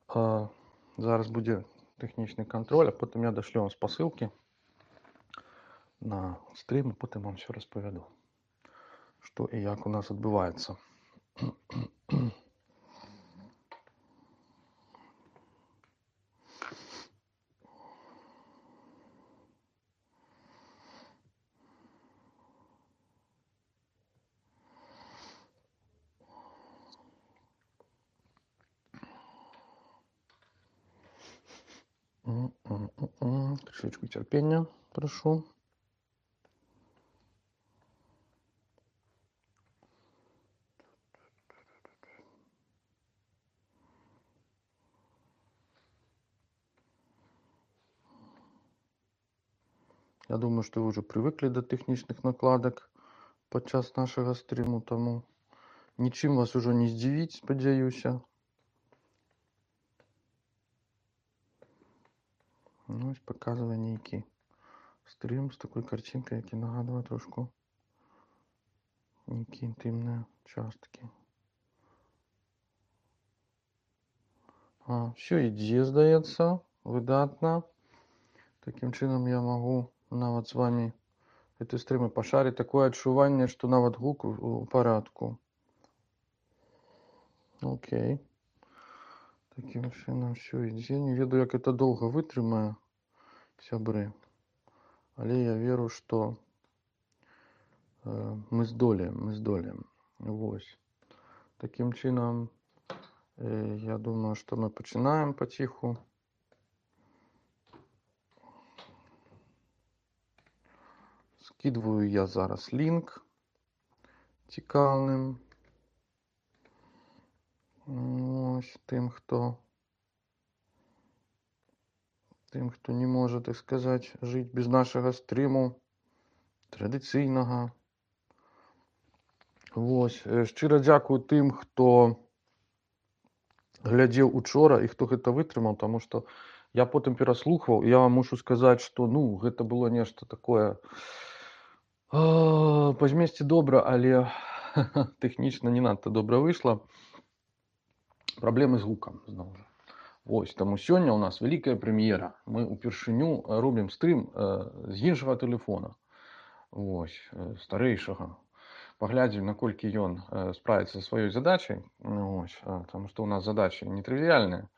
Зараз будзе тэхнічны кантроль, а потым я дашлю вам спасылкі на стрым, і потым вам ўсё распавяду, што і як у нас адбываецца. Трішечку цярпення прашу. Я думаю, што вы ўжо прывыклі да тэхнічных накладак падчас нашага стрыму, таму нічым вас ужо не здзівіць, спадзяюся. Ну, ось паказвае нейкі стрым з такой карцінкай, які нагадвае трошку нейкія інтымныя часткі. Все ідзе, здаецца, выдатна. Такім чынам я магу нават з вами гэты стрымы пашарыць. Такое адчуванне, што нават гук у парадку. Окей. Такім чынам все ідзе. Не ведаю, як это доўга вытрымае, сябры. Але я веру, што мы здолеем. Вось. Такім чынам, я думаю, што мы пачынаем паціху. Скидываю я зараз лінк цікаўным. Ось тым, хто не можа, так сказаць, жыць без нашага стрыму традыцыйнага. Вось. Шчыра дзякую тым, хто глядзеў учора і хто гэта вытрымаў, таму што я потым пераслухваў, і я вам мушу сказаць, што гэта было нешта такое па змесце добра, але тэхнічна не надта добра выйшла. Праблемы з гукам, зноў жа. Вось, таму сёння ў нас вялікая прэм'ера. Мы ўпершыню робім стрым з іншага тэлефона. Вось, старэйшага. Паглядзім, наколькі ён справіцца са сваёй задачай. Вось, таму што ў нас задачы нетрывіяльныя.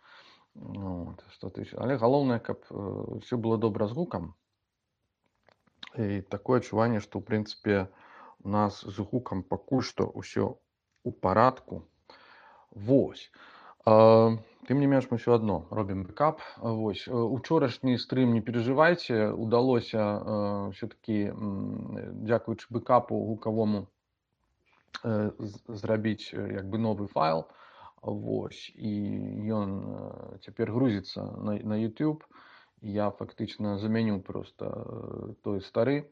Але галоўнае, каб ўсё было добра з гукам. І такое адчуванне, што, ў прынцыпе, у нас з гукам пакуль што ўсё ў парадку. Вось. Тым не менш, мы ўсё адно робім бэкап. Вось. Учорашні стрым, не перажывайце, удалося ўсё-такі, дзякуючы бэкапу гукавому, зрабіць як бы новы файл. Вось. І ён цяпер грузіцца на YouTube. Я фактычна замяню проста той стары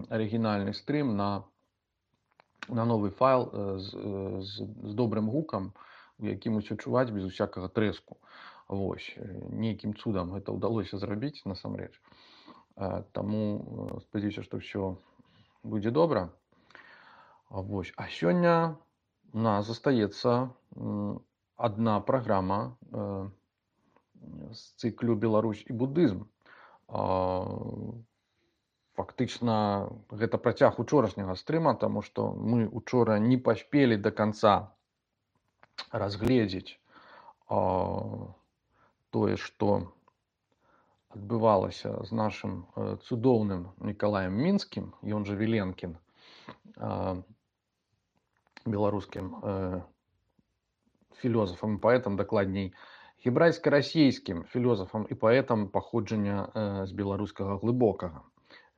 арыгінальны стрым на новы файл з добрым гукам, у якім усё чуваць без усякага трэску. Вось. Нейкім цудам гэта ўдалося зрабіць, насамрэч. Таму спадзяюся, што ўсё будзе добра. Вось. А сёння у нас застаецца адна праграма з цыклю «Беларусь і будызм». Фактычна, гэта працяг учорашняга стрыма, таму што мы учора не паспелі да канца разгледзець тое, што адбывалася з нашым цудоўным Мікалаем Мінскім, ён жа Віленкін, беларускім філёзафам і паэтам, дакладней, гебрайска-расейскім філёзафам і паэтам паходжання з беларускага глыбокага,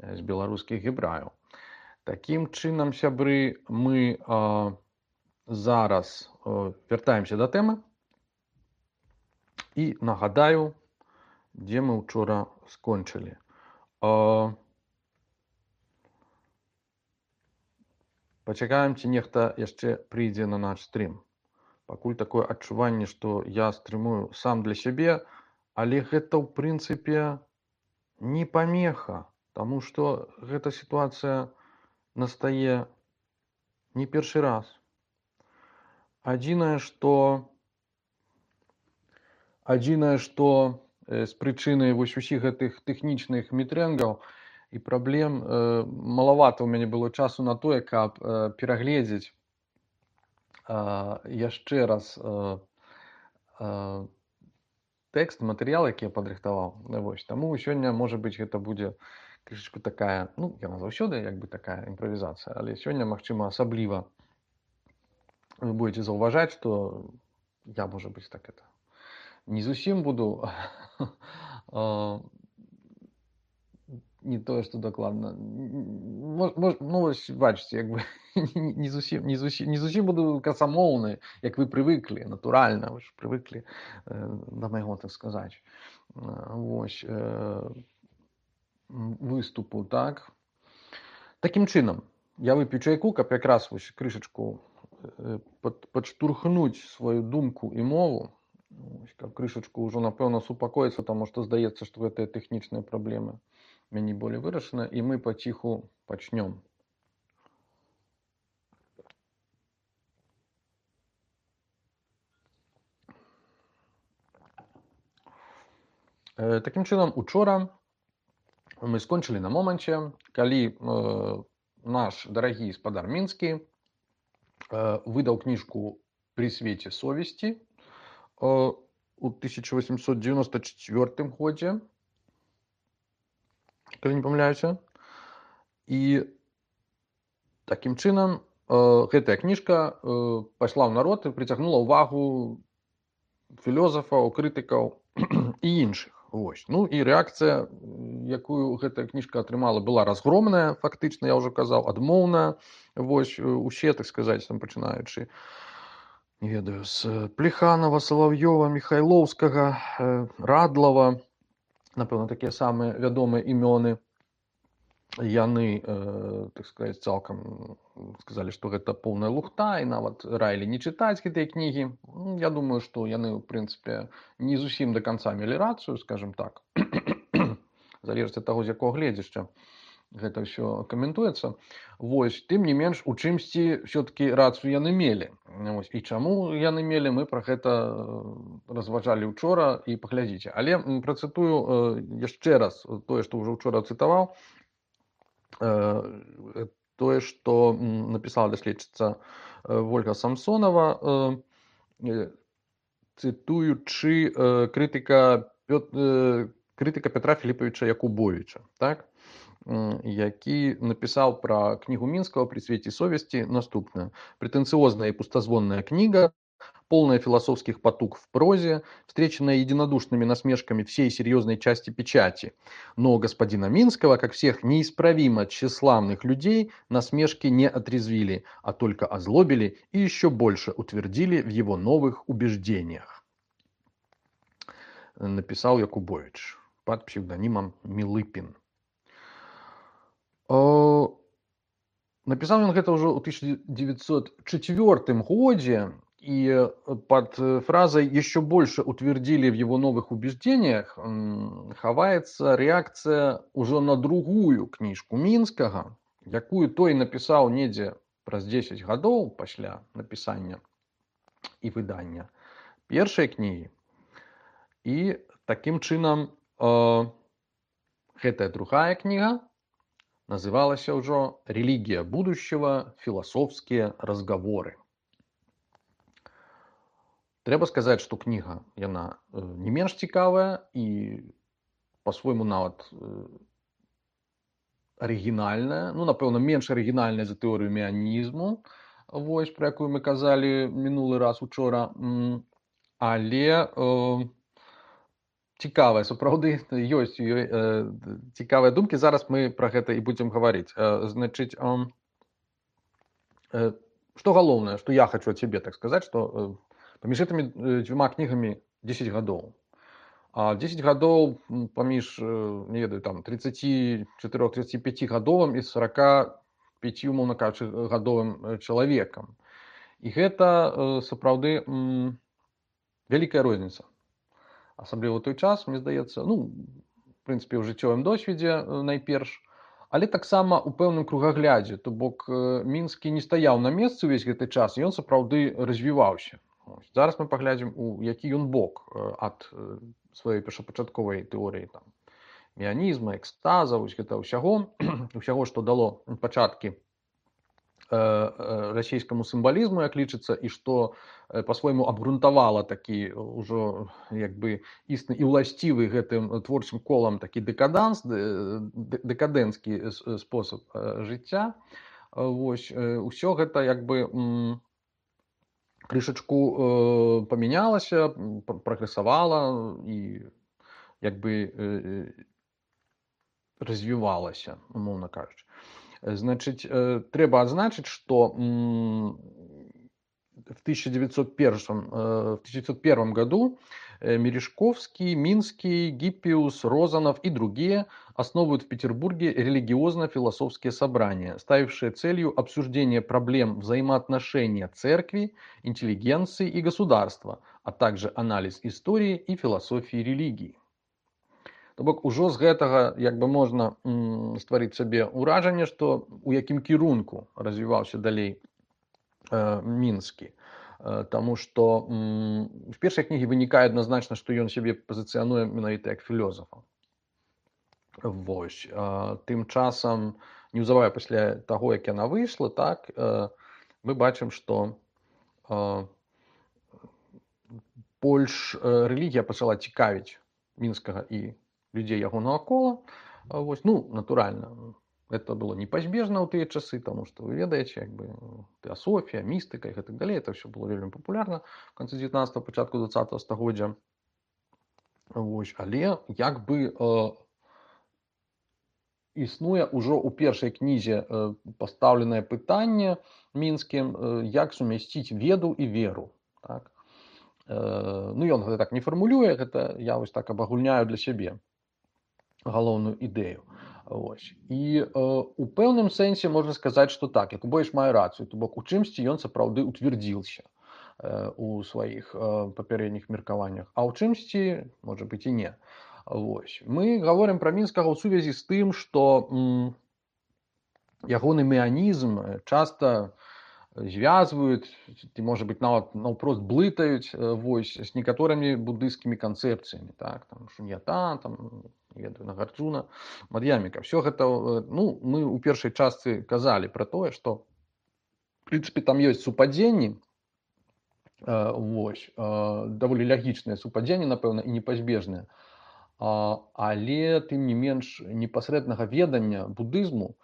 з беларускіх гебраяў. Такім чынам, сябры, мы зараз вяртаемся да тэмы і нагадаю, дзе мы учора скончылі. Пачакаем, ці нехта яшчэ прыйдзе на наш стрым. Пакуль такое адчуванне, што я стрымую сам для сябе, але гэта, ў прынцыпе, не памеха, таму што гэта сітуацыя настае не першы раз. Адзінае, што Адзінае, што з прычыны вось усіх гэтых тэхнічных мітрэнгаў і праблем малавата ў мяне было часу на тое, каб перагледзець яшчэ раз тэкст, матэрыял, які я падрыхтаваў. Вось. Таму сёння, можа быць, гэта будзе крышачку такая, ну, яна заўсёды як бы такая імправізацыя, але сёння, магчыма, асабліва вы будете заўважаць, што я, можа быць, так это не зусім буду не тое, што дакладна. Ну, вось бачыце, як бы не зусім буду красамоўны, як вы прывыклі, натуральна, вы ж прывыклі да майго, так сказаць. Вось выступу, так. Такім чынам, я вып'ю чайку, каб якраз вось крышачку падштурхнуць сваю думку і мову, каб крышачку ўжо, напэўна, супакоіцца, таму што здаецца, што гэтыя тэхнічныя праблемы мяне болей вырашана, і мы паціху пачнём. Такім чынам, учора мы скончылі на моманце, калі наш дарагі спадар мінскі выдаў кніжку «При свеце совести» у 1894 годзе, калі не памыляюся. І такім чынам гэтая кніжка пайшла ў народ і прыцягнула ўвагу філёзафаў, крытыкаў і іншых. Вось. Ну і рэакцыя, якую гэтая кніжка атрымала, была разгромная, фактычна, я ўжо казаў, адмоўная. Вось усе, так сказаць, там пачынаючы, не ведаю, з Плеханова, Салаўёва, Міхайлоўскага, Радлава, напэўна, такія самыя вядомыя імёны, яны, так сказаць, цалкам сказалі, што гэта поўная лухта, і нават раілі не чытаць гэтыя кнігі. Я думаю, што яны, у прынцыпе, не зусім да канца мелі рацыю, скажам так. Залежыць ад таго, з якога гледзяшча гэта ўсё каментуецца. Вось, тым не менш, у чымсьці ўсё-такі рацыю яны мелі. Вось. І чаму яны мелі, мы пра гэта разважалі учора, і паглядзіце. Але працытую яшчэ раз тое, што ўжо учора цытаваў, тое, што напісала даследчыца Вольга Самсонова, цытуючы крытыка Петра Філіпавіча Якубовіча, так? Які напісаў пра кнігу Мінскага «При свете совести» наступное. Претенциозная и пустозвонная книга, полная философских потуг в прозе, встреченная единодушными насмешками всей серьезной части печати. Но господина Минского, как всех неисправимо тщеславных людей, насмешки не отрезвили, а только озлобили и еще больше утвердили в его новых убеждениях. Написал Якубович под псевдонимом Милыпин. Напісаў ён гэта ўжо ў 1904 годзе, и под фразой «еще больше утвердили в его новых убеждениях» хаваецца реакция уже на другую книжку Мінскага, якую той написал недзе праз 10 гадоў пасля напісання і выдання першай кнігі. І таким чынам гэтая другая кніга называлася ўжо «Религия будущего. Философские разговоры». Трэба сказаць, што кніга, яна не менш цікавая і па-свойму нават арыгінальная, ну, напэўна, менш арыгінальная за тэорыю меанізму, вось, пра якую мы казалі мінулы раз учора, але цікавая, сапраўды, ёсць цікавыя думкі. Зараз мы пра гэта і будзем гаварыць. Значыць, што галоўнае, што я хочу ад цябе, так сказаць, што паміж гэтымі дзвюма кнігамі 10 гадоў. А 10 гадоў паміж, не ведаю, там, 34-35 гадовым і 45, умоўна кажучы, гадовым чалавекам. І гэта сапраўды вялікая розніца. Асабліва ў той час, мне здаецца, ну, в прынцыпе, ў жыццёвым досведзе найперш, але таксама ў пэўным кругаглядзе, то бок Мінскі не стаяў на месцы ўвесь гэты час, і ён сапраўды развіваўся. Зараз мы паглядзім, у які ён бок ад сваёй першапачатковай тэорыі там меанізма, экстаза, вось гэта ўсяго, што дало пачаткі расійскаму сімвалізму, як лічыцца, і што па-свойму абгрунтавала такі ўжо як бы існы і ўласцівы гэтым творчым колам такі дэкадэнцкі спосаб жыцця. Вось усё гэта як бы крышачку памянялася, прагрэсавала і як бы развівалася, умоўна кажучы. Значит, трэба адзначыць, што в 1901 году Мережковский, Минский, Гиппиус, Розанов и другие основывают в Петербурге религиозно-философские собрания, ставившие целью обсуждение проблем взаимоотношения церкви, интеллигенции и государства, а также анализ истории и философии религии. То бок ужо з гэтага як бы можна стварыць сабе ўражанне, што у якім кірунку развіваўся далей Мінскі. Таму што в першай кнігі вынікае адназначна, што ён сябе пазіцыянуе менавіта як філёзафа. Вось. Тым часам, неўзабаве пасля таго, як яна выйшла, так, мы бачым, што больш рэлігія пачала цікавіць Мінскага і людзей ягонага кола. Вось, ну, натуральна, это было непазбежна ў тыя часы, таму што вы ведаеце, як бы тэасофія, містыка і гэтак далей, это ўсё было вельмі папулярна в канцы 19-го, пачатку 20-го стагоддзя. Вось, але як бы існуе ўжо ў першай кнізе пастаўленае пытанне Мінскім, як сумясціць веду і веру. Так? Ну, ён гэта так не фармулюе, гэта я вось так абагульняю для сябе галоўную ідэю. Вось. І у пэўным сэнсе можна сказаць, што так, Якубовіч мае рацыю, то бок у чымсьці ён сапраўды утвердзіўся у сваіх папярэдніх меркаваннях, а ў чымсьці, можа быць, і не. Вось. Мы гаворым пра Мінскага ў сувязі з тым, што ягоны меанізм часта звязваюць, ці, можа быць, нават наўпрост блытаюць вось, з некаторымі буддыйскімі канцэпцыямі, так, там, шуньята, там, ведаю, Нагарджуна, Мад'яміка. Все гэта, ну, мы ў першай частцы казалі пра тое, што, в прынцыпе, там ёсць супадзенні, вось, даволі лягічныя супадзенні, напэўна, і непазбежныя, але, тым не менш, непасрэднага ведання буддызму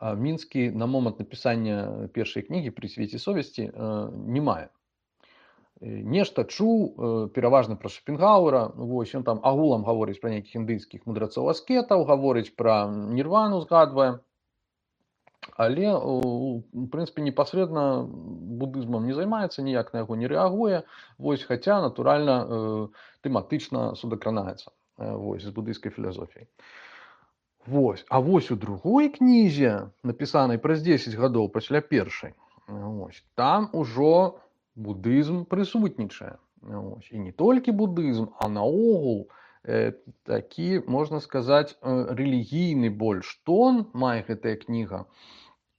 Мінскі на момант напісання першай кнігі «Пры свеце совесці» не мае. Нешта чуў, пераважна пра Шопенгауэра, вось, ён там агулам гаворыць пра нейкіх індыйскіх мудрацоў-аскетаў, гаворыць пра нірвану, згадвае, але, у прынцыпе, непасрэдна буддызмам не займаецца, ніяк на яго не рэагуе, вось, хаця, натуральна, тэматычна судакранаецца, вось, з буддыйскай філасофіяй. Вось. А вось у другой кнізе, напісанай праз 10 гадоў пасля першай, вось, там ужо буддызм прысутнічае. Вось. І не толькі буддызм, а наогул такі, можна сказаць, рэлігійны больш тон мае гэтая кніга.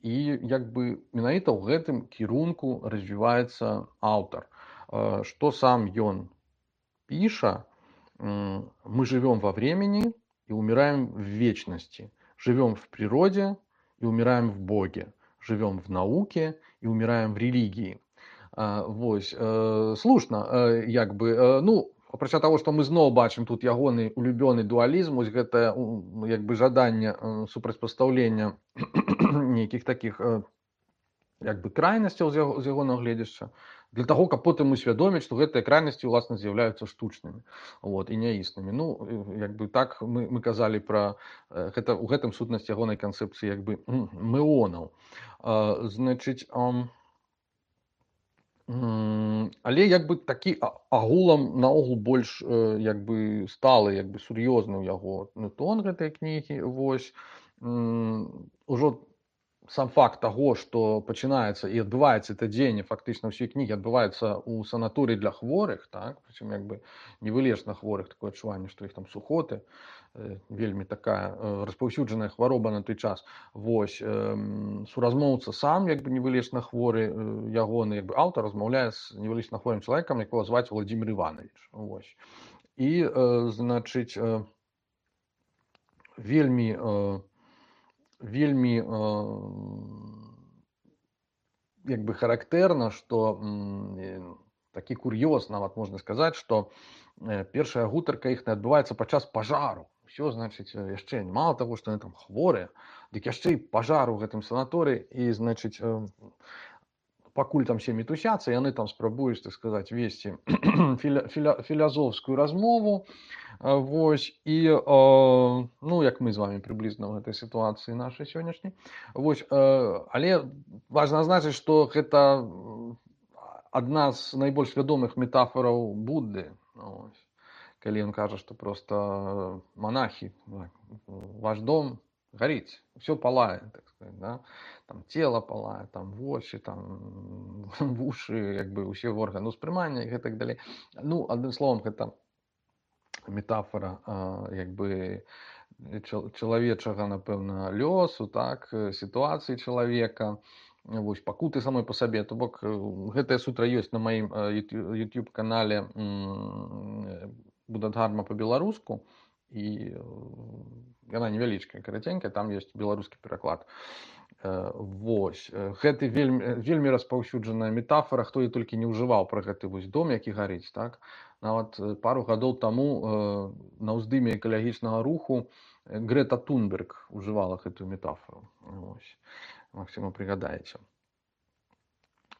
І як бы менавіта ў гэтым кірунку развіваецца аўтар. Што сам ён піша: мы живем во времени и умираем в вечности, живем в природе и умираем в Боге, живем в науке и умираем в религии. Вось, слушна, як бы, ну, апрача таго, што мы зноў бачым тут ягоны улюбёны дуалізм, вось гэта як бы жаданне супрацьпастаўлення нейкіх такіх як бы крайнасцяў з ягонага гледзяшча, для таго, каб потым усвядоміць, што гэтыя крайнасці, уласна, з'яўляюцца штучнымі, вот, і няіснымі. Ну, як бы так мы казалі пра гэта, у гэтым сутнасць ягонай канцэпцыі як бы мэонаў. Значыць, але як бы такі агулам наогул больш як бы сталы, як бы сур'ёзны ў яго тон гэтай кнігі, вось, ужо сам факт таго, што пачынаецца і адбываецца это дзеянне фактычна ўсёй кнігі адбываецца ў санаторыі для хворых, так, прычым як бы невылечна хворых, такое адчуванне, што іх там сухоты, вельмі такая распаўсюджаная хвароба на той час. Вось, суразмоўца сам як бы невылечна хворы, ягоны як бы аўтар размаўляе з невылечна хворым чалавекам, якога зваць Владзімир Іванович. Вось. І, значыць, вельмі як бы характэрна, што такі кур'ёз нават можна сказаць, што першая гутарка іхная адбываецца падчас пажару. Усё, значыць, яшчэ мала таго, што яны там хворыя, дык яшчэ і пажар у гэтым санаторыі, і, значыць, пакуль там все мітусяцца, яны там спрабуюць, так сказаць, весці філазофскую размову. Вось, і, ну, як мы з вами прыблізна ў гэтай сітуацыі нашай сённяшняй. Вось, але важна адзначыць, што гэта адна з найбольш вядомых метафораў Будды. Вось. Калі ён кажа, што проста монахі, ваш дом гарыць, усё палае, так сказать, да? Там цела палае, там вочы, там вушы, як бы ўсе органы ўспрымання і гэтак далей. Ну, адным словам, гэта метафора як бы чалавечага, напэўна, лёсу, так, сітуацыі чалавека, вось, пакуты самой па сабе. То бок гэтая сутра ёсць на маім YouTube-канале Буддхарма па-беларуску, і яна невялічкая, караценькая, там ёсць беларускі пераклад. Вось, гэта вельмі распаўсюджаная метафора, хто і толькі не ўжываў пра гэты вось дом, які гарыць, так. Нават пару гадоў таму на ўздыме экалагічнага руху Грэта Тунберг ужывала гэтую метафору. Вось. Максіма, прыгадаеце.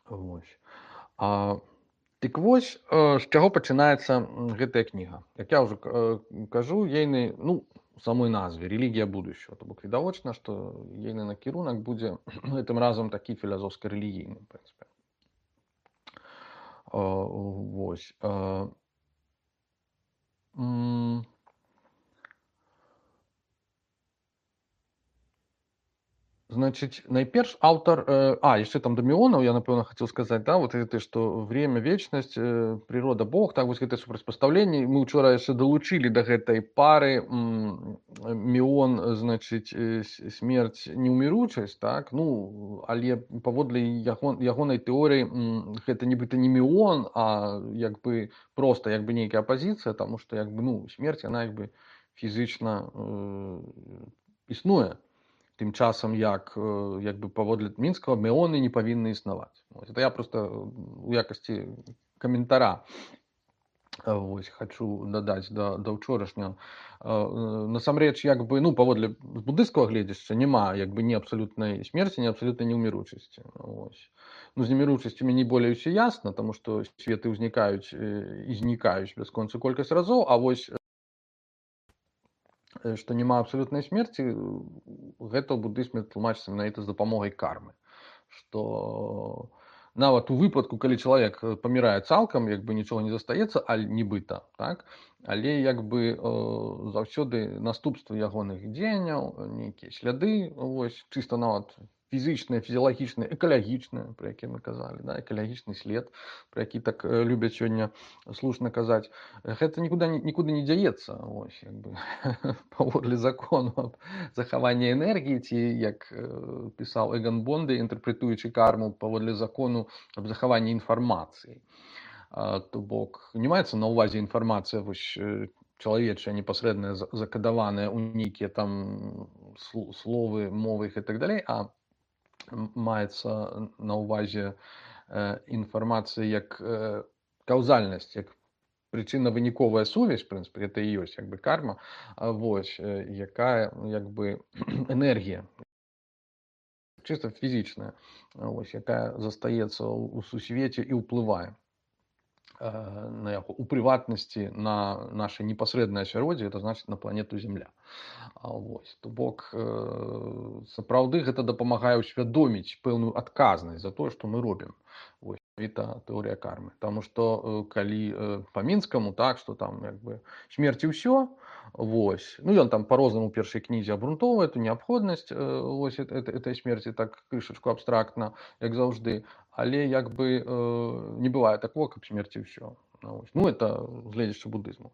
Вось. Дык вось, з чаго пачынаецца гэтая кніга. Як я ўжо кажу, ейны, ну, самой назве рэлігія будучага. То бок відавочна, што ейны накірунак будзе гэтым разам такі філазофска-рэлігійны, в прынцыпе. Вось. Значит, найперш аўтар, яшчэ там да міонаў я, напэўна, хацеў сказаць, да, вот гэта, што время, вечнасць, прырода, Бог, так, вось гэтае супрацьпастаўленне. Мы ўчора яшчэ далучылі да гэтай пары міон, значыць, смерць, неўміручасць, так, ну, але паводле ягонай тэорыі гэта нібыта не міон, а як бы проста як бы нейкая апазіцыя, таму што як бы, ну, смерць, яна як бы фізічна існуе. Тым часам, як бы паводле мінскага, меоны не павінны існаваць. Это я просто у якасці каментара вось хачу дадаць да ўчорашняга. Насамрэч, як бы, ну, паводле буддыйскага гледзяшча няма як бы ні абсалютнай смерці, ні абсалютнай неўміручасці. Ну, з неміручасцю мне болей усё ясна, таму што светы ўзнікаюць і знікаюць бясконцую колькасць разоў, а вось што няма абсалютнай смерці, гэта ў буддызме тлумачыцца менавіта з дапамогай кармы. Што нават у выпадку, калі чалавек памірае цалкам, як бы нічога не застаецца, нібыта, так? Але як бы заўсёды наступствы ягоных дзеянняў, нейкія сляды, вось, чыста нават фізычныя, фізіялагічныя, экалагічныя, пра якія мы казалі, да? Экалагічны след, пра які так любяць сёння слушна казаць, гэта нікуды не дзяецца, вось, як бы, паводле закону аб захаванні энергіі, ці, як пісаў Эган Бонды, інтэрпрэтуючы карму, паводле закону аб захаванні інфармацыі. То бок, не маецца на ўвазе інфармацыя, вось, чалавечая, непасрэдная, закадаваная ў нейкія там словы, мовы і так далей, а маецца на ўвазе інфармацыя як каўзальнасць, як прычынна-выніковая сувязь, в прынцыпе, гэта і ёсць як бы карма, вось, якая як бы энергія, чыста фізічная, вось, якая застаецца ў сусвеце і ўплывае на яго, у прыватнасці на наше непасрэднае асяроддзе, это значыць на планету Зямля. Вось, то бок, сапраўды гэта дапамагае ўсвядоміць пэўную адказнасць за тое, што мы робім. Вось, гэта тэорыя кармы. Таму што калі па мінскаму, так, што там як бы смерць і ўсё, Вось. Ну, ён там по-рознаму ў першай кнізе абгрунтоўвае эту неабходнасць вось этой смерці так крышачку абстрактна, як заўжды. Але як бы не бывае такого, каб смерці ўсё. Ну, это гледзячы будызму.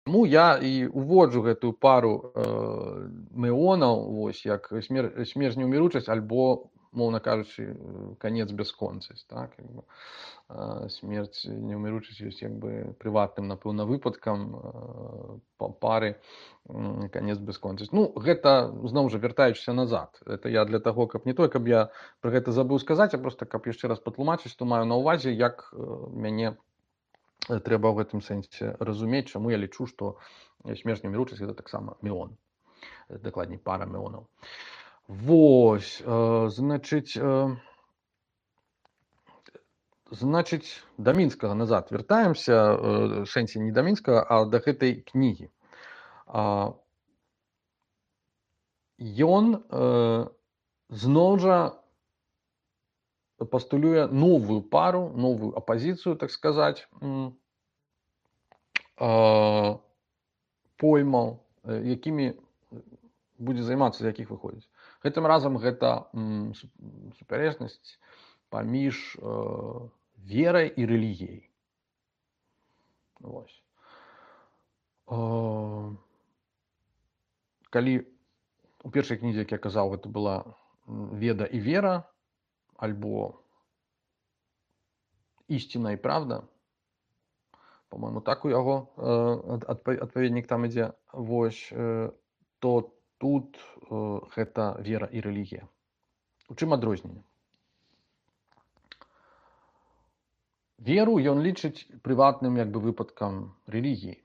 Таму я і уводжу гэтую пару мэонаў, вось, як смерць неўміручасць альбо, моўна кажучы, канец бясконцасць. Так? Смерць неўміручасць ёсць як бы прыватным, напэўна, выпадкам пары канец бясконцасць. Ну, гэта, зноў жа, вяртаючыся назад. Это я для таго, каб не той, каб я пра гэта забыў сказаць, а проста каб яшчэ раз патлумачыць, што маю на ўвазе, як мяне трэба ў гэтым сэнсе разумець, чаму я лічу, што смерць неўміручасць гэта таксама меон. Дакладней, пара меонаў. Вось, значыць, да мінскага назад вяртаемся, сэнсе не да мінскага, а да гэтай кнігі. Ён зноў жа пастулюе новую пару, новую апазіцыю, так сказаць, поймаў, якімі будзе займацца, з якіх выходзіць. Гэтым разам гэта супярэчнасць паміж верай і рэлігіяй. Вось. Калі у першай кнізе, як я казаў, гэта была веда і вера, альбо ісціна і правда, по-моему, так у яго адпаведнік там ідзе, вось, то тут гэта вера і рэлігія. У чым адрозненне? Веру ён лічыць прыватным як бы выпадкам рэлігіі,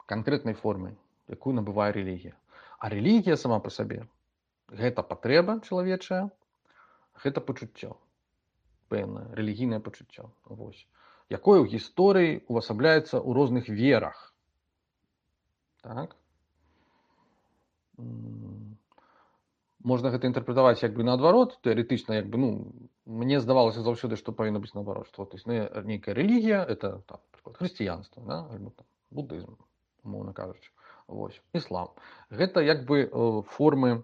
канкрэтнай формы, якую набывае рэлігія. А рэлігія сама па сабе гэта патрэба чалавечая, гэта пачуццё, пэўнае рэлігійнае пачуццё, вось, якое ў гісторыі увасабляецца ў розных верах. Так? Можна гэта інтэрпрэтаваць як бы наадварот, тэарэтычна, як бы, ну, мне здавалася заўсёды, што павінна быць наадварот, што нейкая рэлігія, это, там, напрыклад, хрысціянства, да? Альбо там, будызм, умоўна кажучы, вось, іслам. Гэта як бы формы,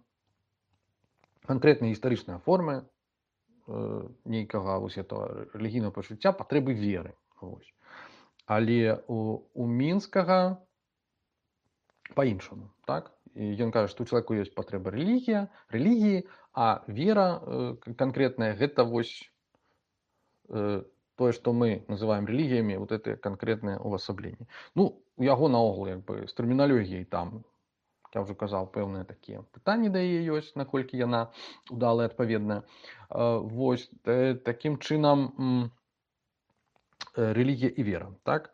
канкрэтныя гістарычныя формы нейкага вось этого рэлігійнага пачуцця, патрэбы веры. Вось. Але у мінскага па-іншаму, так? Ён кажа, што ў чалавеку ёсць патрэба рэлігіі, а вера канкрэтная гэта вось тое, што мы называем рэлігіямі, вот это канкрэтнае увасабленне. Ну, у яго наогул як бы з тэрміналогіяй там, я ўжо казаў, пэўныя такія пытанні да яе ёсць, наколькі яна удалая, адпаведная. Вось, такім чынам рэлігія і вера, так?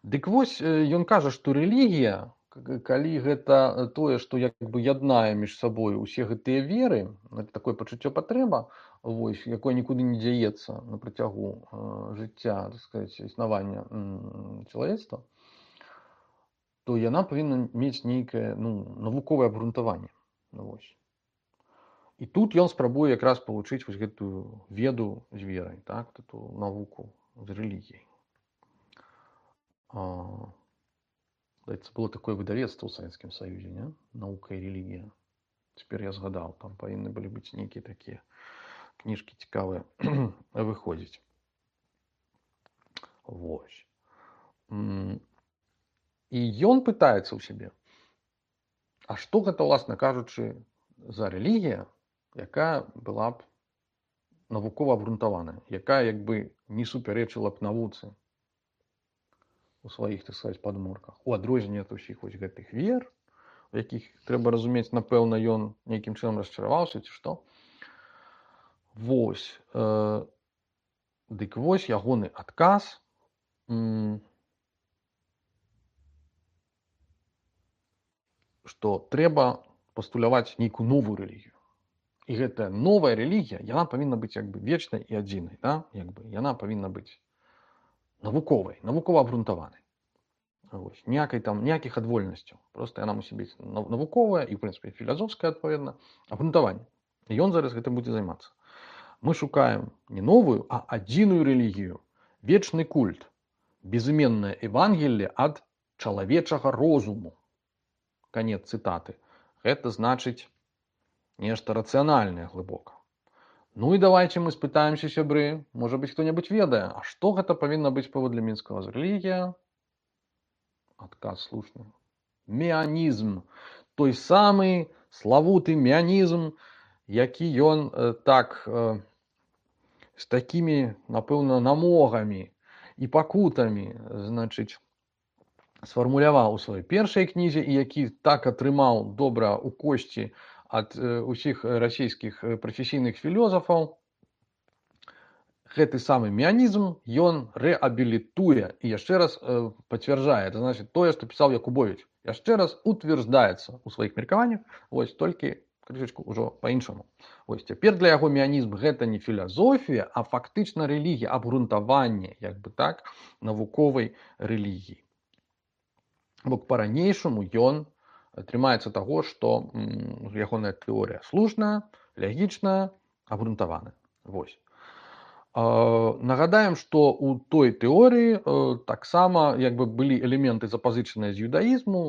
Дык вось, ён кажа, што рэлігія, калі гэта тое, што як бы яднае між сабой усе гэтыя веры, это такое пачуццё патрэба, вось, якое нікуды не дзяецца на працягу жыцця, так сказаць, існавання чалавецтва, то яна павінна мець нейкае, ну, навуковае абгрунтаванне. Вось. І тут ён спрабуе якраз павучыць вось гэтую веду з верай, так, эту навуку з рэлігіяй. Здаецца, было такое выдавецтва ў Савецкім Саюзе, не? Наука і рэлігія. Цяпер я згадаў, там павінны былі быць нейкія такія кніжкі цікавыя выходзіць. Вось. І ён пытаецца ў сябе, а што гэта, уласна кажучы, за рэлігія, якая была б навукова абгрунтаваная, якая як бы не супярэчыла б навуцы у сваіх, так сказаць, падмурках. У адрозненне ад усіх вось гэтых вер, у якіх, трэба разумець, напэўна, ён нейкім чынам расчараваўся, ці што. Вось. Дык вось ягоны адказ. Што трэба пастуляваць нейкую новую рэлігію. І гэтая новая рэлігія, яна павінна быць як бы вечнай і адзінай, да? Як бы яна павінна быць навуковай, навукова абгрунтаванай. Ніякіх адвольнасцяў. Проста яна мусіць быць навуковая і, в прынцыпе, філазофская, адпаведна, абгрунтаванне. І ён зараз гэтым будзе займацца. Мы шукаем не новую, а адзіную рэлігію, вечны культ, безыменнае Евангелле ад чалавечага розуму. Конец цитаты. Гэта значыць нешта рацыянальнае глыбока. Ну і давайте мы спытаемся, сябры, можа быць, хто-небудзь ведае, а што гэта павінна быць паводле Мінскага з рэлігія? Адказ слушны. Меанізм. Той самы славуты меанізм, які ён з такімі, напэўна, намогамі і пакутамі, значыць, сфармуляваў у сваёй першай кнізе, і які так атрымаў добра ў косці ад усіх расійскіх прафесійных філёзафаў. Гэты самы меанізм ён рэабілітуе і яшчэ раз пацвярджае, это значит тое, што пісаў Якубовіч, яшчэ раз утверждаецца ў сваіх меркаваннях, вось толькі крышачку ўжо па-іншаму. Вось цяпер для яго меанізм гэта не філазофія, а фактычна рэлігія, абгрунтаванне, як бы так, навуковай рэлігіі. Бо па-ранейшаму ён трымаецца таго, што ягоная тэорыя слушная, лягічная, абгрунтаваная. Вось. Нагадаем, што ў той тэорыі таксама як бы былі элементы запазычаныя з юдаізму,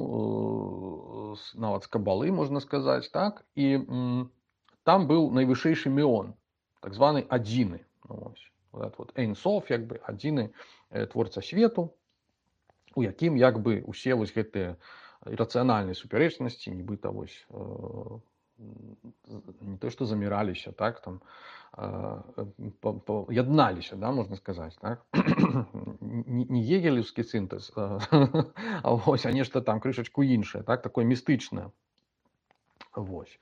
нават з кабалы, можна сказаць, так? І там быў найвышэйшы меон, так званы адзіны. Вот Ein Sof, як бы адзіны творца свету, у якім як бы усе вось гэтыя рацыянальныя супярэчнасці нібыта вось не то што заміраліся, так, там ядналіся, да, можна сказаць, так? Не гегелевскі сінтэз, а нешта там крышачку іншае, так, такое містычнае. Вось.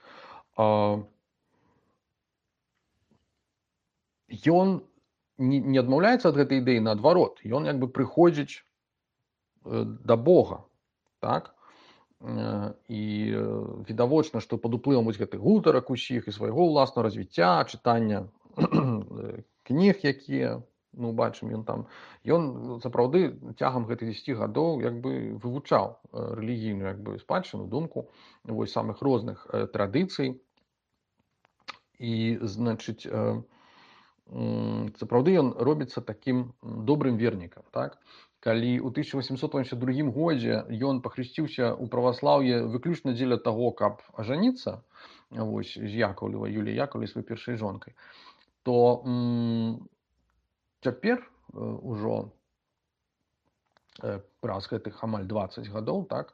Ён не адмаўляецца ад гэтай ідэі, наадварот, ён як бы прыходзіць да Бога, так? І відавочна, што пад уплывам вось гэтых гутарак усіх і свайго ўласнага развіцця, чытання кніг, якія, ну, бачым, ён сапраўды цягам гэтых 10 гадоў як бы вывучаў рэлігійную як бы спадчыну, думку вось самых розных традыцый. І, значыць, сапраўды ён робіцца такім добрым вернікам, так? Калі ў 1882 годзе ён пахрысціўся ў праваслаўе выключна дзеля таго, каб ажаніцца вось з Яковлевай, Юліяй Яковлевай, сваёй першай жонкай, то цяпер ужо праз гэтых амаль 20 гадоў, так,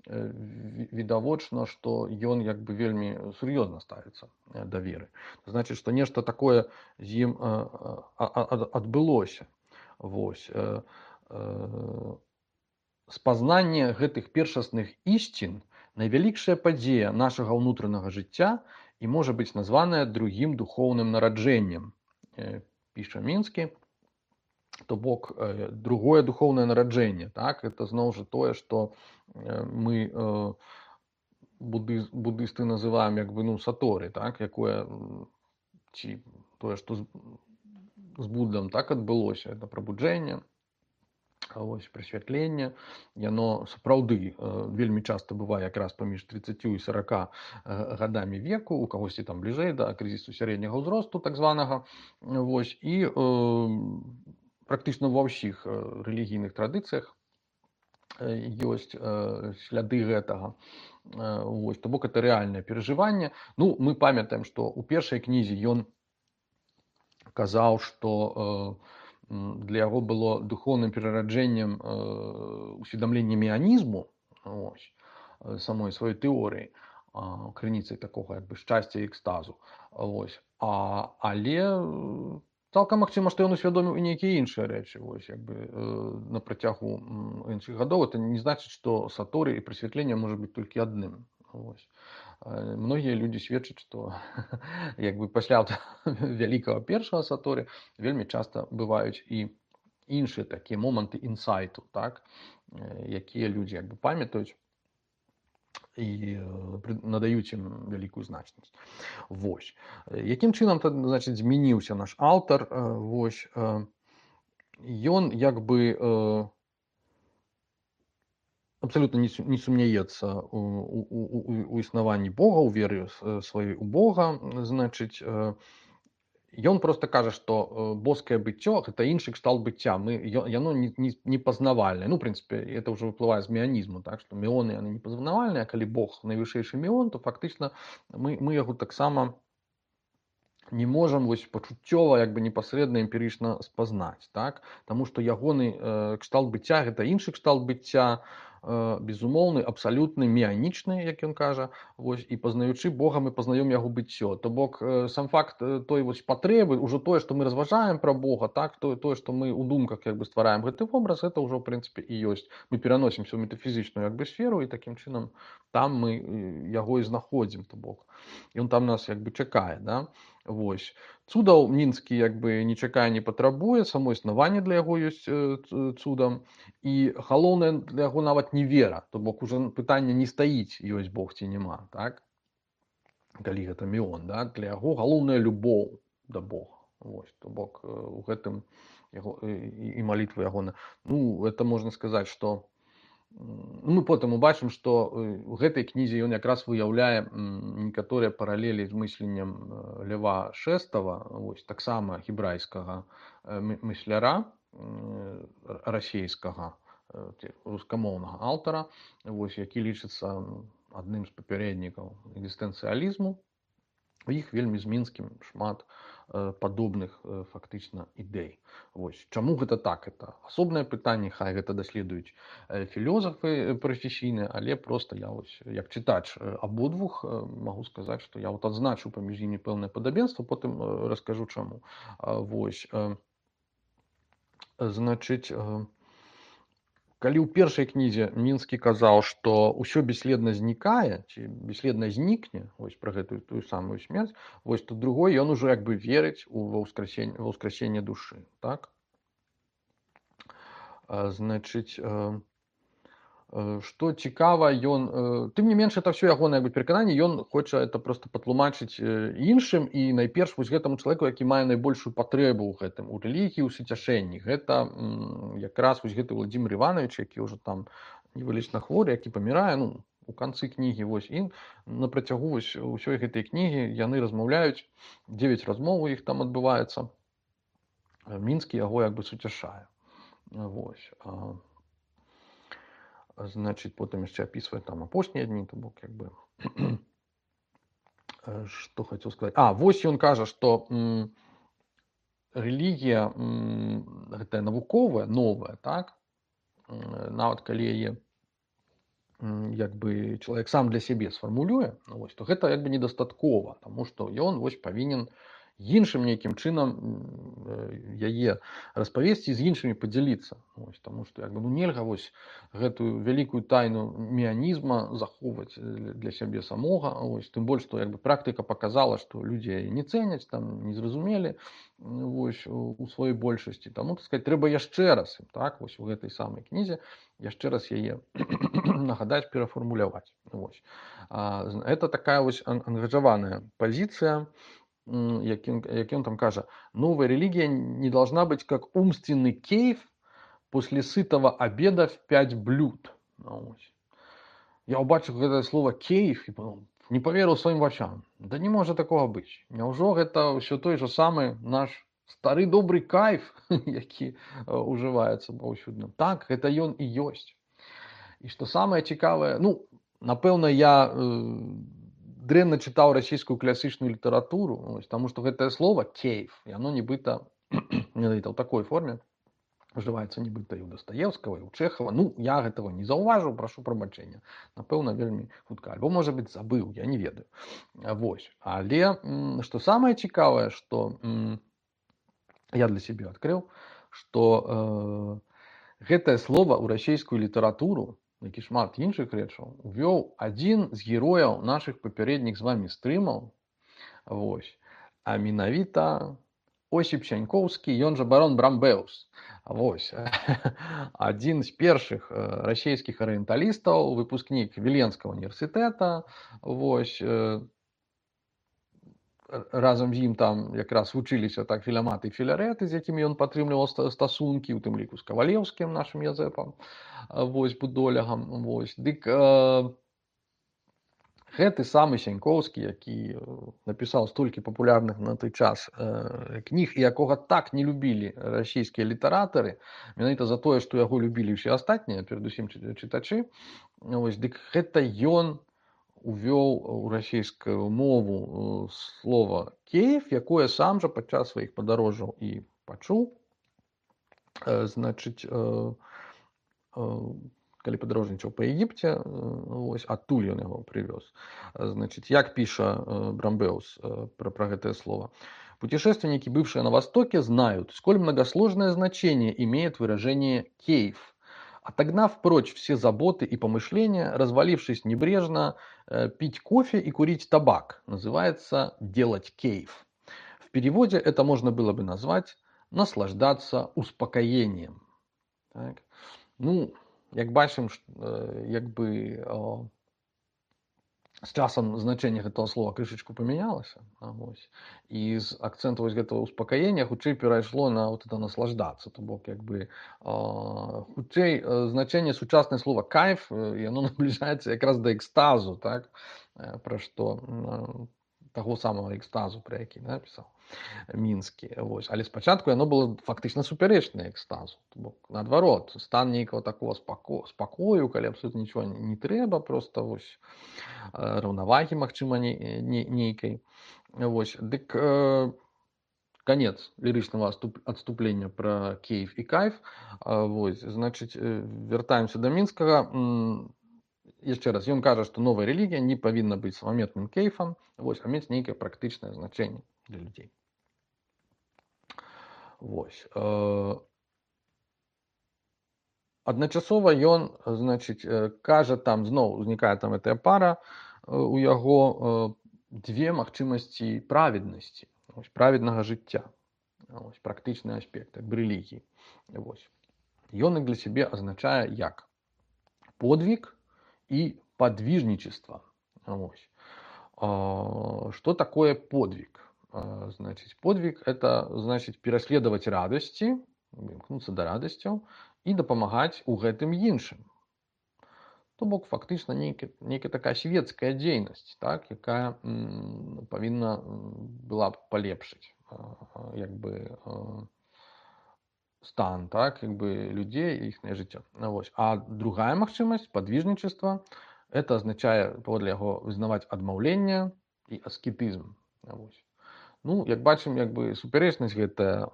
відавочна, што ён як бы вельмі сур'ёзна ставіцца да веры. Значыць, што нешта такое з ім адбылося. Вось. Спазнанне гэтых першасных ісцін найвялікшая падзея нашага ўнутранага жыцця і можа быць названая другім духоўным нараджэннем, піша Мінскі. То бок другое духоўнае нараджэнне, так, это зноў жа тое, што мы буддысты называем як бы, ну, саторы, так, якое ці тое, што з Буддам так адбылося, это прабуджэнне, вось прасвятленне, яно сапраўды вельмі часта бывае якраз паміж 30 і 40 гадамі веку, у кагосьці там бліжэй да крызісу сярэдняга ўзросту, так званага, вось, і практычна ва ўсіх рэлігійных традыцыях ёсць сляды гэтага. Вось, то бок это рэальнае перажыванне. Ну, мы памятаем, што ў першай кнізе ён казаў, што для яго было духоўным перараджэннем усведамлення меанізму, ось, самой сваёй тэорыі, крыніцай такога як бы шчасця і экстазу. Ось. Але цалкам магчыма, што ён усвядоміў і нейкія іншыя рэчы, вось, як бы на працягу іншых гадоў. Это не значыць, што саторы і прасвятленне можа быць толькі адным. Вось. Многія людзі сведчаць, што як бы пасля вялікага першага саторы вельмі часта бываюць і іншыя такія моманты інсайту, так, якія людзі як бы памятаюць і надаюць ім вялікую значнасць. Вось. Якім чынам, значыць, змяніўся наш аўтар? Вось. Ён як бы абсолютно не сумняецца у існаванні Бога, у веры сваёй у Бога, значыць, Ён просто кажа, што боскае быццё гэта іншы кшталт быцця. Яно непазнавальнае. Ну, в прынцыпе, это ўжо выплывае з меанізму, так што меоны яны непазнавальныя, калі Бог найвышэйшы меон, то фактычна мы яго таксама не можам вось пачуццёва як бы непасрэдна эмпірычна спазнаць, так? Таму што ягоны кшталт быцця гэта іншы кшталт быцця, безумоўны, абсалютны, меанічны, як ён кажа, вось, і пазнаючы Бога мы пазнаём яго быццё. То бок сам факт той вось патрэбы, ужо тое, што мы разважаем пра Бога, так, тое, што мы ў думках як бы ствараем гэты вобраз, гэта ўжо ў прынцыпе і ёсць. Мы пераносімся ў метафізічную як бы сферу і такім чынам там мы яго і знаходзім, то бок. Ён там нас як бы чакае, да? Вось. Цудаў мінскі як бы не чакае, не патрабуе, само існаванне для яго ёсць цудам, і галоўнае для яго нават не вера, то бок уже пытанне не стаіць, ёсць Бог ці няма, так? Калі гэта меон, да? Для яго галоўная любоў да Бога. Вось, то бок у гэтым яго і малітва ягона. Ну, это можна сказаць, што мы потым убачым, што у гэтай кнізе ён якраз выяўляе некаторыя паралелі з мысленнем Льва Шэстава, вось, таксама гебрайскага мысляра, расейскага, рускамоўнага аўтара, вось, які лічыцца адным з папярэднікаў экзістэнцыялізму. У іх вельмі з мінскім шмат падобных фактычна ідэй. Вось. Чаму гэта так? Это асобнае пытанне, хай гэта даследуюць філёзафы прафесійныя, але проста я вось, як чытач абодвух магу сказаць, што я вот адзначу паміж імі пэўнае падабенства, потым раскажу чаму. Вось. Значыць, калі ў першай кнізе Мінскі казаў, што ўсё бесследна знікае, ці бесследна знікне, вось пра гэтую тую самую смерць, вось то другой ён ужо як бы верыць ва ўскрасенне душы, так? Значыць, што цікава, ён, тым не менш, это ўсё ягонае як бы перакананне, ён хоча это проста патлумачыць іншым, і найперш вось гэтаму чалавеку, які мае найбольшую патрэбу ў гэтым, у рэлігіі, у суцяшэнні. Гэта якраз вось гэты Владзімир Іванович, які ўжо там невылечна хворы, які памірае, ну, у канцы кнігі, вось, і на працягу вось усёй гэтай кнігі яны размаўляюць, 9 размоў у іх там адбываецца. Мінскі яго як бы суцяшае. Вось. Значыць, потым яшчэ апісвае там апошнія дні, то бок як бы што хацеў сказаць. Вось ён кажа, што рэлігія гэтая навуковая, новая, так? Нават калі яе як бы чалавек сам для сябе сфармулюе, вось, то гэта як бы недастаткова, таму што ён вось павінен іншым нейкім чынам яе распавесці, з іншымі падзяліцца. Вось, таму што як бы, ну, нельга вось гэтую вялікую тайну меанізма захоўваць для сябе самога. Вось, тым больш, што як бы практыка паказала, што людзі яе не цэняць, там не зразумелі вось, у сваёй большасці. Таму, так сказаць, трэба яшчэ раз, так, вось у гэтай самай кнізе яшчэ раз яе нагадаць, перафармуляваць. Вось. Это такая вось ангажаваная пазіцыя, як он там кажа, новая религия не должна быть как умственный кейф после сытого обеда в 5 блюд. Я убачив это слово кейф и не поверил своим вачам. Да не может такого быть. Няўжо гэта все той же самый наш стары добрый кайф, які уживаецца паўсюдна. Так, гэта ён і ёсць. І што самае цікавае, ну, напэўна, я дрэнна чытаў расійскую класічную літаратуру, вось, таму што гэтае слово кейф, яно нібыта менавіта ў такой форме ужываецца нібыта і ў Дастаеўскага, і ў Чэхава. Ну, я гэтага не заўважыў, прашу прабачэння. Напэўна, вельмі хутка. Альбо, можа быць, забыў, я не ведаю. Вось. Але што самае цікавае, што я для сябе адкрыў, што гэтае слово ў расійскую літаратуру, як і шмат іншых рэчаў, увёў адзін з герояў нашых папярэдніх з вамі стрымаў, вось, а менавіта Осіп Сянькоўскі, ён жа барон Брамбеус. Вось. Адзін з першых расійскіх арыенталістаў, выпускнік Віленскага універсітэта, вось, разам з ім там якраз вучыліся так Філямат і Філарэт, з якімі ён падтрымліваў стасункі, у тым ліку з Кавалеўскім, нашым Язэпам, вось, будолягам, вось. Дык Гэты самы Сянькоўскі, які напісаў столькі папулярных на той час кніг і якога так не любілі расійскія літаратары, менавіта за тое, што яго любілі ўсе астатнія, перадусім чытачы. Вось, дык гэта ён увёў у расійскую мову слова «Киев», якое сам жа падчас сваіх падарожжаў і пачуў. Значыць, калі падарожнічаў па Егіпце, вось адтуль ён яго прывёз. Значыць, як піша Брамбеус пра гэтае слово. Путешественники, бывшие на Востоке, знают, сколь многосложное значение имеет выражение «кейф». Отогнав прочь все заботы и помышления, развалившись небрежно, пить кофе и курить табак называется «делать кейф». В переводе это можно было бы назвать «наслаждаться успокоением». Так. Ну, як бачым, з часам значэнне гэтага слова крышачку памянялася. І з акцэнту гэтага успакаення хутчэй перайшло на вот это наслаждацца. То бок, хутчэй значэнне сучаснае слова кайф, яно набліжаецца якраз да экстазу, так? Пра што таго самага экстазу, пра які напісаў мінскі. Вось. Але спачатку яно было фактычна супярэчнае экстазу. То бок, наадварот, стан нейкага такого спакою, калі абсолютна нічого не трэба, просто вось раўнавагі, магчыма, нейкай. Вось. Дык канец лірычнага адступлення пра кейф і кайф. Вось. Значыць, вяртаемся да мінскага. Яшчэ раз, ён кажа, што новая рэлігія не павінна быць самаметным кейфам, вось, а мець нейкае практычнае значэнне для людзей. Вось. Адначасова ён, значыць, кажа, там зноў узнікае там гэтая пара у яго дзве магчымасці праведнасці, праведнага жыцця, практычны аспект рэлігіі. Ён іх для сябе азначае як подвиг и подвижничество. Что такое подвиг? Значит, подвиг – это значит пераследовать радости, імкнуцца да радасцяў і дапамагаць у гэтым іншым. То бок фактычна нейкая такая светская дзейнасць, так, якая павінна была б палепшыць стан, так, людей и их жыццё. А другая магчымасць подвижничества – это означае паводле яго вызнаваць адмаўленне і аскетызм. Ну, як бачым, супярэчнасць гэтая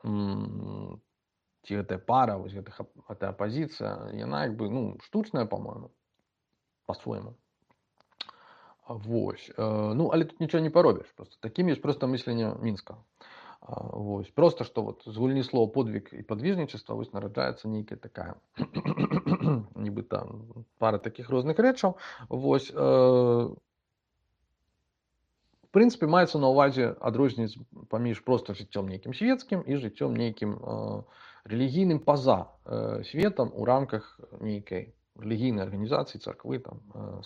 ці гэтая пара, гэтая апазіцыя, яна штучная, по-моему, по-свойму. Ну, але тут нічого не паробіш. Таким ёсць проста мысленне мінскага. Просто што вот з гульні слова подвиг і падвижнічества нараджаецца нейкая такая нібыта пара такіх розных рэчаў. В прынцыпе, маецца на ўвазе адрозніваць паміж проста жыццём нейкім светскім і жыццём нейкім рэлігійным па-за светам у рамках нейкай рэлігійнай арганізацыі, царквы,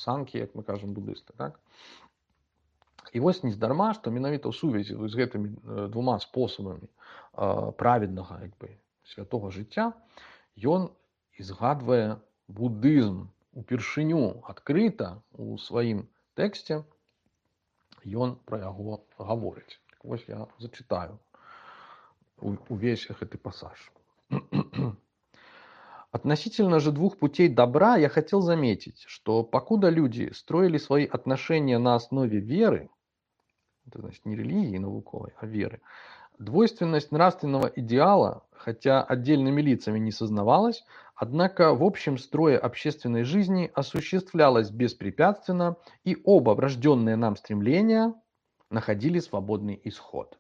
санкі, як мы кажам, будысты, так? І вось нездарма, што менавіта ў сувязі з гэтымі двума спосабамі праведнага святога жыцця ён і згадвае будызм упершыню адкрыта у сваім тэксце, ён пра яго гаворыць. Вось я зачытаю увесь гэты пассаж. Относительно же двух путей добра я хотел заметить, что покуда люди строили свои отношения на основе веры, это значит не религии науковой, а веры, двойственность нравственного идеала, хотя отдельными лицами не сознавалась, однако в общем строе общественной жизни осуществлялась беспрепятственно, и оба врожденные нам стремления находили свободный исход.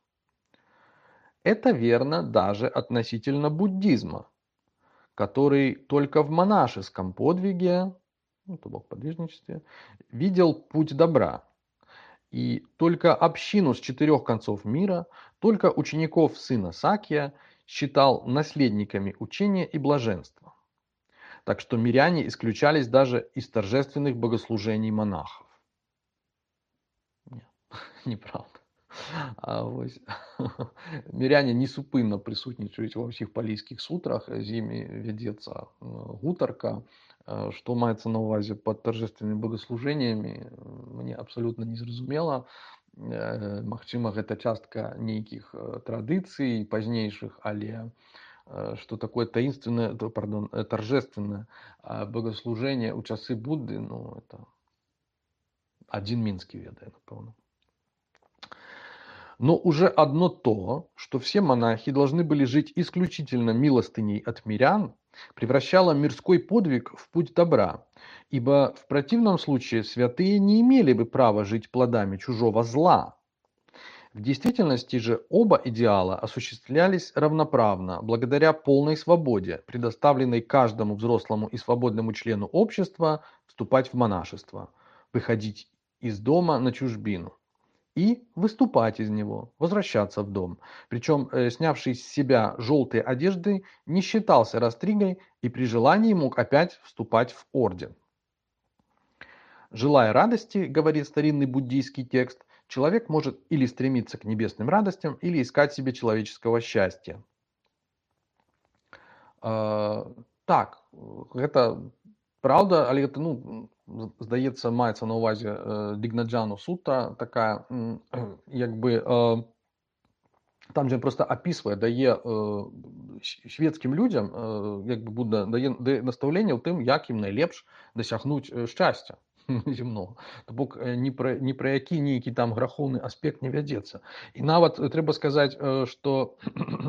Это верно даже относительно буддизма, который только в монашеском подвиге, то бок подвижничестве, видел путь добра. И только общину с 4 концов мира, только учеников сына Сакья считал наследниками учения и блаженства. Так что миряне исключались даже из торжественных богослужений монахов. Нет, неправда. Миряне несупынна прысутнічаюць ва ўсіх палійскіх сутрах, з імі вядзецца гутарка. Што маецца на ўвазе пад торжественнымі богослужениями, мне мне абсалютна незразумела. Магчыма, гэта частка нейкіх традыцый пазнейшых, але что такое таинственное, пардон, торжественное богослужение у часы Будды, ну, это один Минский ведает, напевно. Но уже одно то, что все монахи должны были жить исключительно милостыней от мирян, превращало мирской подвиг в путь добра, ибо в противном случае святые не имели бы права жить плодами чужого зла. В действительности же оба идеала осуществлялись равноправно, благодаря полной свободе, предоставленной каждому взрослому и свободному члену общества вступать в монашество, выходить из дома на чужбину и выступать из него, возвращаться в дом. Причем снявший с себя желтые одежды не считался растригой и при желании мог опять вступать в орден. Желая радости, говорит старинный буддийский текст, человек может или стремиться к небесным радостям, или искать себе человеческого счастья. Так, гэта правда, але гэта, ну, здаецца, маецца на ўвазе Дигнаджану Сутта, такая, як бы, там же просто описывае, дае свецкім людзям, як бы Будда дае настаўленне ў тым, як ім найлепш дасягнуць шчасця земного. То бок ні пра які нейкі там грахоўны аспект не вядзецца. І нават трэба сказаць, што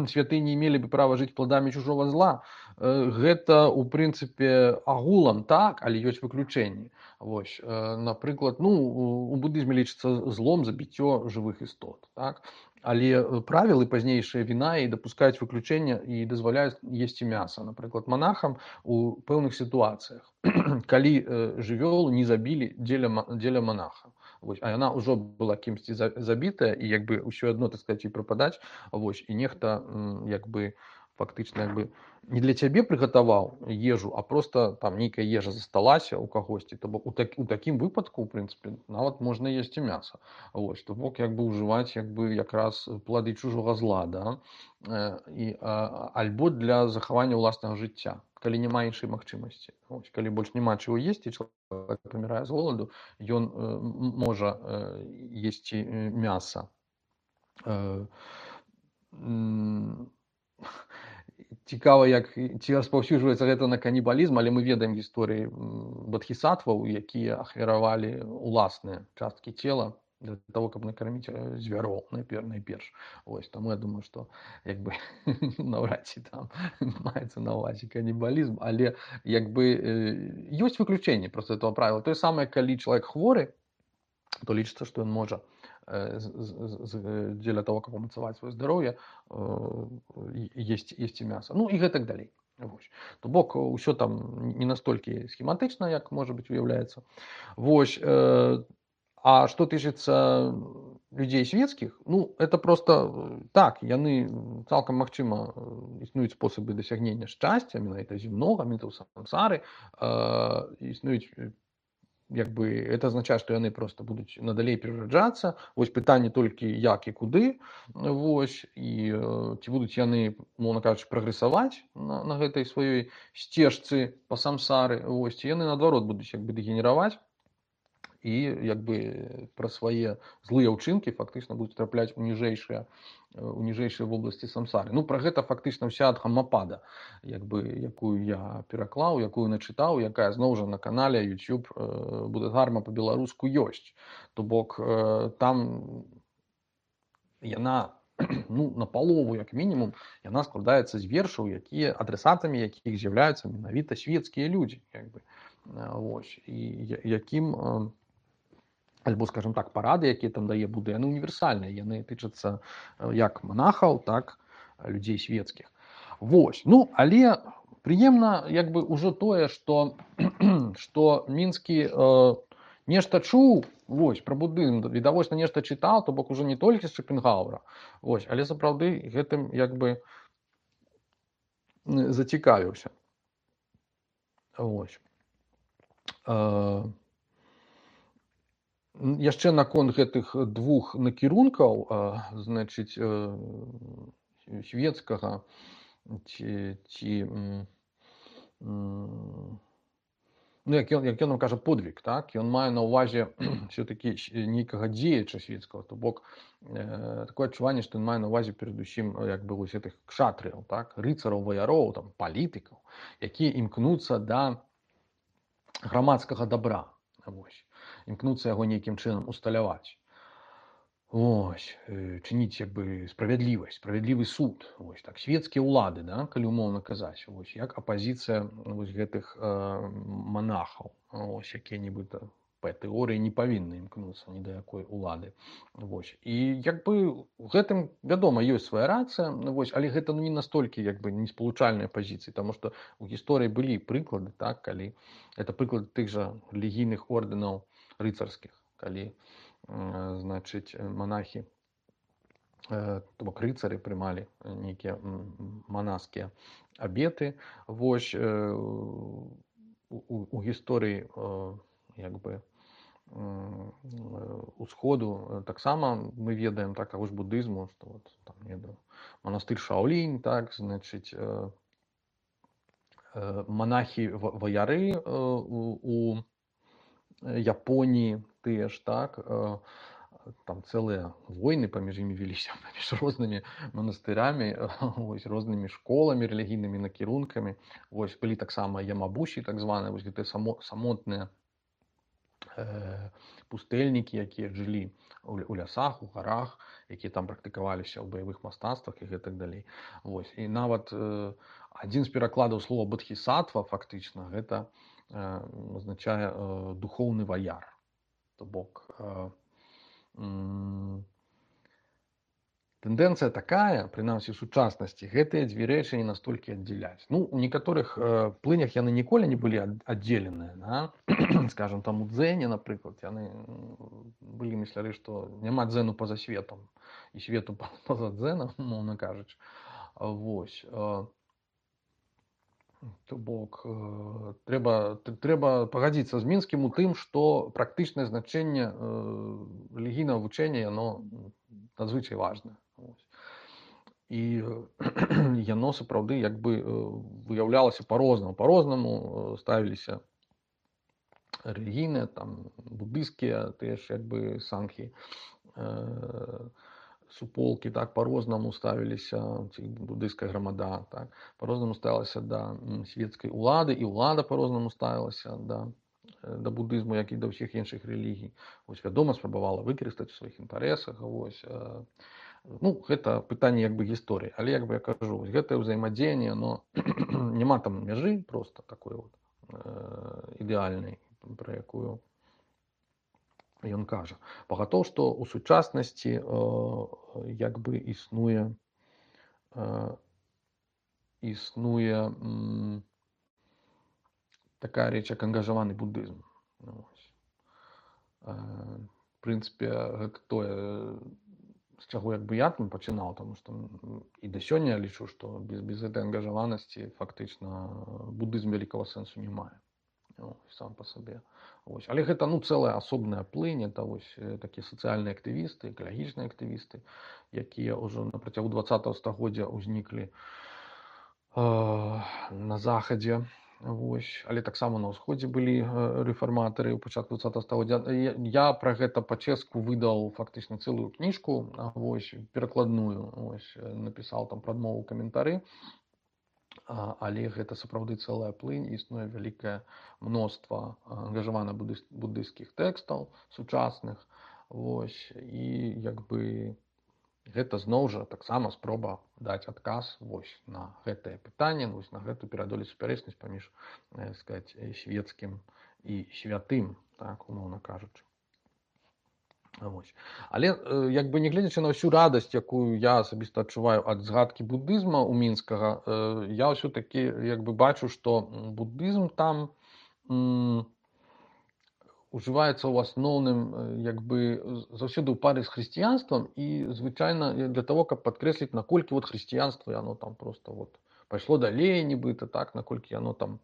святыя не мелі бы права жыць плодамі чужого зла. Гэта у прынцыпе агулам так, але ёсць выключэнні. Вось, напрыклад, ну, у будызме лічыцца злом забіццё жывых істот, так? Але правілы пазнейшыя Вінаі дапускаюць выключэння і дазваляюць есці мяса. Напрыклад, монахам у пэўных сітуацыях, калі жывёлу не забілі дзеля монаха. Вось, а яна ўжо была кімсьці забітая, і як бы ўсё адно, так сказаць, і прападаць. Вось, і нехта як бы фактычна як бы не для цябе прыгатаваў ежу, а просто там нейкая ежа засталася ў кагосьці. То бок у такім выпадку, у прынцыпе, нават можна есці мяса. Вось, то бок як бы ўжываць як бы якраз плады чужога зла, да? Альбо для захавання ўласнага жыцця, калі няма іншай магчымасці. Вось, калі больш няма чаго есці, чалавек памірае з голаду, ён можа есці мяса. Цікава, ці распаўсюджваецца гэта на канібалізм, але мы ведаем гісторыі бадхісатваў, якія ахвяравалі уласныя часткі цела для того, каб накарміць звяроў найперш. Ось, таму я думаю, што як бы наўрад ці там маецца на ўвазе канібалізм, але як бы ёсць выключэнне проста этого правіла. Тое самае, калі чалавек хворы, то лічыцца, што ён можа дзеля того, каб умацаваць сваё здароўе, есці мяса. Ну і гэтак далей. Вось. То бок усё там не настолькі схематычна, як можа быць уяўляецца. Вось. А што тычыцца людзей свецкіх, ну это просто так, яны цалкам магчыма існуюць спосабы дасягнення шчасця, менавіта земнога, менавіта ў сансары, існуюць як бы это азначае, што яны просто будуць надалей перараджацца. Вось пытанне толькі як і куды. Вось, і ці будуць яны, мовна кажучы, прагрэсаваць на гэтай сваёй сцежцы па самсары. Вось, ці яны наадварот будуць як бы дэгенераваць і як бы пра свае злыя ўчынкі фактычна будуць трапляць у ніжэйшыя вобласці самсары. Ну, пра гэта фактычна вся Дхаммапада, як бы, якую я пераклаў, якую начытаў, якая зноў жа на канале YouTube Буддхарма па-беларуску ёсць. То бок там яна, ну, напалову, як мінімум, яна складаецца з вершаў, якія адрасатамі якіх з'яўляюцца менавіта свецкія людзі, як бы. Вось, і якім альбо, скажем так, парады, якія там дае Будда, яны універсальныя, яны тычацца як монахаў, так людзей свецкіх. Вось, ну, але прыемна як бы ўжо тое, што Мінскі нешта чуў, вось, пра буддызм, відавочна нешта чытаў, то бок ужо не толькі з Шопенгауэра, вось, але сапраўды гэтым як бы зацікавіўся. Вось. Яшчэ наконт гэтых двух накірункаў, значыць, свецкага ці ну, як ён нам кажа, подвиг, так? Ён мае на ўвазе все-таки нейкага дзеяча свецкага, то бок такое адчуванне, што ён мае на ўвазе перадусім як бы вось гэтых кшатрыяў, так? Рыцараў, ваяроў, там, палітыкаў, якія імкнуцца да грамадскага дабра, вось, імкнуцца яго нейкім чынам усталяваць. Ось, чыніць як бы справядлівасць, справядлівы суд. Ось так свецкія ўлады, да, калі умоўна казаць, ось як апазіцыя вось гэтых манахаў, ось якія нібыта па тэорыі не павінны імкнуцца ні да якой улады. Вось. І як бы у гэтым, вядома, ёсць свая рацыя, вось, але гэта ну, не настолькі як бы не спалучальныя пазіцыі, таму што у гісторыі былі прыклады, так, калі это прыклад тых жа рэлігійных ордэнаў рыцарскіх, калі значыць монахі, то бок рыцары прымалі нейкія манаскія абеты. Вось у гісторыі як бы усходу таксама мы ведаем так таго ж будызму, што вот там не ведаю, манастыр Шаолінь, так, значыць монахі ваяры у Японіі тыя ж, так, там цэлыя войны паміж імі веліся, паміж рознымі манастырамі, вось, рознымі школамі, рэлігійнымі накірункамі. Вось, былі таксама ямабусі, так званыя, вось гэтыя самотныя пустэльнікі, якія жылі у лясах, у гарах, якія там практыкаваліся ў баявых мастацтвах і гэтак далей. Вось. І нават адзін з перакладаў слова бодхісаттва фактычна гэта азначае духоўны ваяр. То бок тэндэнцыя такая, прынамсі ў сучаснасці, гэтыя дзве рэчы не настолькі аддзяляць. Ну, у некаторых плынях яны ніколі не былі аддзеленыя, да? Скажам, там у дзэне, напрыклад, яны былі мысляры, што няма дзэну па-за светам і свету па-за дзэнам, умоўна кажучы. Вось. То бок трэба пагадзіцца з Мінскім у тым, што практычнае значэнне рэлігійнага вучэння яно надзвычай важнае. І яно сапраўды як бы выяўлялася па-рознаму ставіліся рэлігійныя, там будысцкія тыя ж як бы санхі, суполкі, так, по-рознаму ставіліся, ці будысцкая грамада, так, по-рознаму ставілася да свецкай улады, і ўлада по-рознаму ставілася да будызму, як і да ўсіх іншых рэлігій. Вось, вядома, спрабавала выкарыстаць у сваіх інтарэсах, вось. Ну, гэта пытанне як бы гісторыі, але як бы я кажу, вось гэтае ўзаемадзеянне, но няма там мяжы проста такой вот ідэальнай, пра якую ён кажа. Пагатоў, што ў сучаснасці як бы існуе такая рэч, як ангажаваны будызм. В прынцыпе, гэта тое, з чаго як бы я там пачынаў, таму што і да сёння я лічу, што без гэтай ангажаванасці фактычна будызм вялікага сэнсу не мае. Сам па сабе. Ось. Але гэта ну, цэлая асобная плынь, это вось такія сацыяльныя актывісты, экалагічныя актывісты, якія ўжо на працягу 20-го стагоддзя ўзніклі на захадзе. Вось. Але таксама на ўсходзе былі рэфарматары ў пачатку 20-го стагоддзя. Я пра гэта па-чэску выдаў фактычна цэлую кніжку, вось, перакладную, вось, напісаў там прадмову каментары. Але гэта сапраўды цэлая плынь, існуе вялікае мноства ангажаваных будысцкіх тэкстаў сучасных. Вось. І як бы гэта зноў жа таксама спроба даць адказ вось на гэтае пытанне, вось на гэту пераадолець супярэчнасць паміж, сказаць, свецкім і святым, так, умоўна кажучы. Вось. Але як бы не гледзячы на ўсю радасць, якую я асабіста адчуваю ад згадкі будызма ў мінскага, я ўсё-такі як бы бачу, што будызм там ужываецца ў асноўным як бы заўсёды ў паре з хрысціянствам і звычайна для того, каб падкрэсліць, наколькі вот хрысціянства яно там просто вот пайшло далей нібыта, так, наколькі яно там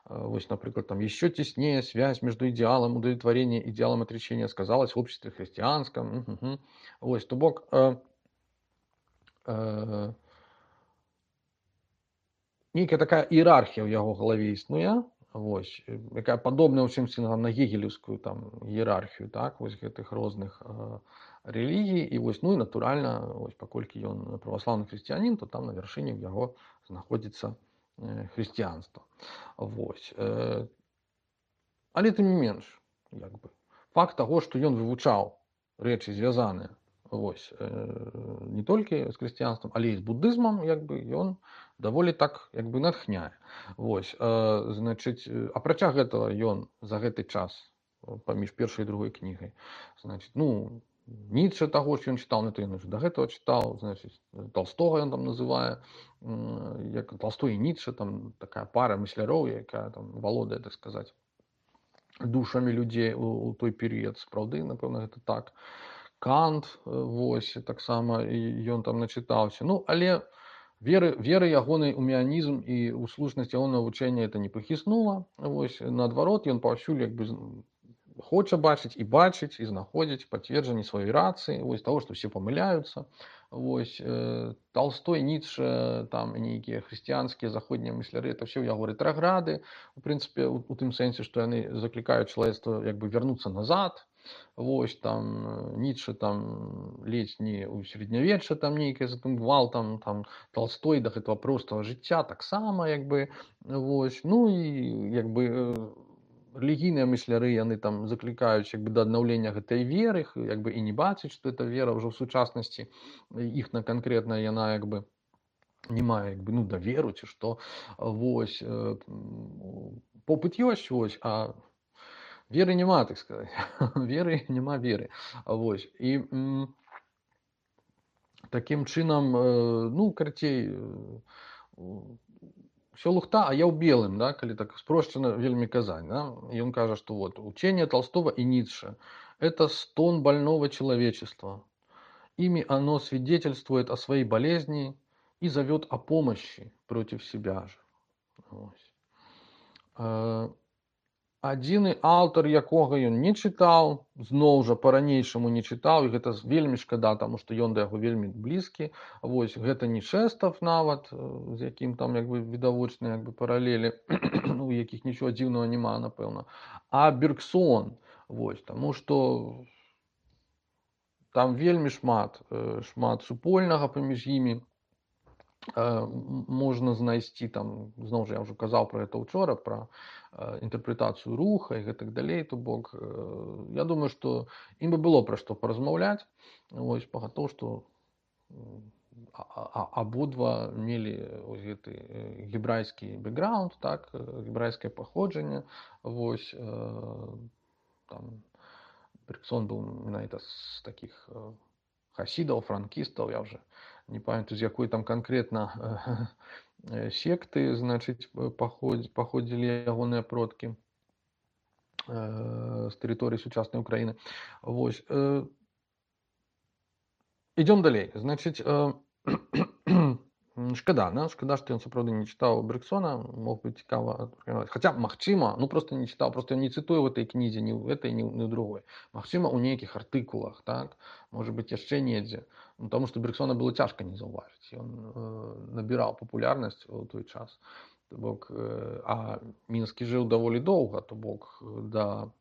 вось, например, там еще теснее связь между идеалом удовлетворения и идеалом отречения сказалась в обществе христианском. Вось, то бок нейкая такая іерархія ў яго галаве існуе, Вось, якая падобная ў чымсьці на гегелеўскую там іерархію, так, вось гэтых розных рэлігій. І вось, ну і натуральна, вось, паколькі ён праваслаўны хрысціянін, то там на вяршыні ў яго знаходзіцца хрысціянства. Вось. Але тым не менш, як бы, факт таго, што ён вывучаў рэчы звязаныя, вось, не толькі з хрысціянствам, але і з буддызмам, як бы, ён даволі так, як бы, натхняе. Вось, значыць, апрача гэтага ён за гэты час паміж першай і другой кнігай, значыць, ну, Ніцше таго ж ён чытаў, ну, то ён уже да гэтага чытаў, значыць, Толстога ён там называе, як Толстой і Ніцше, там такая пара мысляроў, якая там валодае, так сказаць, душамі людзей у той перыяд. Сапраўды, напэўна, гэта так. Кант, вось, таксама ён там начытаўся. Ну, але веры ягонай у меанізм і ў слушнасць ягонага вучэння это не пахіснула. Вось, наадварот, ён паўсюль, як бы, хоча бачыць і знаходзіць пацверджанне сваёй рацыі, вось, таго, што ўсе памыляюцца. Вось, Толстой, Ніцше, там нейкія хрысціянскія заходнія мысляры, это ўсе ў яго рэтраграды, у прынцыпе, у тым сэнсе, што яны заклікаюць чалавецтва, як бы, вярнуцца назад. Вось, там Ніцше там ледзь не ў сярэднявечча там нейкае за тым гвалтам, там Толстой да гэтага простага жыцця таксама, як бы, вось. Ну і, як бы, рэлігійныя мысляры, яны там заклікаюць, як бы, да аднаўлення гэтай веры, як бы, і не бачыць, што эта вера ўжо ў сучаснасці іхна канкрэтна, яна, як бы, не мае, як бы, ну, даверу ці што. Вось, попыт ёсць, вось, а веры няма, так сказаць. Веры няма веры. Вось. І такім чынам, ну, карацей, ўсё лухта, а я ў белым, да, калі так спрошчана вельмі казаць. Да? Ён кажа, што вот, учение Толстого и Ницше – это стон больного человечества. Ими оно свидетельствует о своей болезни и зовет о помощи против себя же. Адзіны аўтар, якога ён не чытаў, зноў жа па-ранейшаму не чытаў, і гэта вельмі шкада, таму што ён да яго вельмі блізкі. Вось, гэта не Шэстав нават, з якім там, як бы, відавочныя, як бы, паралелі, у якіх нічога дзіўнага няма, напэўна, а Бергсон. Вось, таму што там вельмі шмат супольнага паміж імі. Можна знайсці там, зноў жа, я ўжо казаў пра гэта ўчора, пра інтэрпрэтацыю руха і гэтак далей. То бок, я думаю, што ім бы было пра што паразмаўляць. Вось, пагатоў, што абодва мелі вось гэты гебрайскі бэкграунд, так, гебрайскае паходжанне. Вось, там Бергсон быў менавіта з такіх хасідаў, франкістаў, я ўжо не памятаю, з якой там канкрэтна секты, значыць, паходзілі ягоныя продкі з тэрыторыі сучаснай Украіны. Вось. Ідём далей. Значыць, шкада, да? Шкада, што ён сапраўды не чытаў Бергсона, мог бы цікава. Хаця, магчыма, ну проста не чытаў, проста ён не цытуе ў гэтай кнізе, ні ў гэтай, ні ў другой. Магчыма, у нейкіх артыкулах, так? Можа быць, яшчэ недзе. Ну, таму што Бергсона было цяжка не заўважыць. Ён набіраў папулярнасць у той час. То бок, а Мінскі жыў даволі доўга, то бок, да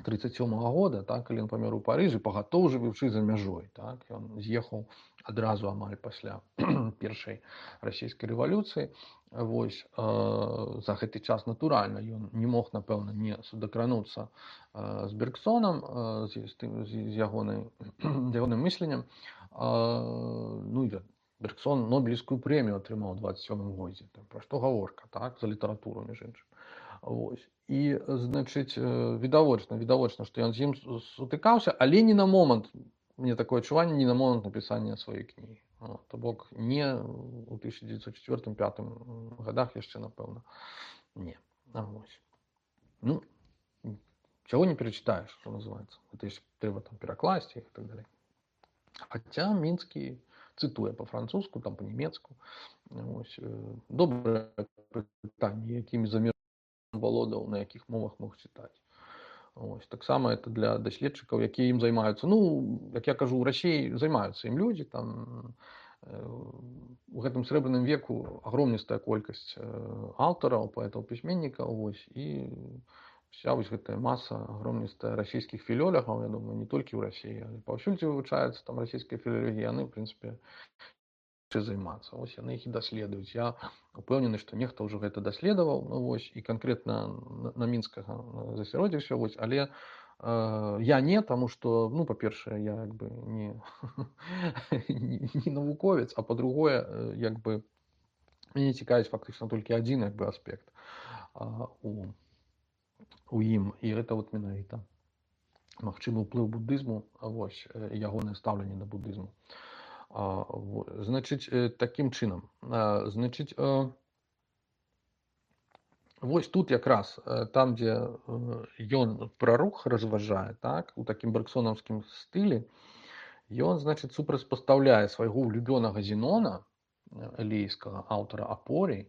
1937 года, так, калі ён памёр у Парыжы, пагатоў жывучы за мяжой, так, ён з'ехаў адразу амаль пасля першай расійскай рэвалюцыі. Вось, за гэты час, натуральна, ён не мог, напэўна, не судакрануцца з Бергсонам, з ягоным мысленнем. Ну, і Бергсон Нобелевскую прэмію атрымаў у 27 годзе. Пра што гаворка, так, за літаратуру, між іншым. Вось. І, значыць, відавочна, што ён з ім сутыкаўся, але не на момант, мне такое адчуванне, не на момант напісання сваёй кнігі. То бок, не ў 1904-1905 годах яшчэ, напэўна, не. Вось. Ну, чаго не перачытаеш, што называецца. Гэта ж трэба там перакласці і так далей. Хаця Мінскі цытуе па-французску, там па-нямецку. Вось. Добрае пытанне, якімі замерамі валодаў, на якіх мовах мог чытаць. Ось, таксама это для даследчыкаў, якія ім займаюцца. Ну, як я кажу, у Расіі займаюцца ім людзі, там у гэтым срэбраным веку агромністая колькасць аўтараў, паэтаў, пісьменнікаў, вось, і вся вось гэтая маса агромністая расійскіх філёлагаў, я думаю, не толькі ў Расіі, але паўсюль, дзе вывучаецца там расійская філалогія, яны, в прынцыпе, займацца. Вось яны іх і даследуюць. Я упэўнены, што нехта ўжо гэта даследаваў, ну, вось, і канкрэтна на мінскага засяродзіўся, вось, але я не, таму што, ну, па-першае, я як бы не навуковец, а па-другое, як бы мяне цікавіць фактычна толькі адзін як бы аспект у ім, і гэта вот менавіта магчымы ўплыў буддызму, вось, ягонае стаўленне да буддызму. Значыць, такім чынам, значыць, вось тут якраз там, дзе ён пра рух разважае, так, у такім бэргсонаўскім стылі, ён, значыць, супрацьпастаўляе свайго улюбёнага Зенона, элейскага аўтара апорый.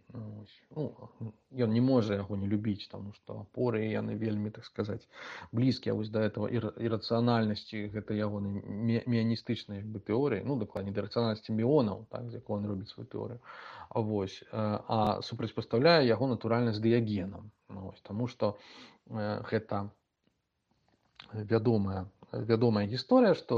Ну, ён не можа яго не любіць, таму што апоры яны вельмі, так сказаць, блізкія вось да этого ірацыянальнасці гэтай ягонай міяністычнай як бы тэорыі, ну, дакладней, да рацыянальнасці міонаў, так, з якой ён робіць сваю тэорыю. Вось, а супрацьпастаўляе яго натуральна з дыягенам. Вось, таму што гэта вядомая гісторыя, што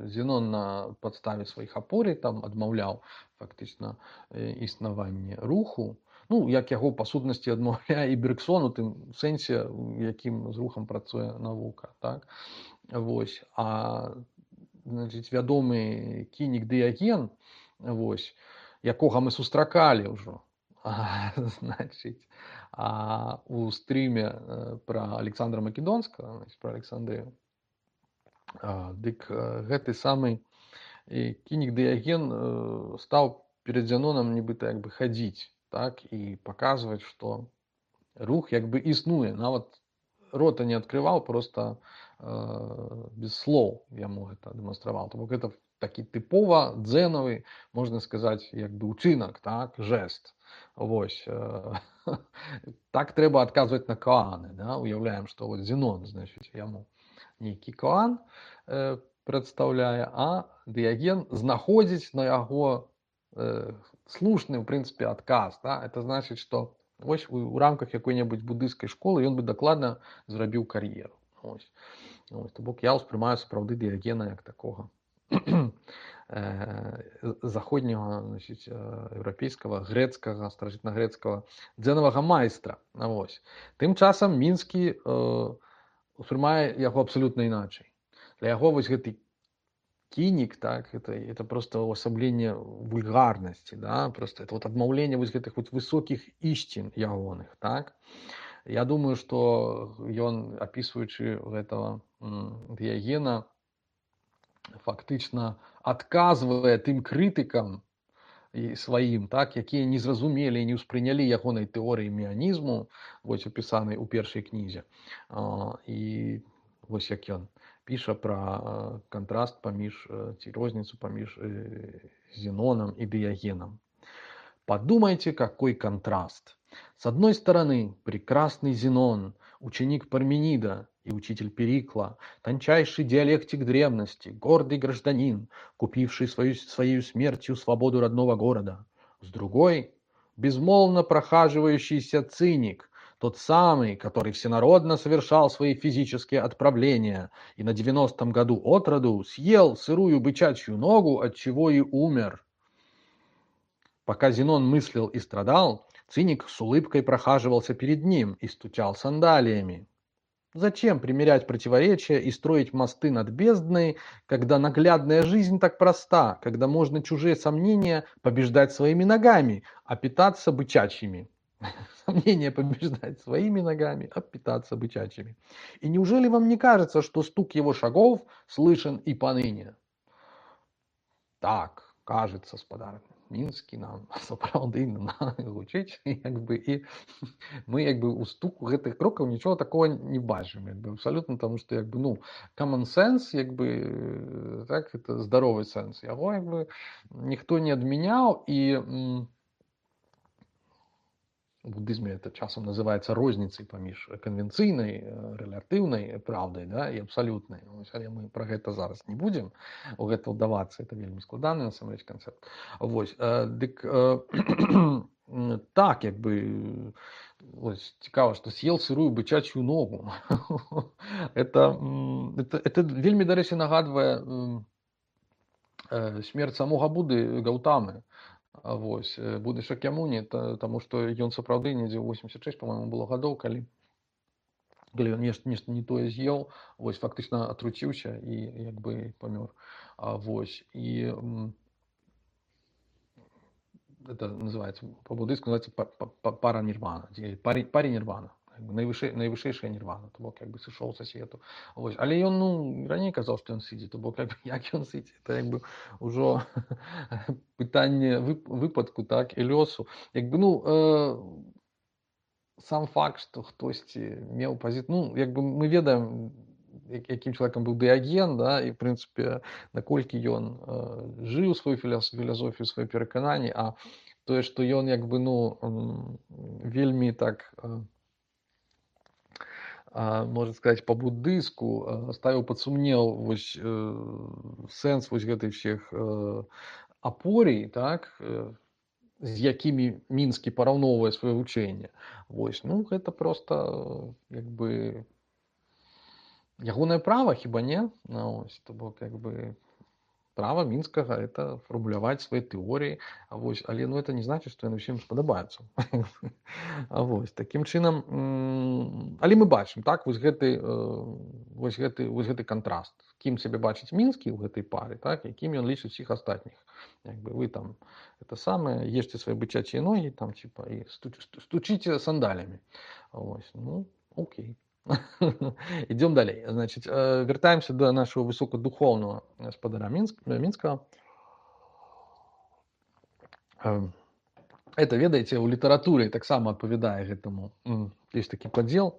Зенон на падставе сваіх апорый там адмаўляў фактычна існаванне руху. Ну, як яго па сутнасці адмаўляе і Бергсон у тым сэнсе, якім з рухам працуе навука, так? Вось, а, значыць, вядомы кінік Дыяген, вось, якога мы сустракалі ўжо, значыць, у стрыме пра Александра Македонскага, пра Александрыю, дык гэты самы кінік Дыяген стаў перад Зенонам нібыта як бы хадзіць, так, і паказваць, што рух як бы існуе, нават рота не адкрываў, просто без слоў яму гэта дэманстраваў. То бок гэта такі тыпова дзенавы, можна сказаць, як бы учынак, так, жэст. Вось. Так трэба адказваць на коаны, да? Уяўляем, што вот Зенон, значыць, яму нейкі коан прадстаўляе, а Дыяген знаходзіць на яго слушны, в прынцыпе, адказ, да? Это значыць, што вось у рамках якой-небудзь буддыйскай школы ён бы дакладна зрабіў кар'еру. Вось. То бок я ўспрымаю сапраўды Дыягена як такога заходняга, значыць, еўрапейскага, грэцкага, старажытнагрэцкага дзенавага майстра. Вось. Тым часам Мінскі успрымае яго абсалютна іначай. Для яго вось гэты кінік, так, это просто увасабленне вульгарнасці, да, просто это вот адмаўленне вось гэтых вот высокіх ісцін ягоных, так. Я думаю, што ён, апісваючы гэтага Дыягена, фактычна адказвае тым крытыкам сваім, так, якія не зразумелі і не ўспрынялі ягонай тэорыі меанізму, вось апісанай у першай кнізе. І вось як ён піша пра кантраст паміж, ці розніцу паміж Зеноном и Дыягеном. Подумайте, какой контраст. С одной стороны, прекрасный Зенон, ученик Парменида и учитель Перикла, тончайший диалектик древности, гордый гражданин, купивший своей смертью свободу родного города. С другой, безмолвно прохаживающийся циник, тот самый, который всенародно совершал свои физические отправления и на 90-м году от роду съел сырую бычачью ногу, отчего и умер. Пока Зенон мыслил и страдал, циник с улыбкой прохаживался перед ним и стучал сандалиями. Зачем примерять противоречия и строить мосты над бездной, когда наглядная жизнь так проста, когда можно чужие сомнения побеждать своими ногами, а питаться бычачьими? Сомнения побеждать своими ногами, а питаться бычачьими. И неужели вам не кажется, что стук его шагов слышен и поныне? Так, кажется, спадар Мінскі нам сапраўды гучыць, як бы, і мы як бы у стуку гэтых крокаў нічого такого не бачым, як бы, абсолютно, тому што як бы, ну, common sense, як бы, так, это здоровый сенс, яго як бы ніхто не адмяняў, і в буддызме это часам называецца розніцай паміж канвенцыйнай рэлятыўнай праўдай, да, і абсалютнай. Вось, але мы пра гэта зараз не будзем у гэта ўдавацца, это вельмі складаны насамрэч канцэпт. Вось, дык так, як бы ось цікава, што съел сырую бычачую ногу. Это вельмі, дарэчы, нагадвае смерць самога Будды Гаўтамы. Вось, Будды Шакьямуні, таму што ён сапраўды недзе 86, по-моему, было гадоў, калі ён нешта не тое з'еў, вось, фактычна атруціўся і як бы памёр. Вось, і это называется, по-буддыйску называется паранирвана, паринирвана, найвышэйшая нірвана, то бок як бы сышоў са свету. Вось, але ён, ну, раней казаў, што ён сыдзе, то бок як ён сыдзе, это як бы ўжо пытанне выпадку, так, і лёсу. Як бы, ну, сам факт, што хтосьці меў пазіцыю, ну, як бы мы ведаем, якім чалавекам быў Дыаген, да, і, в прынцыпе, наколькі ён жыў сваю філасофію, свае перакананні, а тое, што ён, як бы, ну, вельмі так, можна сказаць, па-буддыйску ставіў пад сумнеў вось сэнс вось гэтых всех апорій, так, з якімі Мінскі параўноўвае сваё вучэнне. Вось, ну, гэта проста, як бы, ягонае права, хіба не? Ось, то бок, як бы, права Мінскага это фармуляваць свае тэорыі, вось, але, ну, это не значыць, што яны ўсім спадабаюцца. Вось, такім чынам, але мы бачым, так, вось гэты кантраст, кім сябе бачыць Мінскі ў гэтай пары, так, якім ён лічыць усіх астатніх. Як бы вы там это самае, ешце свае бычачыя ногі, там, типа, і стучыце сандалямі. Вось, ну, окей. Идем далей. Значит, вертаемся до нашего высокодуховного господаря Минского. Это, ведаеце, у літаратуры таксама адпавядае гэтаму. Есть такі падзел,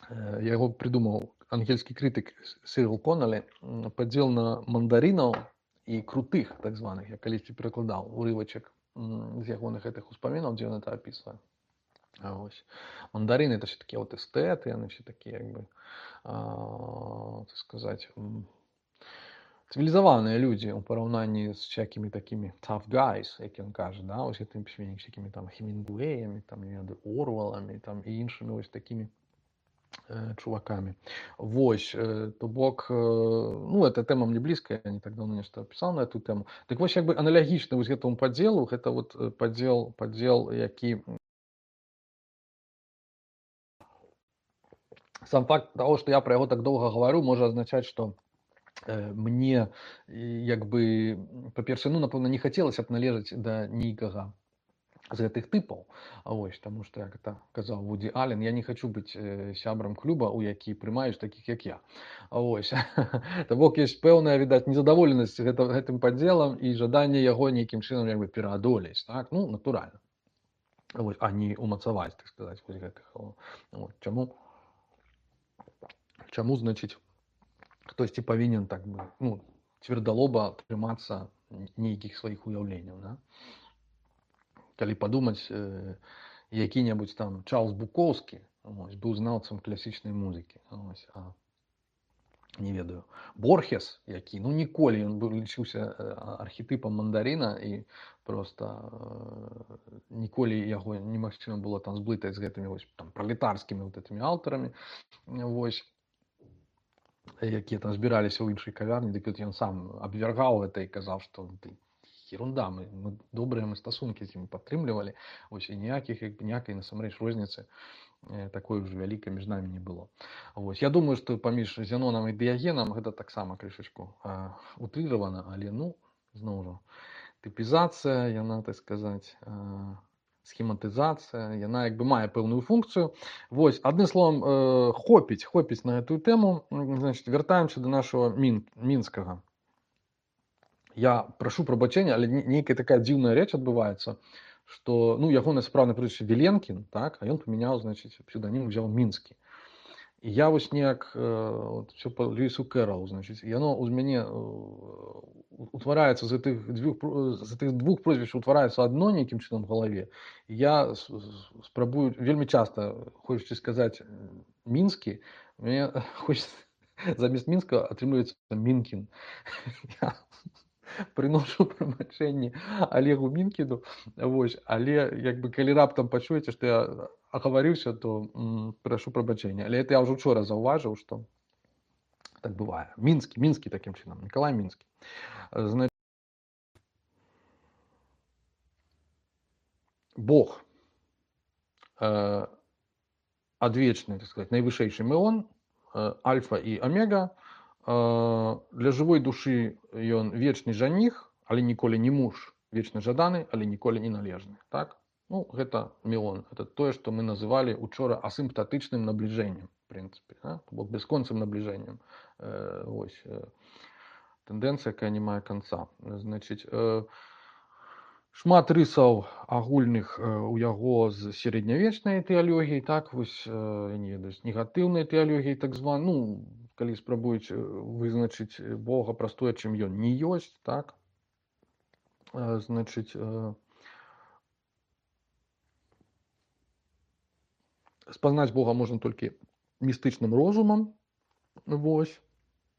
яго придумаў ангельскі крытык Сірил Коннелі, падзел на мандаринаў і крутых, так званых. Я калісьці перакладаў урывачак з ягоных гэтых успамінаў, дзе ён это опісвае. Ось. Мандарины это все такие вот эстеты, они все такие, как бы, так сказать, цивилизованные люди у параўнанні з всякими такими tough guys, як ён кажа, да, ось гэтымі пісьменнікамі, всякими там Хемінгуэями, там, Орвелами, там, і іншими ось такими чуваками. Вось, то бок, ну, эта тема мне близкая, я не так давно нешта писал на эту тему. Так вось, як бы аналагічна вось гэтаму падзелу, гэта вот падзел, які сам факт того, что я про яго так долго говорю, может означать, что мне, як бы, па-першае, ну, напэўна, не хацелася б належаць да нейкага з гэтых тыпаў. Вось, таму што, як это казаў Вуді Аллен, я не хочу быць сябрам клуба, у які прымаюць такіх, як я. Вось. То бок ёсць пэўная, відаць, незадаволенасць гэтым падзелам і жаданне яго нейкім чынам, як бы, пераадолець, так? Ну, натуральна. Вось, а не умацаваць, так сказаць, вось гэтых. Вот. Чаму, значыць, хтосьці павінен, так бы, ну, цвердалоба трымацца нейкіх сваіх уяўленняў, да? Калі падумаць, які-небудзь там Чарльз Букоўскі, ось, быў знаўцам класічнай музыкі, ось, не ведаю, Борхес, які, ну, ніколі ён лічыўся архетыпам мандарына і просто ніколі яго немагчыма было там зблытаць з гэтымі вось там пралетарскімі вот этими аўтарамі, вось, якія там збіраліся ў іншай кавярні, дык ён сам абвяргаў гэта і казаў, што ерунда, мы добрыя стасункі з ім падтрымлівалі, ось, і ніякай насамрэч розніцы такой уже вялікай між намі не было. Вось, я думаю, што паміж Зенонам і Дыягенам гэта таксама крышачку утрыравана, але, ну, зноў жа, тыпізацыя, яна, так сказаць, схематызацыя, яна як бы мае пэўную функцыю. Вось, адным словам, хопіць на гэтую тэму. Значит, вяртаемся до нашего Мінскага. Я прашу прабачэння, але нейкая такая дзіўная рэч адбываецца, што, ну, ягонае сапраўднае прозвішча Віленкін, так, а ён памяняў, значыць, псевданім, узяў Мінскі. І я вось неяк все па Льюісу Кэрролу, значыць, яно ў мяне утвараецца з гэтых двух прозвішчаў утвараецца адно нейкім чынам в галаве. Я спрабую вельмі часта, хочаце сказаць мінскі, мне хочется замест мінска атрымліваецца Мінкін. Я прыношу прабачэнне Олегу Мінкіну, вось, але як бы калі раптам пачуеце, што я агаварыўся, то прашу прабачэння. Але это я ўжо учора заўважыў, што так бывае. Мінскі такім чынам, Мікалай Мінскі. Значит, Бог, адвечны, так сказать, найвышэйшы меон, альфа і омега. Для жывой душы ён вечны жаніх, але ніколі не муж, вечна жаданы, але ніколі не належны. Так? Ну, гэта меон. Это тое, што мы называлі учора асімптатычным набліжэннем, в прынцыпе, бок бясконцым набліжэннем. Вось тэндэнцыя, якая не мае канца. Значыць, шмат рысаў агульных у яго з сярэднявечнай тэалогіяй, так, вось, я не ведаю, з негатыўнай тэалогіяй, так званай, ну, калі спрабуюць вызначыць Бога праз тое, чым ён не ёсць, так, значыць, спазнаць Бога можна толькі містычным розумам, вось,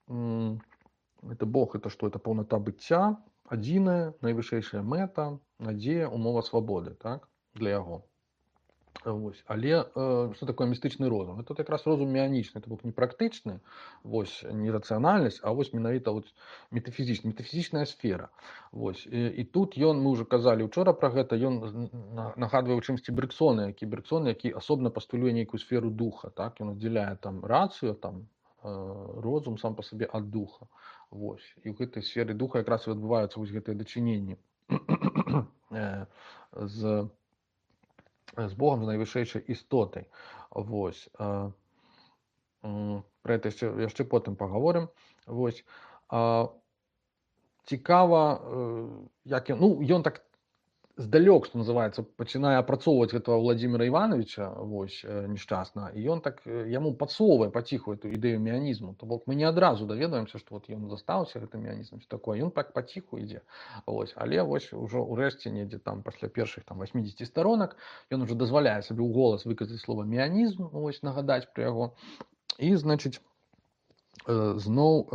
это Бог, это што? Это паўната быцця, адзіная, найвышэйшая мэта, надзея, умова свабоды, так, для яго. Вось. Але што такое містычны розум? Это якраз розум меанічны, это бок не практычны, вось, не рацыянальнасць, а вось менавіта метафізічная сфера. Вось. І тут ён, мы ўжо казалі учора пра гэта, ён нагадвае ў чымсьці Бергсона, які асобна пастулюе нейкую сферу духа, так, ён аддзяляе там рацыю, там розум сам па сабе ад духа. Вось. І ў гэтай сферы духа якраз і адбываюцца вось гэтыя дачыненні з Богом, з найвышэйшай істотай. Вось. Пра гэта яшчэ потым пагаворым. Вось. Цікава, як ён, ну, ён так здалёк, што называецца, пачынае апрацоўваць гэтага Владзіміра Івановича, вось, нешчасна, і ён так яму падсоўвае паціху эту ідэю меанізму. То бок мы не адразу даведаемся, што вот ён застаўся гэтым меанізмам, што такое. Ён так паціху ідзе. Вось. Але вось ужо ўрэшце недзе там пасля першых там 80 старонак ён ужо дазваляе сабе ў голас выказаць слова меанізм, вось, нагадаць пра яго. І, значыць, зноў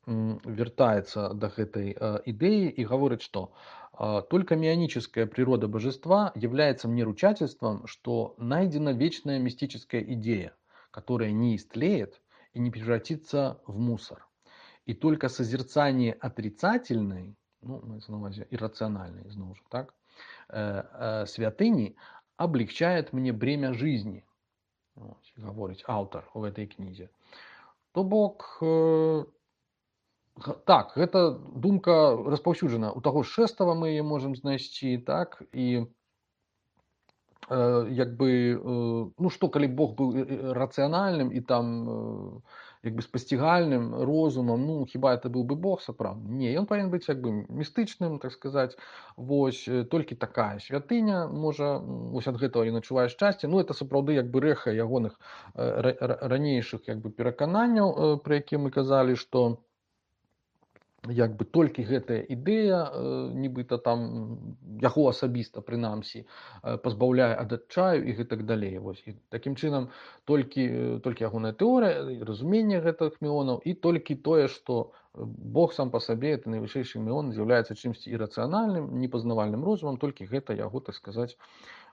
вертается до этой идеи и говорит, что только мионическая природа божества является мне ручательством, что найдена вечная мистическая идея, которая не истлеет и не превратится в мусор. И только созерцание отрицательной, ну, на увазі иррациональной, снова же, так, святыни облегчает мне бремя жизни, вот, говорит автор в этой книге. То бок, так, гэта думка распаўсюджана. У таго ж Шэстава мы яе можам знайсці, так, і як бы, ну што, калі Бог быў рацыянальным і там як бы спасцігальным розумам, ну хіба это быў бы Бог сапраўдны? Не, ён павінен быць як бы містычным, так сказаць. Вось, толькі такая святыня можа, вось ад гэтага ён адчувае шчасце. Ну это сапраўды як бы рэха ягоных ранейшых як бы перакананняў, пра якія мы казалі, што як бы толькі гэтая ідэя, нібыта там яго асабіста прынамсі пазбаўляе ад адчаю і гэтак далей. Вось. І такім чынам толькі ягоная тэорыя, разуменне гэтых меонаў і толькі тое, што Бог сам па сабе, это найвышэйшы меон, з'яўляецца чымсьці ірацыянальным, непазнавальным розумам, толькі гэта яго, так сказаць,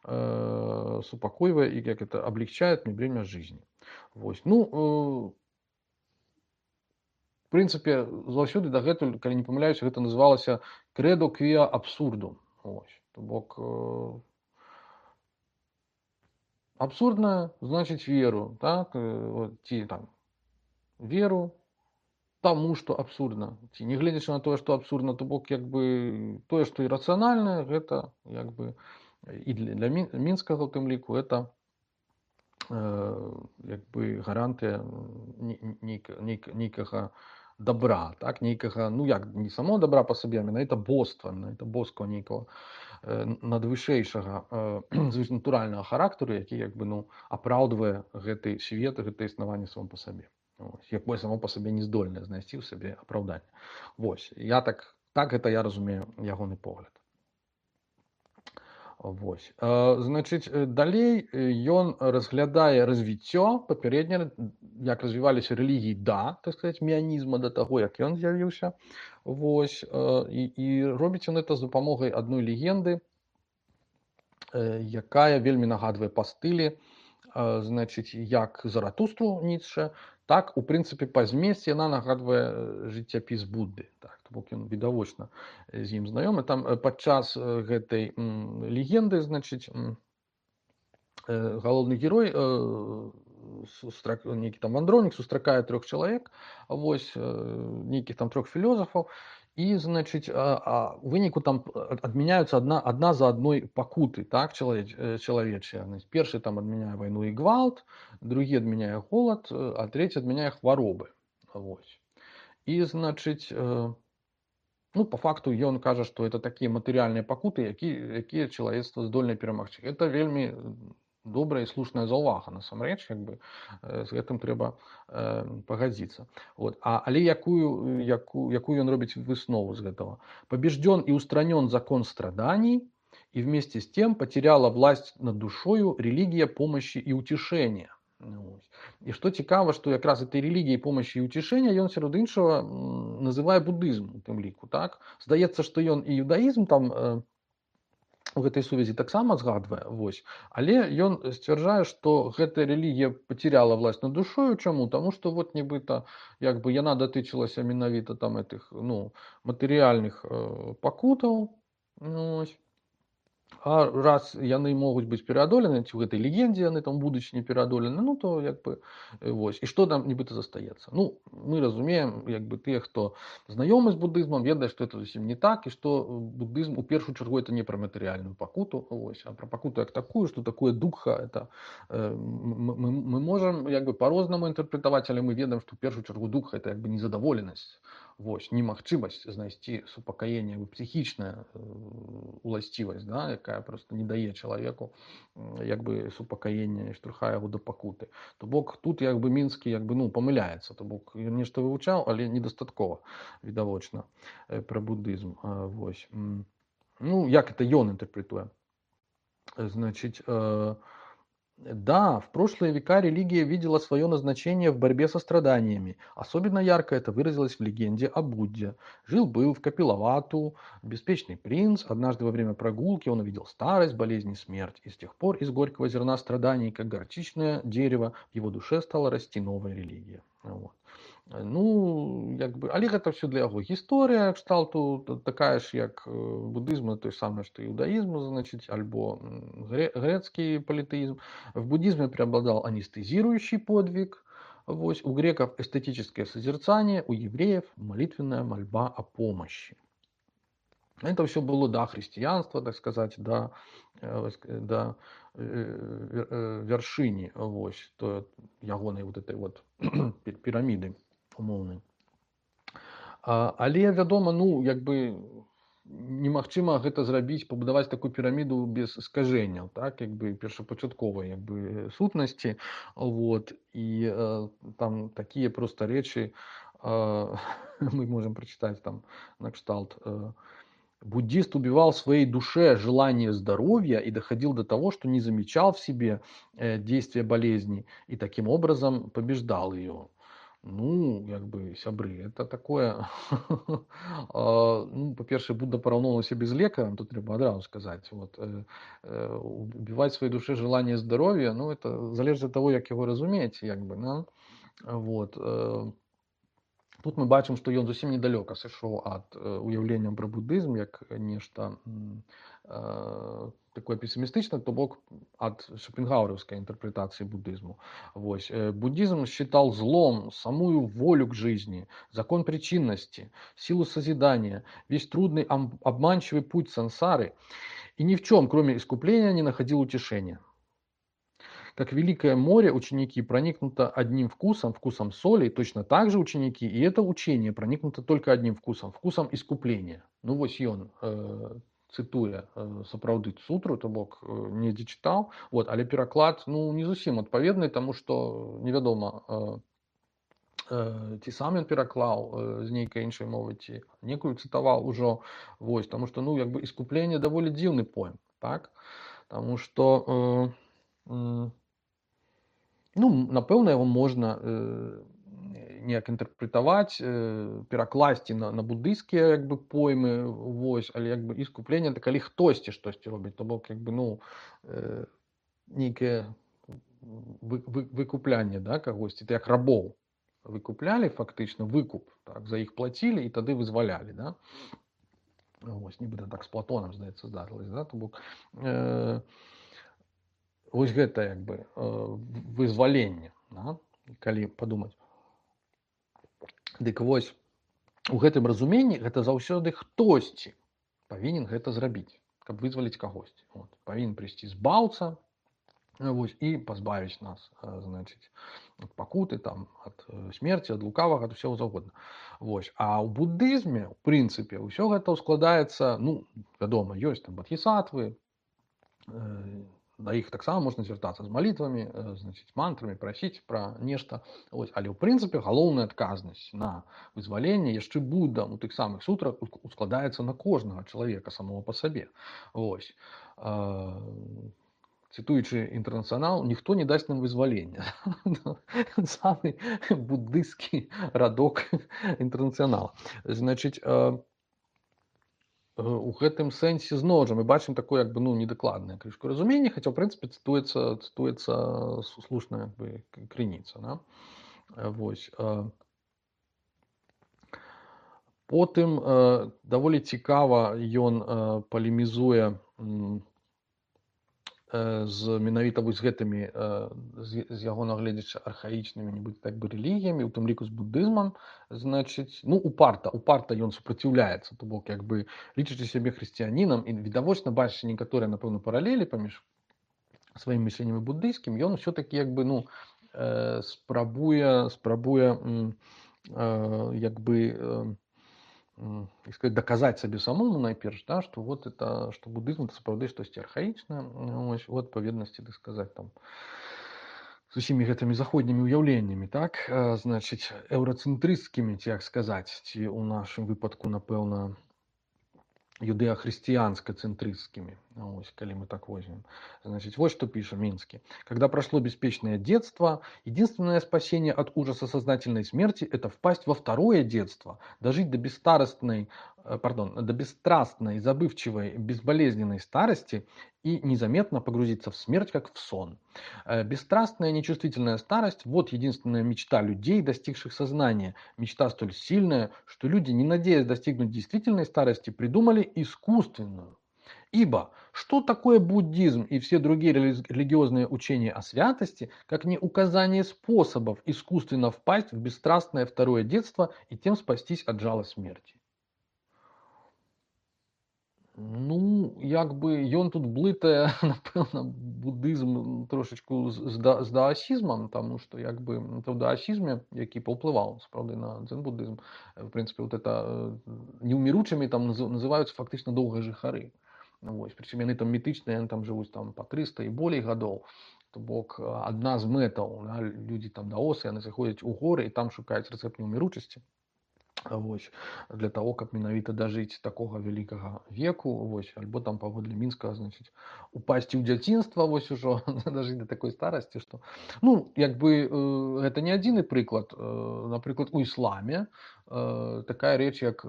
супакойвае і як это облегчает мне бремя жизни. Вось. Ну, в прынцыпе, заўсёды дагэтуль, калі не памыляюся, гэта называлася крэдо квіа абсурдум. То бок, абсурдна значыць веру, так? Ці там веру таму, што абсурдна. Ці не гледзячы на тое, што абсурдна, то бок як бы тое, што ірацыянальнае, гэта як бы і для мінскага ў тым ліку это як бы гарантыя нейкага добра, так, нейкага, ну як, не само добра па сабе, а менавіта боства, менавіта боскага нейкага надвышэйшага натуральнага характару, які як бы, ну, апраўдвае гэты свет, гэтае існаванне само па сабе. Ось, якое само па сабе не здольнае знайсці ў сабе апраўданне. Вось, я так гэта я разумею ягоны погляд. Вось. Значыць, далей ён разглядае развіццё папярэдне, як развіваліся рэлігіі так сказаць, міянізма да таго, як ён з'явіўся. Вось, і робіць ён это з дапамогай адной легенды, якая вельмі нагадвае па стылі, значыць, як Заратустру Ніцшэ, так, у прынцыпе, па змесце яна нагадвае жыццяпіс Будды. Так, то бок ён відавочна з ім знаёмы. Там падчас гэтай легенды, значыць, галоўны герой, нейкі там вандроўнік сустракае 3 чалавек, вось, нейкіх там 3 філёзафаў, і, значыць, у выніку там адмяняюцца адна за адной пакуты, так, чалавечыя. Першы там адмяняе вайну і гвалт, другі адмяняе голад, а трэці адмяняе хваробы. Вось. І, значыць, ну, па факту ён кажа, што это такія матэрыяльныя пакуты, якія чалавецтва здольнае перамагчы. Это вельмі добрая і слушная заўвага, насамрэч, як бы, з гэтым трэба пагадзіцца. Вот. Але якую ён робіць выснову з гэтага? Побежден и устранен закон страданий, и вместе с тем потеряла власть над душою религия помощи и утешения. І што цікава, што якраз этой рэлігіяй помощи і утешення ён сярод іншага называе будызм у тым ліку. Так? Здаецца, што ён і юдаізм там у гэтай сувязі таксама згадвае, вось. Але ён сцвярджае, што гэтая рэлігія пацеряла власть над душою. Чаму? Таму што вот нібыта як бы яна датычылася менавіта там этих, ну, матэрыяльных пакутаў. Ось. А раз яны могуць быць пераадолены, ці ў гэтай легендзе яны там будуць не пераадолены, ну то як бы вось. І што там нібыта застаецца? Ну, мы разумеем, як бы тыя, хто знаёмы з будызмам, ведае, што это зусім не так, і што будызм у першую чаргу это не пра матэрыяльную пакуту, вось, а пра пакуту як такую, што такое духа, это мы можам як бы па-рознаму інтэрпрэтаваць, але мы ведаем, што ў першую чаргу духа это як бы незадаволенасць. Вось, немагчымасць знайсці супакаенне, псіхічная уласцівасць, да, якая просто не дае чалавеку як бы супакаення і штурхае яго да пакуты. То бок тут як бы мінскі як бы, ну, памыляецца, то бок ён нешта вывучаў, але недастаткова відавочна пра будызм. Вось. Ну, як это ён інтэрпрэтуе? Значит, да, в прошлые века религия видела свое назначение в борьбе со страданиями. Особенно ярко это выразилось в легенде о Будде. Жил-был в Капилавату беспечный принц. Однажды во время прогулки он увидел старость, болезнь и смерть. И с тех пор из горького зерна страданий, как горчичное дерево, в его душе стала расти новая религия. Вот. Ну, як бы, але гэта все для яго гісторыя кшталту такая ж, як будызм, той самы, што іудаізм, значыць, альбо грецкий политеизм. В буддизме преобладал анестезирующий подвиг, вось, у греков эстетическое созерцание, у евреев молитвенная мольба о помощи. Это все было до христианства, так сказать, до вяршыні, вось, то ягонай вот этой вот піраміды умоўнай. Але, вядома, ну, як бы немагчыма гэта зрабіць, пабудаваць такую піраміду без скажэнняў, так, як бы першапачатковай як бы сутнасці. Вот. І там такія проста рэчы мы можем прачытаць там накшталт. Буддист убивал в своей душе желание здоровья и доходил до того, что не замечал в себе действия болезни и таким образом побеждал ее. Ну, як бы, сябры, это такое... Ну, па-першае, Будда параўноўваў сябе з лекарам, тут трэба адразу сказаць. Вот. Убивать в своей душе желание здоровья, ну, это залежыць ад таго, як яго разумець, як бы, да? Вот. Тут мы бачым, што ён зусім недалёка сышоў ад уяўлення пра будызм як нешта такое пессимистичное, то бок от шопенгауэровской интерпретации буддизму. Вось. Буддизм считал злом самую волю к жизни, закон причинности, силу созидания, весь трудный обманчивый путь сансары, и ни в чем, кроме искупления, не находил утешения. Как великое море ученики проникнуто одним вкусом, вкусом соли, точно так же ученики, и это учение проникнуто только одним вкусом, вкусом искупления. Ну вось ён, цытуе сапраўды сутру, то бок недзе чытаў, вот, але пераклад, ну, не зусім адпаведны, таму што невядома, ці сам ён пераклаў з нейкай іншай мовы, ці некую цытаваў ужо. Вось, таму што, ну, як бы іскупленне даволі дзіўны пойм, так? Таму што, ну, напэўна, яго можна неяк інтэрпрэтаваць, перакласці на буддыйскія, як бы, поймы, вось, але, як бы, іскупленне — это калі хтосьці штосьці робіць, то бок, як бы, ну, нейкае выкуплянне, да, кагосьці, это як рабоў выкуплялі, фактычна, выкуп, так, за іх плацілі і тады вызвалялі, да? Вось, нібыта так з Платонам, здаецца, здарылася, да? То бок, вось гэта, як бы, вызваленне, да? Калі падумаць. Дык вось, у гэтым разуменні гэта заўсёды хтосьці павінен гэта зрабіць, каб вызваліць кагосьці. Вот. Павінен прыйсці збаўца, вось, і пазбавіць нас, значыць, ад пакуты, там, ад смерці, ад лукавага, ад усяго заўгодна. Вось. А ў буддызме, ў прынцыпе, ўсё гэта складаецца, ну, вядома, ёсць там бадхісатвы, да іх таксама можна звяртацца з малітвамі, значыць, мантрамі, прасіць пра нешта. Вось. Але ў прынцыпе галоўная адказнасць на вызваленне яшчэ Буддам у тых самых сутрах ускладаецца на кожнага чалавека самого па сабе. Вось. Цытуючы «Інтэрнацыянал», ніхто не дасць нам вызвалення. Самы буддысцкі радок «Інтэрнацыянала». Значыць, у гэтым сэнсе зноў жа мы бачым такое, як бы, ну, недакладнае крышку разуменне, хаця ў прынцыпе цытуецца слушная, як бы, крыніца, да? Вось. Потым даволі цікава ён палемізуе з менавіта вось гэтымі, з яго нагледзяча, архаічнымі, нібыта, так бы, рэлігіямі, у тым ліку з буддызмам, значыць, ну, упарта ён супраціўляецца, то бок, як бы, лічачы сябе хрысціянінам і відавочна бачачы некаторыя, напэўна, паралелі паміж сваім мысленнем і буддыйскім, ён усё-такі, як бы, ну, спрабуе, як бы, сказать, доказать сабе самому найперш, да, што вот это, што буддызм — это сапраўды штосьці архаічнае, вось, у адпаведнасці, так сказаць, там, з усімі гэтымі заходнімі ўяўленнямі, так, значыць, еўрацэнтрысцкімі, ці як сказаць, ці ў нашым выпадку, напэўна, юдэа-христианско-центрыстскими. Ось, коли мы так возьмем. Значит, вот что пишет Минский. Когда прошло беспечное детство, единственное спасение от ужаса сознательной смерти – это впасть во второе детство, дожить до бесстрастной, забывчивой, безболезненной старости и незаметно погрузиться в смерть, как в сон. Бесстрастная, нечувствительная старость – вот единственная мечта людей, достигших сознания. Мечта столь сильная, что люди, не надеясь достигнуть действительной старости, придумали искусственную. Ибо что такое буддизм и все другие религиозные учения о святости, как не указание способов искусственно впасть в бесстрастное второе детство и тем спастись от жала смерти? Ну, як бы, ён тут блытае, напэўна, буддызм трошечку з даасізмам, таму што, як бы, в даасізме, які паўплываў, сапраўды, на дзен-буддызм, в прынцыпе, вот это неўміручымі там называюцца фактычна доўгыя жыхары. Вось, прычым яны там мітычныя, яны там жывуць там па 300 і болей гадоў. То бок, адна з мэтаў, да, людзі там даосы, яны заходзяць у горы і там шукаюць рэцэпт неўміручасці. Вось, для того, каб менавіта дажыць такога вялікага веку, вось, альбо там паводле мінскага, значыць, упасці ў дзяцінства, вось, ужо дажыць да такой старасці, што, ну, як бы, гэта не адзіны прыклад. Напрыклад, у ісламе такая рэч, як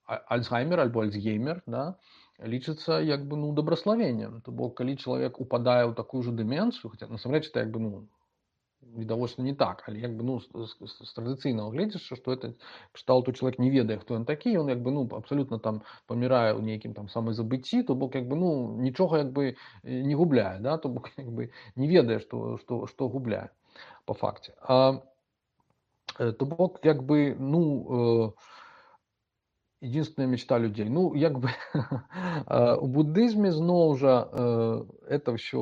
альцгеймер альбо альцгеймер, да, лічыцца, як бы, ну, добраславеннем. То бок, калі чалавек упадае ў такую ж дэмэнцыю, хаця насамрэч это, як бы, ну, відавочна не так, але, як бы, ну, з традыцыйнага гледзяча, што это кшталту чалавек не ведае, хто ён такі, ён, як бы, ну, абсалютна там памірае ў нейкім там самазабыцці, то бок, як бы, ну, нічога, як бы, не губляе, да, то бок, як бы, не ведае, што губляе па факце. То бок, як бы, ну, единственная мечта людей. Ну, як бы, у буддизме зноў жа это все,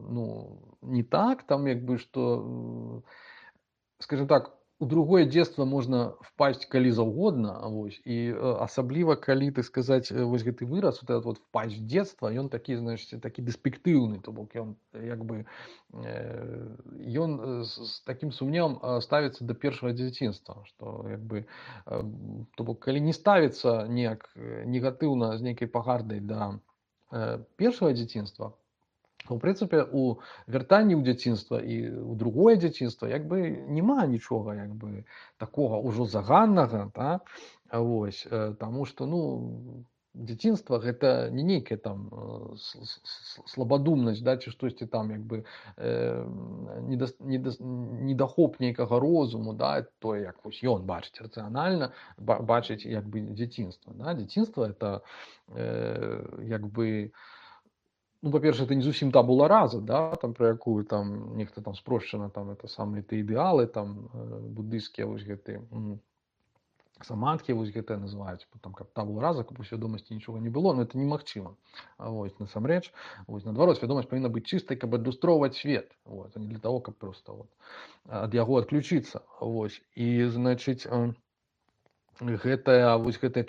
ну, не так, там, як бы, что, скажем так, у другое дзетства можна впасть калі заўгодна, вось, і асабліва калі, так сказаць, вось гэты выраз, вот этот вот впасть в дзетства, ён такі, значыць, такі дэспектыўны, то бок ён як бы ён з такім сумневам ставіцца да першага дзяцінства, што як бы то бок калі не ставіцца неяк негатыўна з нейкай пагардай да першага дзяцінства, у прынцыпе у вяртанні ў дзяцінства і ў другое дзяцінства як бы няма нічога як бы такога ўжо заганнага, да? Вось, таму што ну дзяцінства гэта не нейкая там слабадумнасць, да, ці штосьці там як бы недахоп нейкага розуму, да, тое як вось ён бачыць рацыянальна, бачыць як бы дзяцінства, да? Дзяцінства это як бы ну, па-першае, это не зусім табула раза, да, там, пра якую там нехта там спрошчана, там, это самыя ты ідэалы, там, буддыйскія вось гэты самадхі вось гэтыя называюць, там, каб табула раза, каб у свядомасці нічога не было, но это немагчыма. Вось, насамрэч, вось, наадварот, свядомасць павінна быць чыстай, каб адлюстроўваць свет, вот, а не для того, каб проста вот, ад яго адключыцца. Вось, і, значыць, гэтая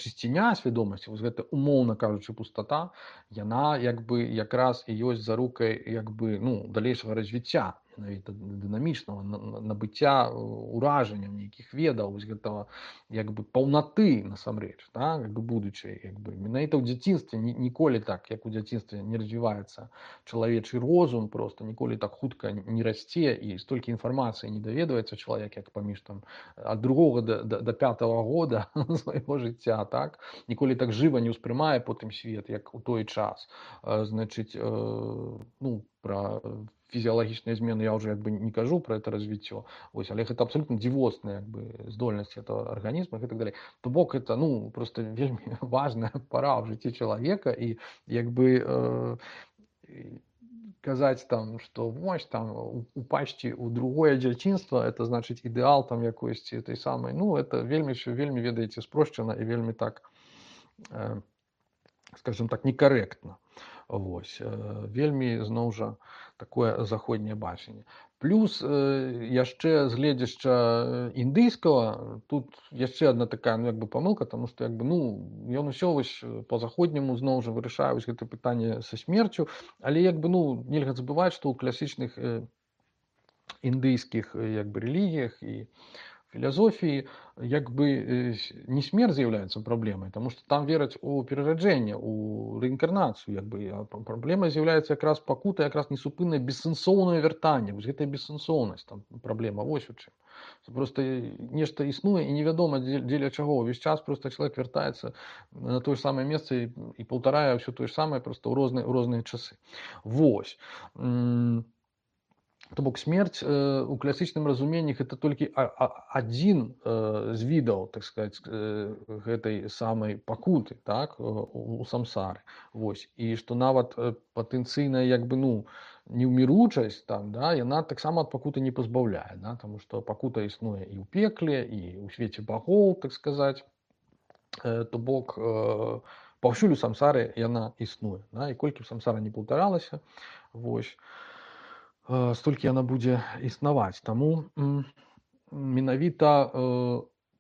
чысціня свядомасці, вось гэта умоўна кажучы пустата, яна як бы якраз і ёсць зарукай як бы ну далейшага развіцця, менавіта дынамічнага набыцця уражання нейкіх ведаў, вось гэтага як бы паўнаты насамрэч, да? Як бы будучай як бы менавіта ў дзяцінстве ніколі так як у дзяцінстве не развіваецца чалавечы розум, просто ніколі так хутка не расце і столькі інфармацыі не даведваецца чалавек як паміж там ад 2 до 5 года свайго жыцця, так, ніколі так жыва не ўспрымае потым свет як у той час, значыць ну пра фізіялагічныя змены я ўжо як бы не кажу пра это развіццё, вось, але гэта абсалютна дзівосныя як бы здольнасці этого арганізма і так далей, то бок это ну просто вельмі важная пара ў жыцці чалавека і як бы казаць там што вось там упасці ў другое дзяцінства это значыць ідэал там якойсьці этой самай ну это вельмі ведаеце спрошчана і вельмі так скажем так некарэктна. Вось, вельмі зноў жа такое заходняе бачанне. Плюс яшчэ з гледзяшча індыйскага тут яшчэ адна такая ну як бы памылка, таму што як бы ну ён усё вось па-заходняму зноў жа вырашае вось гэта пытанне са смерцю, але як бы ну нельга забываць, што ў класічных індыйскіх як бы рэлігіях і філасофіі як бы не смерць з'яўляецца праблемай, таму што там вераць у перараджэнне, у рэінкарнацыю, як бы праблема з'яўляецца якраз пакута, якраз несупыннае бессэнсоўнае вяртанне, вось гэтая бессэнсоўнасць там праблема вось у чым. Просто нешта існуе і невядома дзеля чаго ўвесь час просто чалавек вяртаецца на тое самае месца і паўтарае ўсё тое ж самае проста ў розныя часы. Вось. То бок смерць у класічным разуменні гэта толькі адзін з відаў так сказаць гэтай самай пакуты так у самсары. Вось. І што нават патэнцыйная як бы ну неўміручасць там да яна таксама ад пакуты не пазбаўляе, да? Таму што пакута існуе і ў пекле і ў свеце багоў так сказаць, то бок паўсюль у самсары яна існуе, да? І колькі ў самсара не паўтаралася, вось столькі яна будзе існаваць. Таму менавіта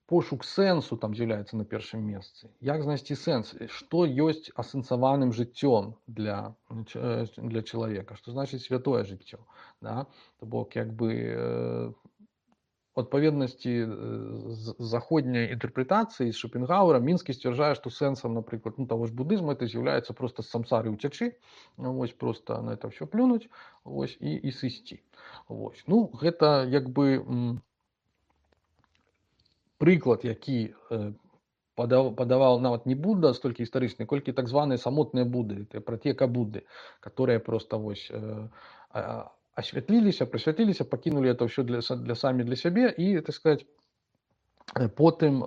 пошук сэнсу там з'яўляецца на першым месцы. Як знайсці сэнс? Што ёсць асэнсаваным жыццём для чалавека? Што значыць святое жыццё? Да? То бок як бы у адпаведнасці з заходняй інтэрпрэтацыі з Шопенгауэра Мінскі сцвярджае, што сэнсам, напрыклад, ну, таго ж будызму это з'яўляецца проста з самсары ўцячы, вось проста на это ўсё плюнуць, вось і сысці. Вось. Ну, гэта як бы прыклад, які падаваў нават не Будда столькі гістарычны, колькі так званыя самотныя Будды, пратэка Будды, которые проста вось асвятліліся, прасвятліліся, пакінулі это ўсё самі для сябе і, так сказаць, потым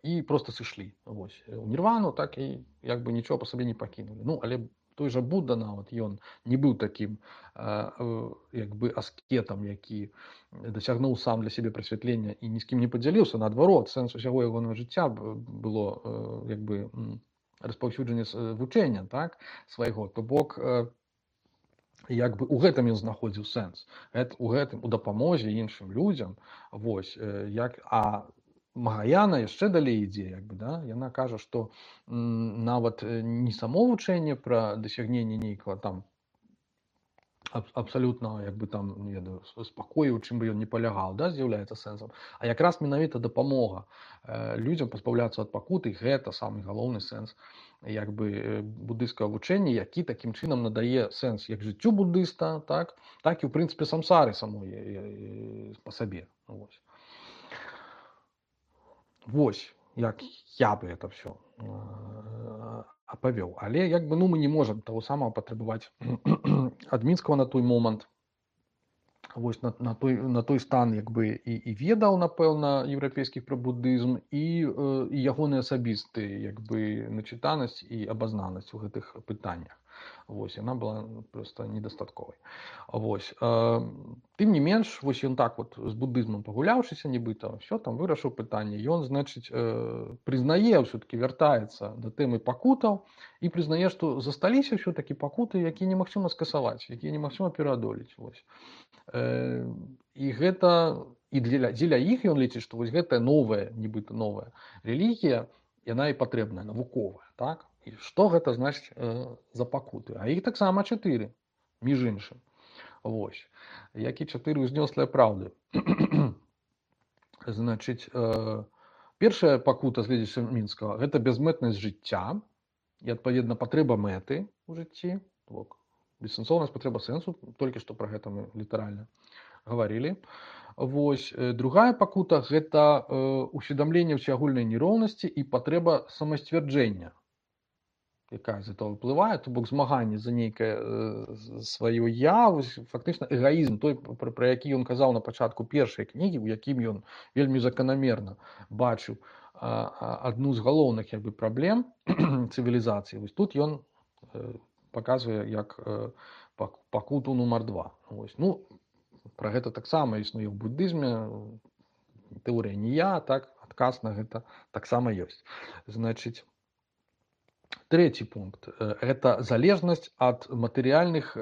і проста сышлі вось у нірвану, так і як бы нічога па сабе не пакінулі. Ну, але той жа Будда нават ён не быў такім як бы аскетам, які дасягнуў сам для сябе прасвятлення і ні з кім не падзяліўся, наадварот, сэнс усяго ягонага жыцця было як бы распаўсюджанне вучэння, так, свайго, то бок як бы у гэтым ён знаходзіў сэнс. У гэтым у дапамозе іншым людзям. Вось, Магаяна яшчэ далей ідзе, як бы, да? Яна кажа, што нават не само вучэнне пра дасягненне нейкага там абсалютна, як бы там, не ведаю, спакою, у чым бы ён не палягаў, да, з'яўляецца сэнсам, а якраз менавіта дапамога людзям пазбаўляцца ад пакуты, гэта самы галоўны сэнс як бы буддыйскага вучэння, які такім чынам надае сэнс як жыццю буддыста, так і ў прынцыпе самсары самой па сабе. Вось як я бы это все апавёў. Але як бы мы не можам таго самага патрабаваць ад мінскага на той момант. Вось на той стан як бы і ведаў, напэўна, еўрапейскіх пра буддызм і ягоны асабісты як бы начытанасць і абазнанасць у гэтых пытаннях. Вось яна была проста недастатковай. Вось тым не менш, вось ён так вот з буддызмам пагуляўшыся нібыта, все там вырашыў пытанне. Ён, значыць, прызнае, ўсё-таки вяртаецца да тэмы пакутаў і прызнае, што засталіся ўсё-таки пакуты, якія немагчыма скасаваць, якія немагчыма пераадолець. Вось. І гэта і дзеля іх ён лічыць, што вось гэтая новая, нібыта новая рэлігія, яна і патрэбная, навуковая, так? І што гэта значыць за пакуты? А іх таксама 4, між іншым. Вось. Як і 4 ўзнёслыя праўды. Значыць, першая пакута з гледзяча мінскага, гэта бязмэтнасць жыцця і, адпаведна, патрэба мэты ў жыцці. Бессэнсоўнасць, патрэба сэнсу, толькі што пра гэта мы літаральна гаварылі. Вось. Другая пакута – гэта усведамленне ўсеагульнай нероўнасці і патрэба самасцвярджэння, якая з этого выплывае, то бок змаганне за нейкае сваё я, фактычна эгаізм, той, пра які ён казаў на пачатку першай кнігі, у якім ён вельмі заканамерна бачыў адну з галоўных як бы праблем цывілізацыі. Вось тут ён паказвае як пакуту нумар 2. Вось. Пра гэта таксама існуе ў буддызме, тэорыя не я, так, адказ на гэта таксама ёсць. Значыць, трэці пункт – гэта залежнасць ад матэрыяльных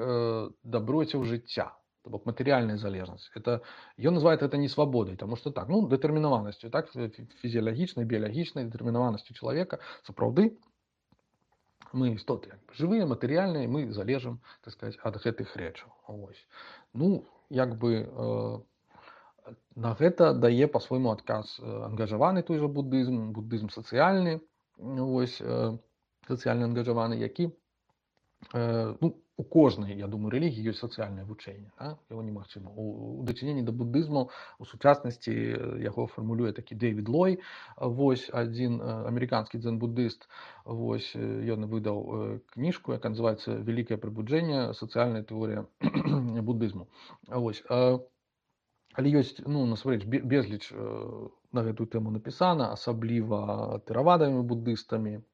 даброцяў жыцця. То бок матэрыяльная залежнасць. Ён называе гэта не свабодай, таму што так, дэтэрмінаванасцю, так, фізіялагічнай, біялагічнай дэтэрмінаванасцю чалавека. Сапраўды, мы істоты жывыя, матэрыяльныя, мы залежым, так сказаць, ад гэтых рэчаў. Вось. Як бы на гэта дае па-свойму адказ ангажаваны той жа буддызм сацыяльны, вось, сацыяльна ангажаваны, які у кожнай, я думаю, рэлігіі ёсць сацыяльнае вучэнне, да? Яго немагчыма. У дачыненні да буддызму у сучаснасці яго фармулюе такі Дэвід Лой, вось, адзін амерыканскі дзен-буддыст, вось, ён выдаў кніжку, якая называецца «Великое пробуджение. Сацыяльная тэорія буддызму». Вось. Але ёсць, насамрэч, безліч на гэтую тэму напісана, асабліва тэравадамі буддыстамі,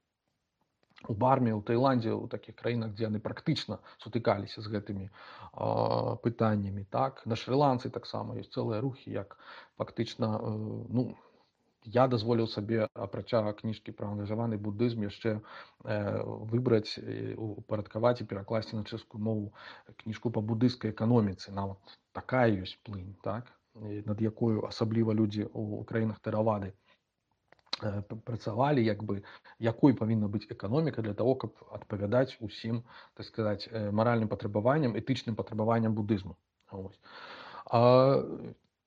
у Барме, у Таіландзе, у такіх краінах, дзе яны практычна сутыкаліся з гэтымі пытаннямі. Так? На Шры-Ланцы таксама ёсць цэлыя рухі, як фактычна, я дазволіў сабе, апрача кніжкі пра ангажаваны буддызм, яшчэ выбраць, упарадкаваць і перакласці на чэшскую мову кніжку па буддыйскай эканоміцы. Нават такая ёсць плынь, так? Над якою асабліва людзі ў краінах тэравады працавалі, як бы, якой павінна быць эканоміка для того, каб адпавядаць усім, так сказаць, маральным патрабаванням, этычным патрабаванням буддызму.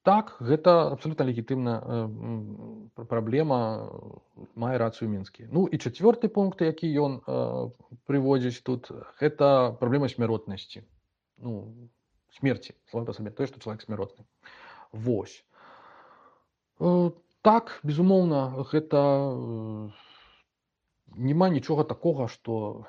Так, гэта абсолютно легітымная праблема, мае рацыю мінскі. І чацвёрты пункт, які ён прыводзіць тут, гэта праблема смяротнасці. Смерці, само па сабе, тое, што чалавек смяротны. Вось. Так, безумоўна, гэта няма нічога такога, што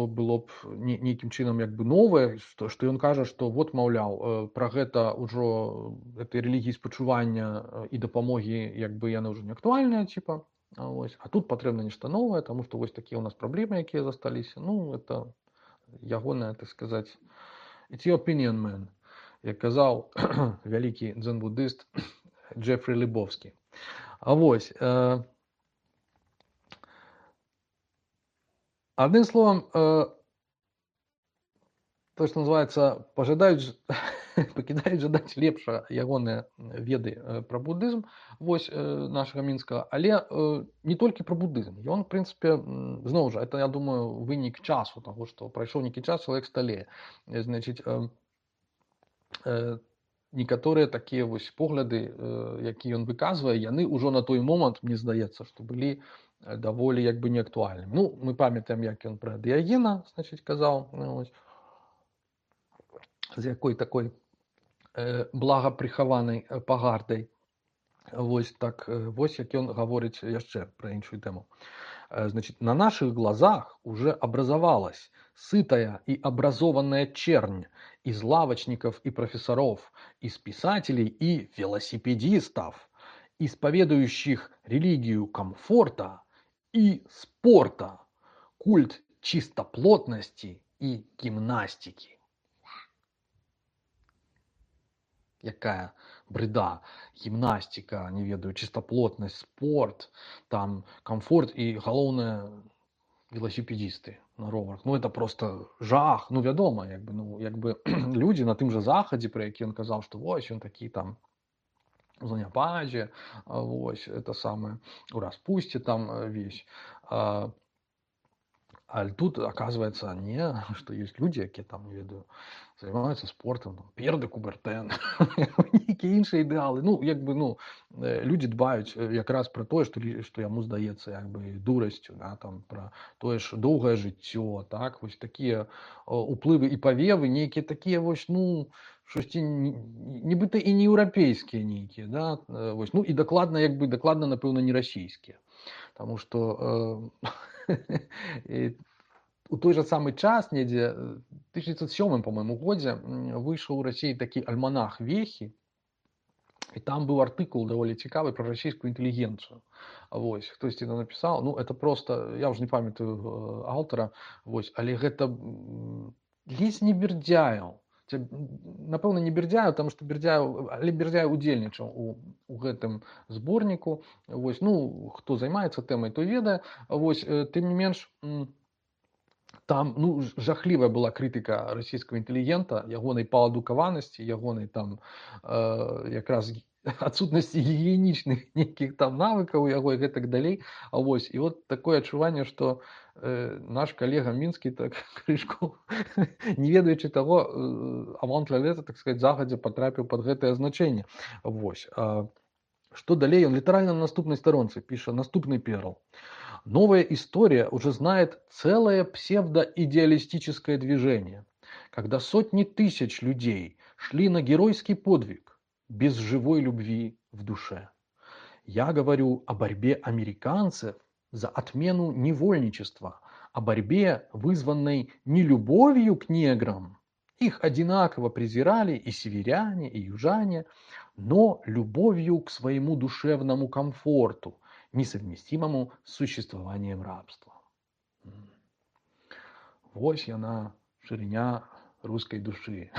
было б нейкім чынам як бы новае, што ён кажа, што вот, маўляў, пра гэта ўжо гэтай рэлігіі спачування і дапамогі як бы яны ўжо не актуальныя, типа. Вось. А тут патрэбна нешта новае, таму што вось такія ў нас праблемы, якія засталіся. Это ягоная, так сказаць, it's your opinion, man, як казаў вялікі дзен-буддыст Джефрі Лебовскі. Вось. Адным словам, То, што называецца, пакідаюць жадаць лепшага ягоныя веды пра будызм, вось, нашага мінскага, але не толькі пра будызм. Ён, у прынцыпе, зноў жа, это, я думаю, вынік часу, таго, што прайшоў нейкі час, чалавек сталее. Значыць, некаторыя такія вось погляды, якія ён выказвае, яны ўжо на той момант, мне здаецца, што былі даволі як бы неактуальнымі. Ну, мы памятаем, як ён пра Дыягена, значыць, казаў, вось, з якой такой благапрыхаванай пагардай. Вось так, вось як ён гаворыць яшчэ пра іншую тэму. Значит, на наших глазах уже образовалась сытая и образованная чернь из лавочников и профессоров, из писателей и велосипедистов, исповедующих религию комфорта и спорта, культ чистоплотности и гимнастики. Якая бреда, гімнастика, не ведаю, чистоплотность, спорт, там комфорт и галоўнае велосипедисты на роварах. Ну это просто жах. Ну вядома, як бы людзі на тым жа захадзе, пра які ён казаў, што вось ён такі там у заняпадзе, вось это самае у распусце там весь. А тут, оказывается, не, что есть люди, якія там, не ведаю, займаюцца спортам, там, П'ер де Кубертен, нейкія іншыя ідэалы. Ну, як бы, ну, людзі дбаюць якраз пра тое, што яму здаецца як бы дурасцю, да, там, пра тое ж доўгае жыццё, так, вось такія уплывы і павевы, нейкія такія вось, ну, штосьці нібыта і не еўрапейскія нейкія, да, вось, ну, і дакладна, як бы, дакладна, напэўна, не расійскія. Таму што у той жа самы час, недзе 1907, по-моему, годзе выйшаў у Расіі такі альманах Вехі, і там быў артыкул даволі цікавы пра расійскую інтэлігенцыю. Вось, хтосьці там напісаў, ну это просто, я ўжо не памятаю аўтара, вось, але гэта ледзь не Бердзяеў. Напэўна, не Бердзяеў, таму што Бердзяеў удзельнічаў у гэтым зборніку. Вось, ну, хто займаецца тэмай, той ведае. Вось, тым не менш, там, ну, жахлівая была крытыка расійскага інтэлігента, ягонай паадукаванасці, ягонай там якраз адсутнасці гігіенічных нейкіх там навыкаў у яго і гэтак далей. Вось, і от такое адчуванне, што наш калега мінскі так крышку, не ведаючы таго, avant la lettre, так сказать, загадзя патрапіў пад гэтае значэнне. Вось. Што далей? Он літаральна на наступнай старонцы піша наступны перл. Новая история уже знает целое псевдоидеалистическое движение, когда сотни тысяч людей шли на геройский подвиг без живой любви в душе. Я говорю о борьбе американцев за отмену невольничества, о борьбе, вызванной не любовью к неграм. Их одинаково презирали и северяне, и южане, но любовью к своему душевному комфорту, несовместимому с существованием рабства. Вось яна, шириня русской души,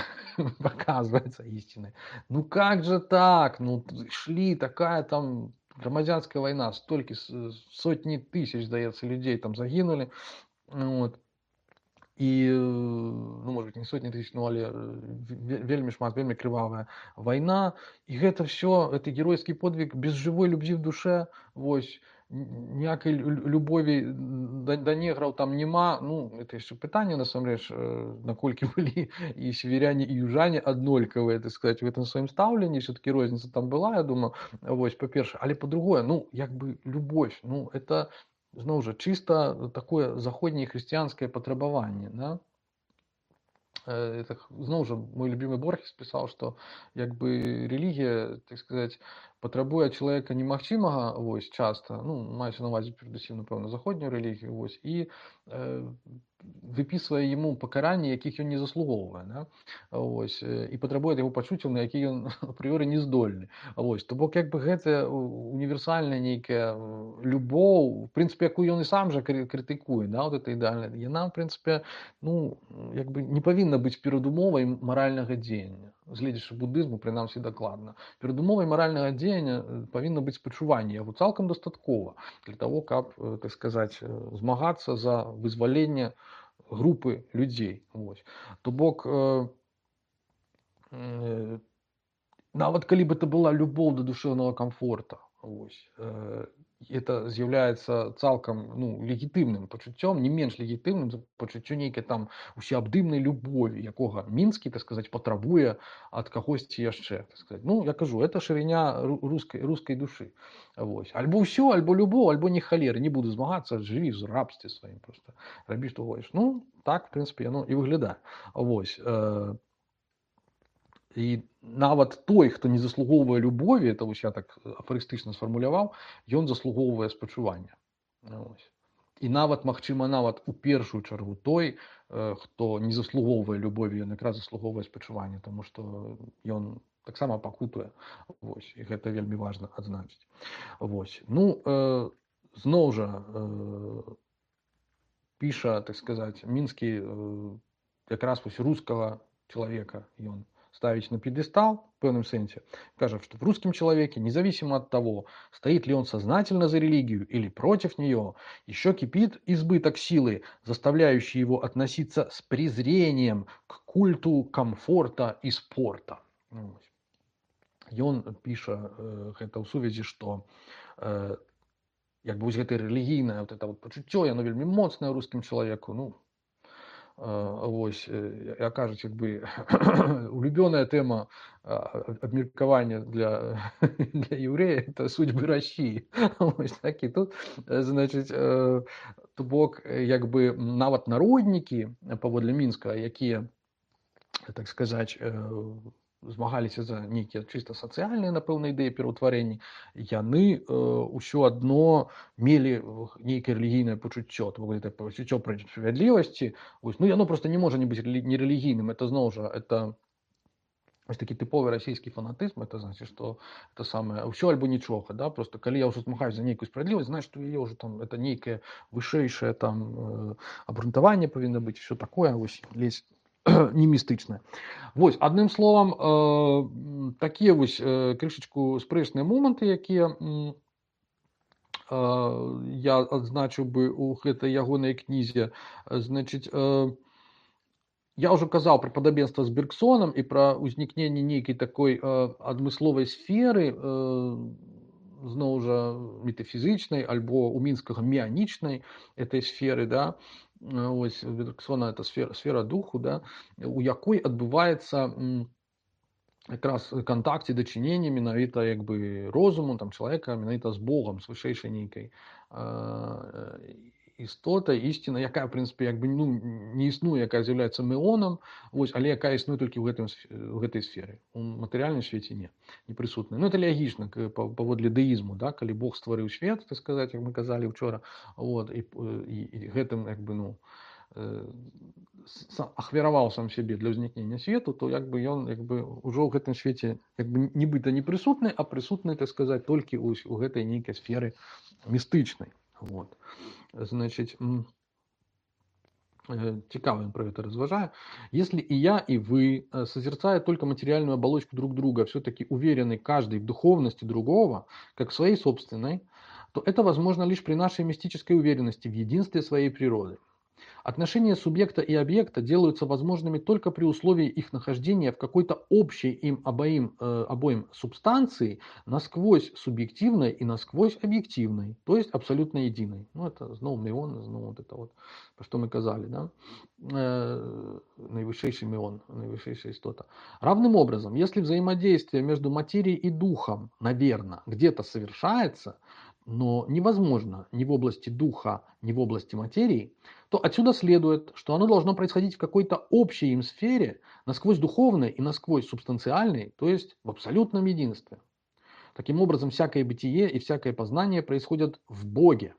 показывается истиной. Ну как же так? Ну шли, такая там громадянская война, столько, сотни тысяч, здаецца, людей там загинули. Вот. І, ну, может быть, не сотні тысяч, ну, але вельмі шмат, вельмі крывавая вайна. І гэта все, это геройскі подвиг без живой любви в душе. Вось, ніякай любові да неграў там няма. Ну, это яшчэ пытанне, насамрэч, наколькі былі і северяне, і южане аднолькавыя, так сказать, в этом сваім стаўленні. Все-таки розніца там была, я думаю, вось, па-першае. Але па-другое, ну, як бы любовь, ну, это... Зноў жа, чыста такое заходняе хрысціянскае патрабаванне. Да? Это, зноў жа, мой любимый Борхес пісаў, што як бы рэлігія, так сказать, патрабуе ад чалавека немагчымага, вось, часта, ну, маецца на ўвазе перадусім, напэўна, заходнюю рэлігію, вось, і выпісвае яму пакаранні, якіх ён не заслугоўвае, да? Вось, і патрабуе ад яго пачуццяў, на які ён апрыёры не здольны. Вось, то бок як бы гэтая універсальная нейкая любоў, в прынцыпе, якую ён і сам жа крытыкуе, да, вот это ідэальна, яна, в прынцыпе, ну, як бы не павінна быць перадумовай маральнага дзеяння. Гледзячы будызму, прынамсі, дакладна. Перадумовай маральнага дзеяння павінна быць спачуванне, яго цалкам дастаткова для того, каб, так сказаць, змагацца за вызваленне групы людзей. То бок нават калі бы это была любоў да душэўнага комфорта, это з'яўляецца цалкам легітымным пачуццём, не менш легітымным за пачуццё нейкай там усеабдымнай любові, якога мінскі, так сказаць, патрабуе ад кагосьці яшчэ, так сказаць. Я кажу, это шырыня рускай душы. Альбо ўсё, альбо любоў, альбо не халеры, не буду змагацца, жыві в рабстве сваім, просто рабі што хочаш. Так, в прынцыпе, яно і выглядае. І нават той, хто не заслугоўвае любові, это я так афарыстычна сфармуляваў, ён заслугоўвае спачування. І нават, магчыма, нават у першую чаргу той, хто не заслугоўвае любові, ён якраз заслугоўвае спачування, таму што ён таксама пакутуе. І гэта вельмі важна адзначыць. Зноў жа піша, так сказаць, мінскі якраз рускага чалавека ён ставить на пьедестал, в певном сенсе, скажем, что в русском человеке, независимо от того, стоит ли он сознательно за религию или против нее, еще кипит избыток силы, заставляющий его относиться с презрением к культу комфорта и спорта. И он пишет это в сувязі, что гэта релігійнае вот это пачуццё, яно вельмі моцнае рускім чалавеку, кажуць, улюбёная тэма абмеркавання для еврея — это судьбы России. Так і тут, значыць, то бок, нават народнікі паводле Мінска, якія, так сказаць, змагаліся за нейкія чыста сацыяльныя, напэўна, ідэі пераўтварэння, яны ўсё адно мелі нейкае рэлігійнае пачуццё, то бок гэта пачуццё справядлівасці. Яно просто не можа не быць нерэлігійным. Это зноў жа, это такі тыповы расійскі фанатызм. Это значит, што это самае ўсё альбо нічога, да? Просто калі я ўжо змагаюсь за нейкую справядлівасць, значит, што яе ўжо там это нейкае вышэйшае там абрунтаванне павінна быць, усё такое, лезь не містычнае. Адным словам, такія крышачку спрэчныя моманты, якія я адзначыў бы ў гэтай ягонай кнізе. Значыць, я ўжо казаў пра падабенства з Бергсонам і пра ўзнікненне нейкай такой адмысловай сферы, зноў жа метафізычнай альбо у мінскага меанічнай этой сферы, да. Бергсона — это сфера духу, да, у якой адбываецца якраз кантакт і дачыненне менавіта розуму там чалавека менавіта з Богам, з вышэйшай нейкай істотай, ісціна, якая, в прынцыпе, не існуе, якая з'яўляецца меонам, але якая існуе толькі ў гэтай сферы. У матэрыяльным свеце не прысутная. Это логічна паводле дэізму, да, калі Бог стварыў свет, так сказаць, як мы казалі ўчора, і гэтым ахвяраваў сам сябе для ўзнікнення свету, то ён ўжо ў гэтым свеце нібыта не прысутны, а прысутны, так сказаць, толькі ў гэтай нейкай сферы містычнай. Значит, цікаво он про это разважает. Если и я, и вы, созерцая только материальную оболочку друг друга, все-таки уверены каждый в духовности другого, как в своей собственной, то это возможно лишь при нашей мистической уверенности в единстве своей природы. Отношения субъекта и объекта делаются возможными только при условии их нахождения в какой-то общей им обоим субстанции, насквозь субъективной и насквозь объективной, то есть абсолютно единой. Это снова меон, снова вот это вот, про что мы казали, да? Наивысший меон, наивысшая истота. Равным образом, если взаимодействие между материей и духом, наверное, где-то совершается, но невозможно ни в области духа, ни в области материи, то отсюда следует, что оно должно происходить в какой-то общей им сфере, насквозь духовной и насквозь субстанциальной, то есть в абсолютном единстве. Таким образом, всякое бытие и всякое познание происходят в Боге.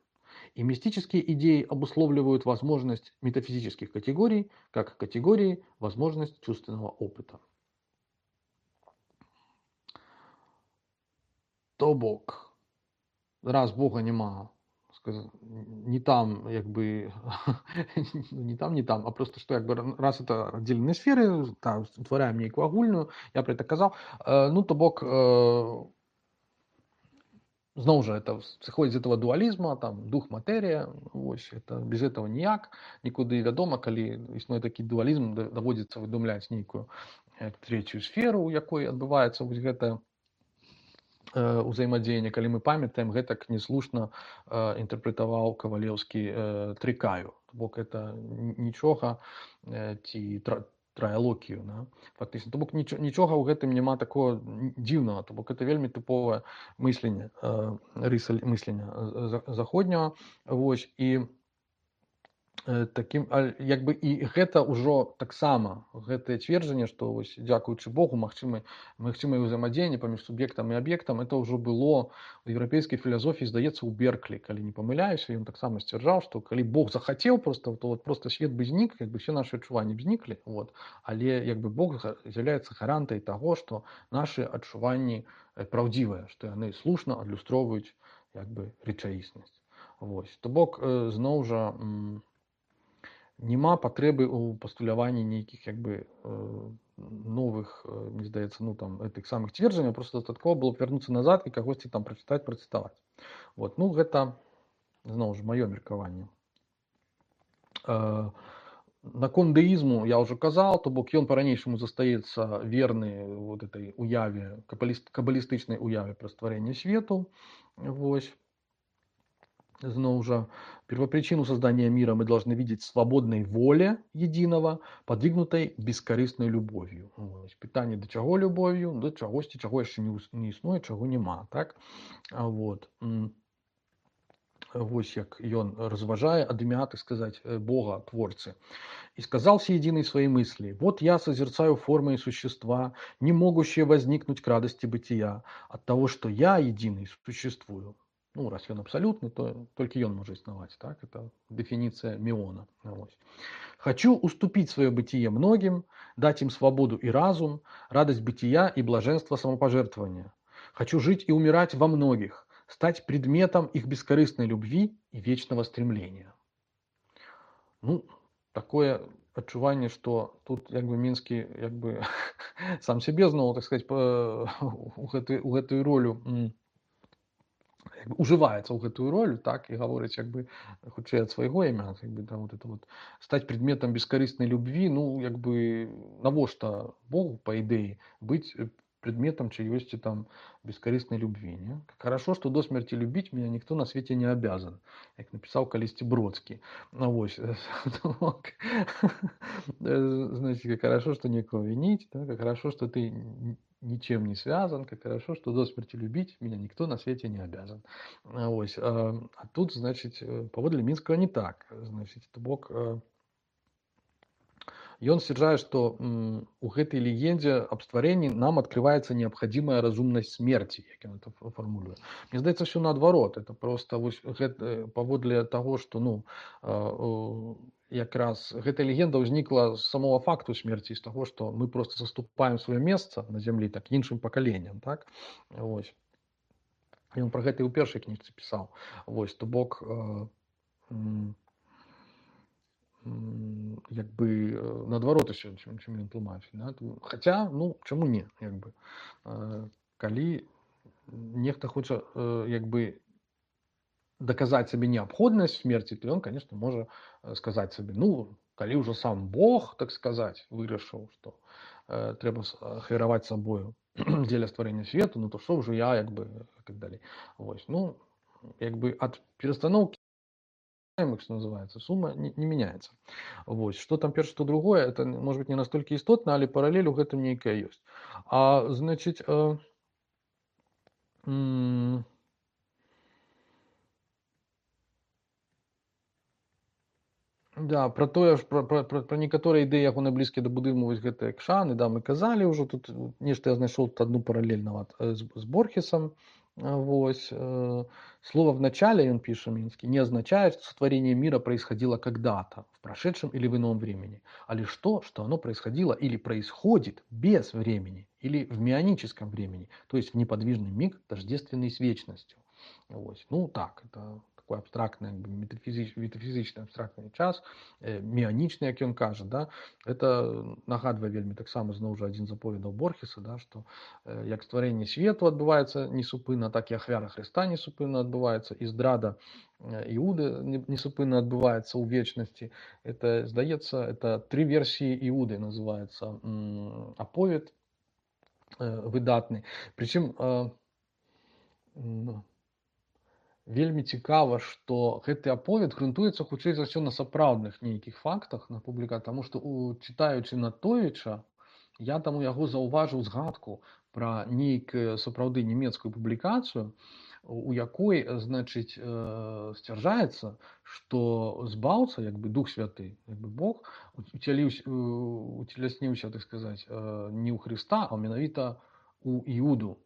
И мистические идеи обусловливают возможность метафизических категорий, как категории возможность чувственного опыта. То бок, раз Бога нема, не там, не там, а просто что раз это отдельные сферы, там утвараем нейкую агульную, я про это казал, то бок зноў жа это сыходзіць з этого дуалізма, там дух матэрія, вось это без этого ніяк нікуды. Вядома, калі існуе такі дуалізм, даводзіцца выдумляць нейкую трэцюю сферу, у якой адбываецца вось гэта ўзаемадзеянне. Калі мы памятаем, гэтак неслушна інтэрпрэтаваў Кавалеўскі трыкаю, бок это нічога ці трыалогію, да? Фактычна. То бок нічога ў гэтым няма такого дзіўнага, то бок это вельмі тыповае мысленне, рыса мыслення заходняга. Вось, і такім як бы і гэта ўжо таксама гэтае цверджанне, што вось дзякуючы Богу магчымае ўзаемадзеянне паміж суб'ектам і аб'ектам, это ўжо было у еўрапейскай філасофіі, здаецца, у Берклі, калі не памыляюся, ён таксама сцвярджаў, што калі Бог захацеў проста, то вот просто свет бы знік, як бы все нашы адчуванні б зніклі, вот, але як бы Бог з'яўляецца гарантай таго, што нашы адчуванні праўдзівыя, што яны слушна адлюстроўваюць як бы рэчаіснасць. Вось, то бок зноў жа няма патрэбы ў пастуляванні нейкіх як бы новых, мне здаецца, ну там гэтых самых цверджанняў, просто дастаткова было б вярнуцца назад і кагосьці там працытаваць. Вот, ну гэта зноў ж маё меркаванне. Наконт дэізму я ўжо казаў, то бок ён па-ранейшаму застаецца верны вот этой уяве, кабалістычнай уяве пра стварэнне свету. Вось. Зноў жа, первопричину создания мира мы должны видеть в свободной воле единого, подвигнутой бескорыстной любовью. Питание до чаго любовью? До чагосьці, чаго яшчэ не існуе, чаго няма. Так? Вот. Вось як ён разважае ад імя, так сказать, Бога, Творцы. «И сказал всеединый свои мысли: вот я созерцаю формы и существа, не могущие возникнуть к радости бытия, от того, что я единый существую». Ну, раз ён абсолютный, то только ён может існаваць. Так? Это дефиниция Миона. «Хочу уступить свое бытие многим, дать им свободу и разум, радость бытия и блаженство самопожертвования. Хочу жить и умирать во многих, стать предметом их бескорыстной любви и вечного стремления». Ну, такое адчуванне, что тут як бы Мінскі як бы сам себе зноў, так сказать, у гэтую ролю уживаецца ў гэтую роль, так, і гаворыць як бы хутчэй ад свайго імя, як бы там вот это вот стаць предметам бескарыснай любви, ну як бы навошта Богу по ідэі быць предметом чьёйсьці там бескорыстной любви. Не? Хорошо, что до смерти любить меня никто на свете не обязан, как написал калісьці Бродский. Ну, вот. Знаете, как хорошо, что некого винить, да? Как хорошо, что ты ничем не связан, как хорошо, что до смерти любить меня никто на свете не обязан. Вот. А тут, значит, паводле Мінскага не так. Значит, то бок... Ён сцвярджае, што у гэтай легендзе аб стварэнні нам адкрываецца неабходимая разумнасць смерти, як ён это фармулюе. Мне здаецца, все наадварот. Это просто вось гэта, паводле таго, што ну, якраз гэтая легенда ўзнікла з самого факту смерти, з таго, што мы просто заступаем сваё месца на зямлі так іншым пакаленням. Так? Вось. Ён пра гэта і ў першай кніжцы пісаў. Вось, то бок... як бы наадварот усё, чым ён тлумачыць. Да? Хаця, ну, чаму не? Як бы. Калі нехта хоча як бы даказаць сабе неабходнасць смерці, то ён, конечно, можа сказаць сабе, ну, калі ўжо сам Бог, так сказаць, вырашыў, што трэба ахвяраваць сабою дзеля стварэння свету, ну то што ўжо я, як бы, так далей. Вось. Ну, як бы ад перастаноўкі, что называется, сумма не меняется. Вот. Что там первое, что другое, это может быть не настолько істотно, але параллель у гэтым нейкая ёсць. А значит, да, про тое ж про некаторыя ідэі ягоныя блізкія да будызму, вось гэтыя кшаны, да, мы казалі ўжо, тут нешта я знайшоў тут одну параллель нават з Борхесом. Вось. Слово в начале, он пишет Минский, не означает, что сотворение мира происходило когда-то, в прошедшем или в ином времени, а лишь то, что оно происходило или происходит без времени, или в мионическом времени, то есть в неподвижный миг, тождественный с вечностью. Вот. Ну так, это такой абстрактны, метафізічны абстрактны час, міанічны, як ён кажа, да? Это нагадвае вельмі таксама зноў жа адзін з аповедаў Борхеса, да? Што як стварэнне свету адбываецца несупынна, так і ахвяра Хрыста несупынна адбываецца, і здрада Іуды несупынна адбываецца ў вечнасці. Это, здаецца, это 3 версіі Іуды называецца аповед выдатны. Прычым вельмі цікава, што гэты аповед грунтуецца хутчэй за ўсё на сапраўдных нейкіх фактах на публікацыі, таму што чытаючы Натовіча, я там у яго заўважыў згадку пра нейкую сапраўды нямецкую публікацыю, у якой, значыць, сцвярджаецца, што збаўца, як бы Дух Святы, як бы Бог, уцелесніўся, так сказаць, не ў Хрыста, а менавіта у Іуду,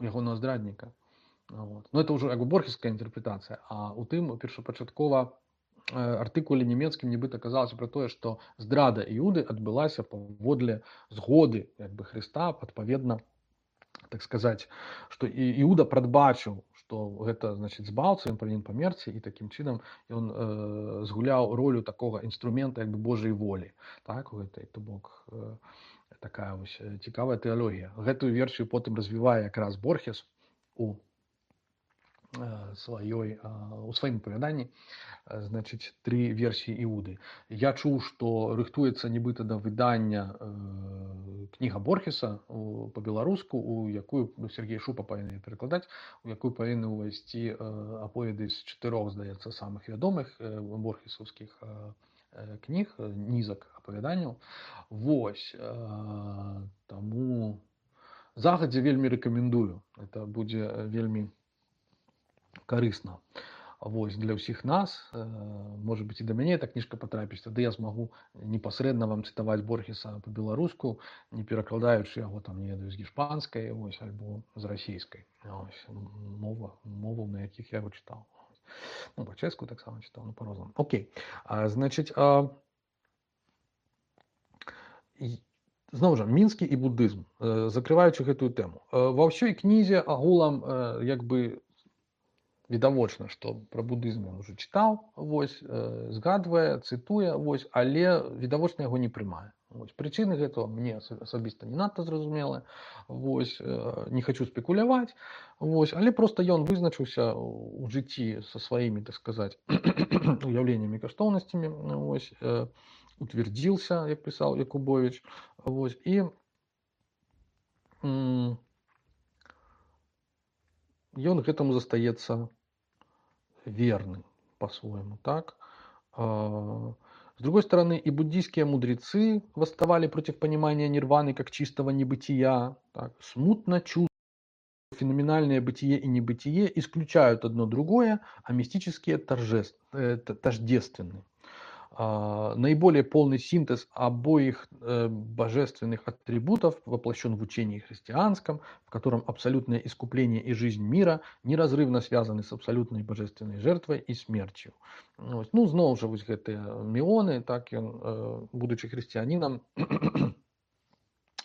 у ягонага здрадніка. Вот. Ну, это ўжо як бы борхеская інтэрпрэтацыя, а у тым першапачаткова артыкуле нямецкім нібыта казалася пра тое, што здрада Іуды адбылася паводле згоды як бы Хрыста, адпаведна, так сказаць, што Іуда прадбачыў, што гэта, значыць, збаўца, ён павінен памерці, і такім чынам ён згуляў ролю такога інструмента як бы Божай волі. Так, у гэтай, то бок, такая вось цікавая тэалогія. Гэтую версію потым развівае якраз Борхес у сваім апавяданні, значыць, 3 версіі Іуды. Я чуў, што рыхтуецца нібыта да выдання кніга Борхеса па-беларуску, у якую Сергей Шупа павінен перакладаць, у якую павінны ўвайсці аповеды з 4, здаецца, самых вядомых борхесаўскіх кніг, нізак апавяданняў. Вось, таму загадзя вельмі рэкамендую. Это будзе вельмі карысна. Вось, для ўсіх нас, можа быць, і да мяне эта кніжка патрапіць, тады я змагу непасрэдна вам цытаваць Борхеса па-беларуску, не перакладаючы яго там, не ведаю, з гішпанскай, вось, альбо з расійскай. Вось, моваў, на якіх я яго чытаў. Ну, па-чэшску таксама чытаў, ну, па-рознаму. Окей. Значыць, зноў жа, мінскі і буддызм, закрываючы гэтую тэму. Ва ўсёй кнізе агулам, як бы, відавочна, што пра буддызм ён уже чытаў, вось, згадвае, цытуе, вось, але відавочна яго не прымае. Вось, прычыны гэтага мне асабіста не надта зразумелыя, вось, не хачу спекуляваць, вось, але проста ён вызначыўся ў жыцці са сваімі, так сказаць, уяўленнямі, каштоўнасцямі, вось, утвердзіўся, як пісаў Якубовіч, вось, і ён гэтаму застаецца верным по-своему, так? С другой стороны, и буддийские мудрецы восставали против понимания нирваны как чистого небытия, так? Смутно чувствуют, что феноменальное бытие и небытие исключают одно другое, а мистические тождественны. Наиболее полный синтез обоих божественных атрибутов воплощен в учении христианском, в котором абсолютное искупление и жизнь мира неразрывно связаны с абсолютной божественной жертвой и смертью. Ну, зноў жа, вось гэтыя міоны, так ён, будучи хрысціянінам,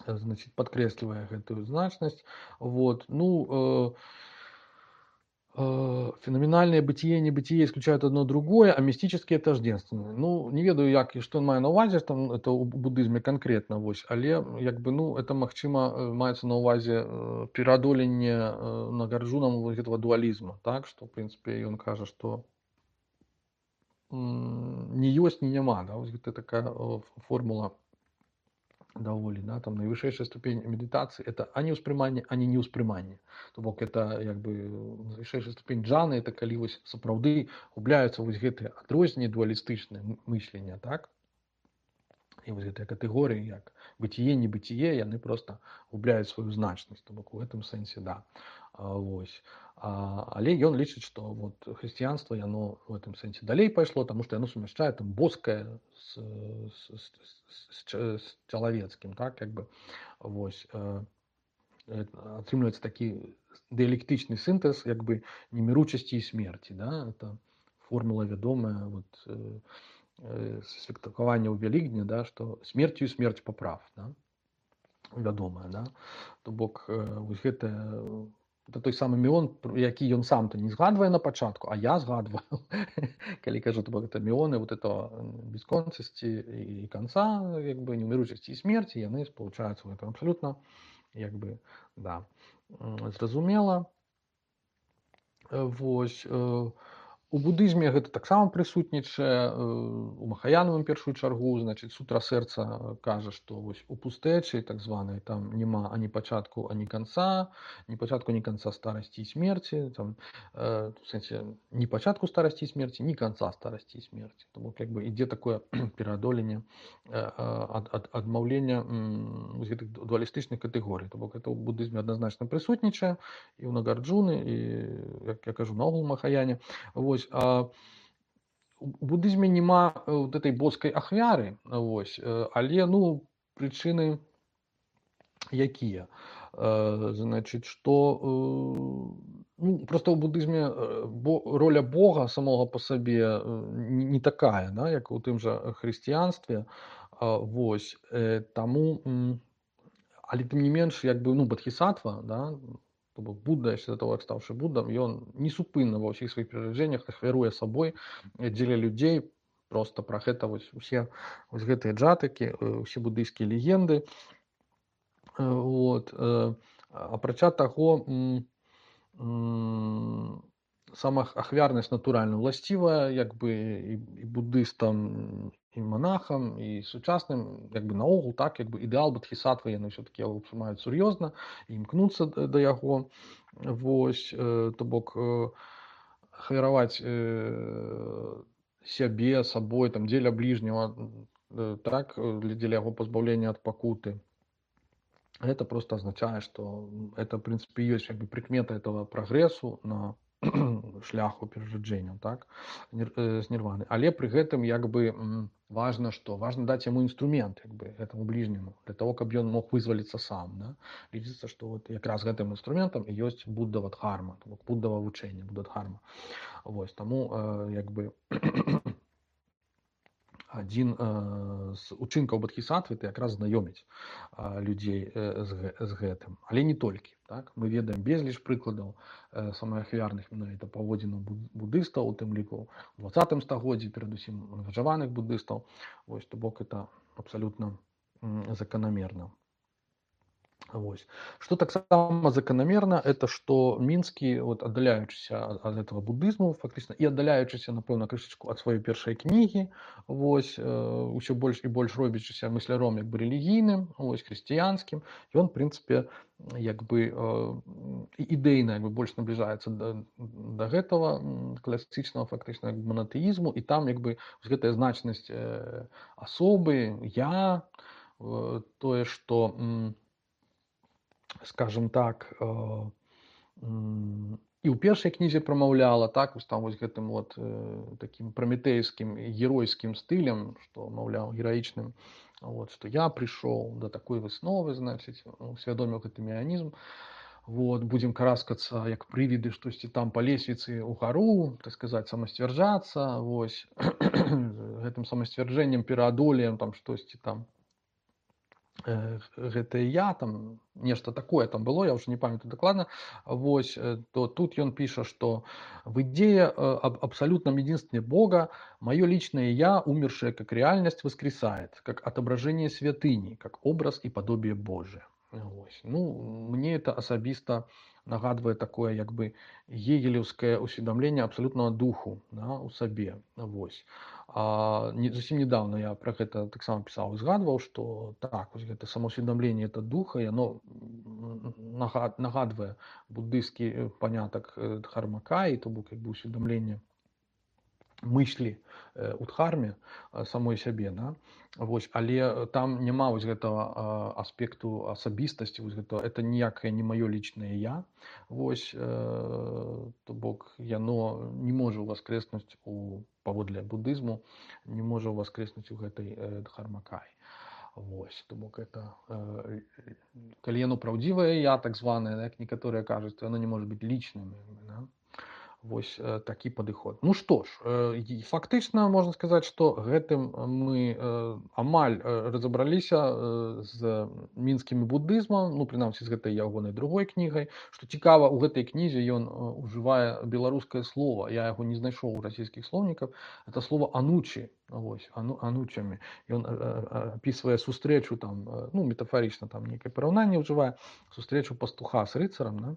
значит, подкрэслівае гэтую значнасць. Вот. Ну, феноменальное бытие и небытие исключают одно другое, а мистические тождественны. Ну, не ведаю, як і што ён мае на ўвазе, там, это ў буддызме канкрэтна, вось, але, як бы, ну, это, магчыма, маецца на ўвазе пераадоленне нагарджунам гэтага дуалізму, так, што, в прынцыпе, ён кажа, што не ёсць, не няма, да, вось гэта такая формула даволі, да, там найвышэйшая ступень медитации это ані ўспрыманне, ані не ўспрыманне. То бок это як бы найвышэйшая ступень джаны, это калі вось сапраўды губляюцца вось гэтыя адрозненні дуалістычныя мыслення, так? І вось гэтыя катэгорыі, як бытие, небытие, яны проста губляюць сваю значнасць. То бок у гэтым сэнсе, да. Вось. Але ён лічыць, што вот хрысціянства яно в этом сэнсе далей пайшло, таму што яно сумяшчае там боскае з чалавецкім, так, як бы, вось, атрымліваецца такі дыялектычны сінтэз, як бы, неміручасці і смерці, да, это формула вядомая, вот, святкавання ў Вялікдня, да, што смерцю і смерць паправ, да, вядомая, да, то бок, вось гэтая это той самы міён, які ён сам-то не згадвае на пачатку, а я згадваю. Калі кажу, то бок это міёны вот этого бесконцасці і канца, як бы неўміручасці і смерці, яны спалучаюцца ў гэтым абсалютна, як бы, да, зразумела. Вось, у будызме гэта таксама прысутнічае, у махаянавым першую чаргу, значыць, сутра сэрца кажа, што вось у пустэчы так званай там няма ані пачатку, ані канца, ні пачатку, ні канца старасці і смерці, там, в сэнсе, ні пачатку старасці і смерці, ні канца старасці і смерці. Тому як бы ідзе такое пераадоленне, адмаўлення з гэтых дуалістычных катэгорый. То бок гэта ў будызме адназначна прысутнічае і ў Нагарджуны, і, як я кажу, наогул у махаяне. Вось, у будызме няма вот этой боскай ахвяры, вось, але, ну, прычыны якія? Значыць, што, ну, просто ў будызме роля Бога самога па сабе не такая, да, як у тым жа хрысціянстве, вось, таму, але тым не менш, як бы, ну, бодхісаттва, да, то бок Будда, яшчэ да таго, як стаўшы Буддам, ён несупынна ва ўсіх сваіх перараджэннях ахвяруе сабой дзеля людзей. Проста пра гэта вось усе вось гэтыя джатыкі, усе будыйскія легенды. Вот. Апрача таго, сама ахвярнасць натуральна ўласцівая, як бы, і будыстам, і монахам, і сучасным, як бы, наогул, так, як бы, ідэал бодхісаттвы яны ўсё-такі ўспрымаюць сур'ёзна і імкнуцца да яго. Вось, то бок, ахвяраваць сябе, сабой, там, дзеля бліжняга, так, дзеля яго пазбаўлення ад пакуты. Это просто означает, что это, в принципе, есть как бы прикмета этого прогрессу на шляху перараджэнняў, так, з нірваны. Але пры гэтым, як бы, важна што? Важна даць яму інструмент, як бы, гэтаму бліжняму, для того, каб ён мог вызваліцца сам, да. Лічыцца, што вот якраз гэтым інструментам і ёсць буддава дхарма, буддава вучэнне, будда-дхарма. Вось, таму, як бы, адзін з учынкаў бодхісаттвы это якраз знаёміць людзей з гэтым, але не толькі, так. Мы ведаем безліч прыкладаў самых ахвярных менавіта паводзінаў будыстаў, у тым ліку у 20 стагоддзі, перадусім ангажаваных будыстаў. Вось, то бок это абсалютна заканамерна. Вось. Что таксама закономерно, это что Минский, вот, отдаляючыся от этого буддызму фактично и отдаляючыся, напэўна, крышачку от своей першай кнігі, вось, усё больш і больш робячыся мысляром як бы рэлігійным, вось, хрысціянскім, ён, в принципе, як бы ідэйна як бы больш набліжаецца да гэтага класічнага фактычна монотэізму, і там як бы гэтая значнасць асобы, я, тое, што, скажем так, і ў першай кнізе прамаўляла, так, вось там вось гэтым вот таким праметэйскім геройскім стылем, што, маўляў, гераічным, вот, што я прыйшоў да такой высновы, значыць, усвядоміў гэты механізм, вот, будзем караскацца як прывіды штосьці там па лесвіцы ўгару, так сказаць, самасцвярджацца, вось, гэтым самасцвярджэннем пераадолеем там штосьці там, гэта я, там нешта такое там было, я уже не памятаю дакладна, вось, то тут ён піша, что в идее об абсолютном единстве Бога мое личное я, умершее как реальность, воскресает, как отображение святыни, как образ и подобие Божие. Вось. Ну, мне это асабіста нагадвае такое як бы гегелевскае усведомление абсолютного духу, да, у сабе. Вось. Зусім недавно я про гэта таксама пісаў і згадваў, што так, вось гэта самоусведомление это духа, і оно нагадвае буддысцкі панятак дхармакаі, то бок як бы усведомление мыслі у дхарме самой сябе, да? Вось, але там няма вось гэтага аспекту асабістасці, вось гэта, это ніякае не маё лічнае я, вось, то бок яно не можа ўваскрэснуць паводле буддызму, не можа ўваскрэснуць у гэтай дхармакаі. Вось, то бок это, калі яно праўдзівае я, так званае, як некаторыя кажуць, то яно не можа быць лічным, да? Вось такі падыход. Ну што ж, фактычна можна сказаць, што гэтым мы амаль разабраліся з мінскім будызмам, ну прынамсі з гэтай ягонай другой кнігай. Што цікава, у гэтай кнізе ён ужывае беларускае слова. Я яго не знайшоў у расійскіх слоўніках. Это слова анучі, вось, анучамі. Ён апісвае сустрэчу там, ну метафарычна там нейкае параўнанне ўжывае, сустрэчу пастуха с рыцарам, да?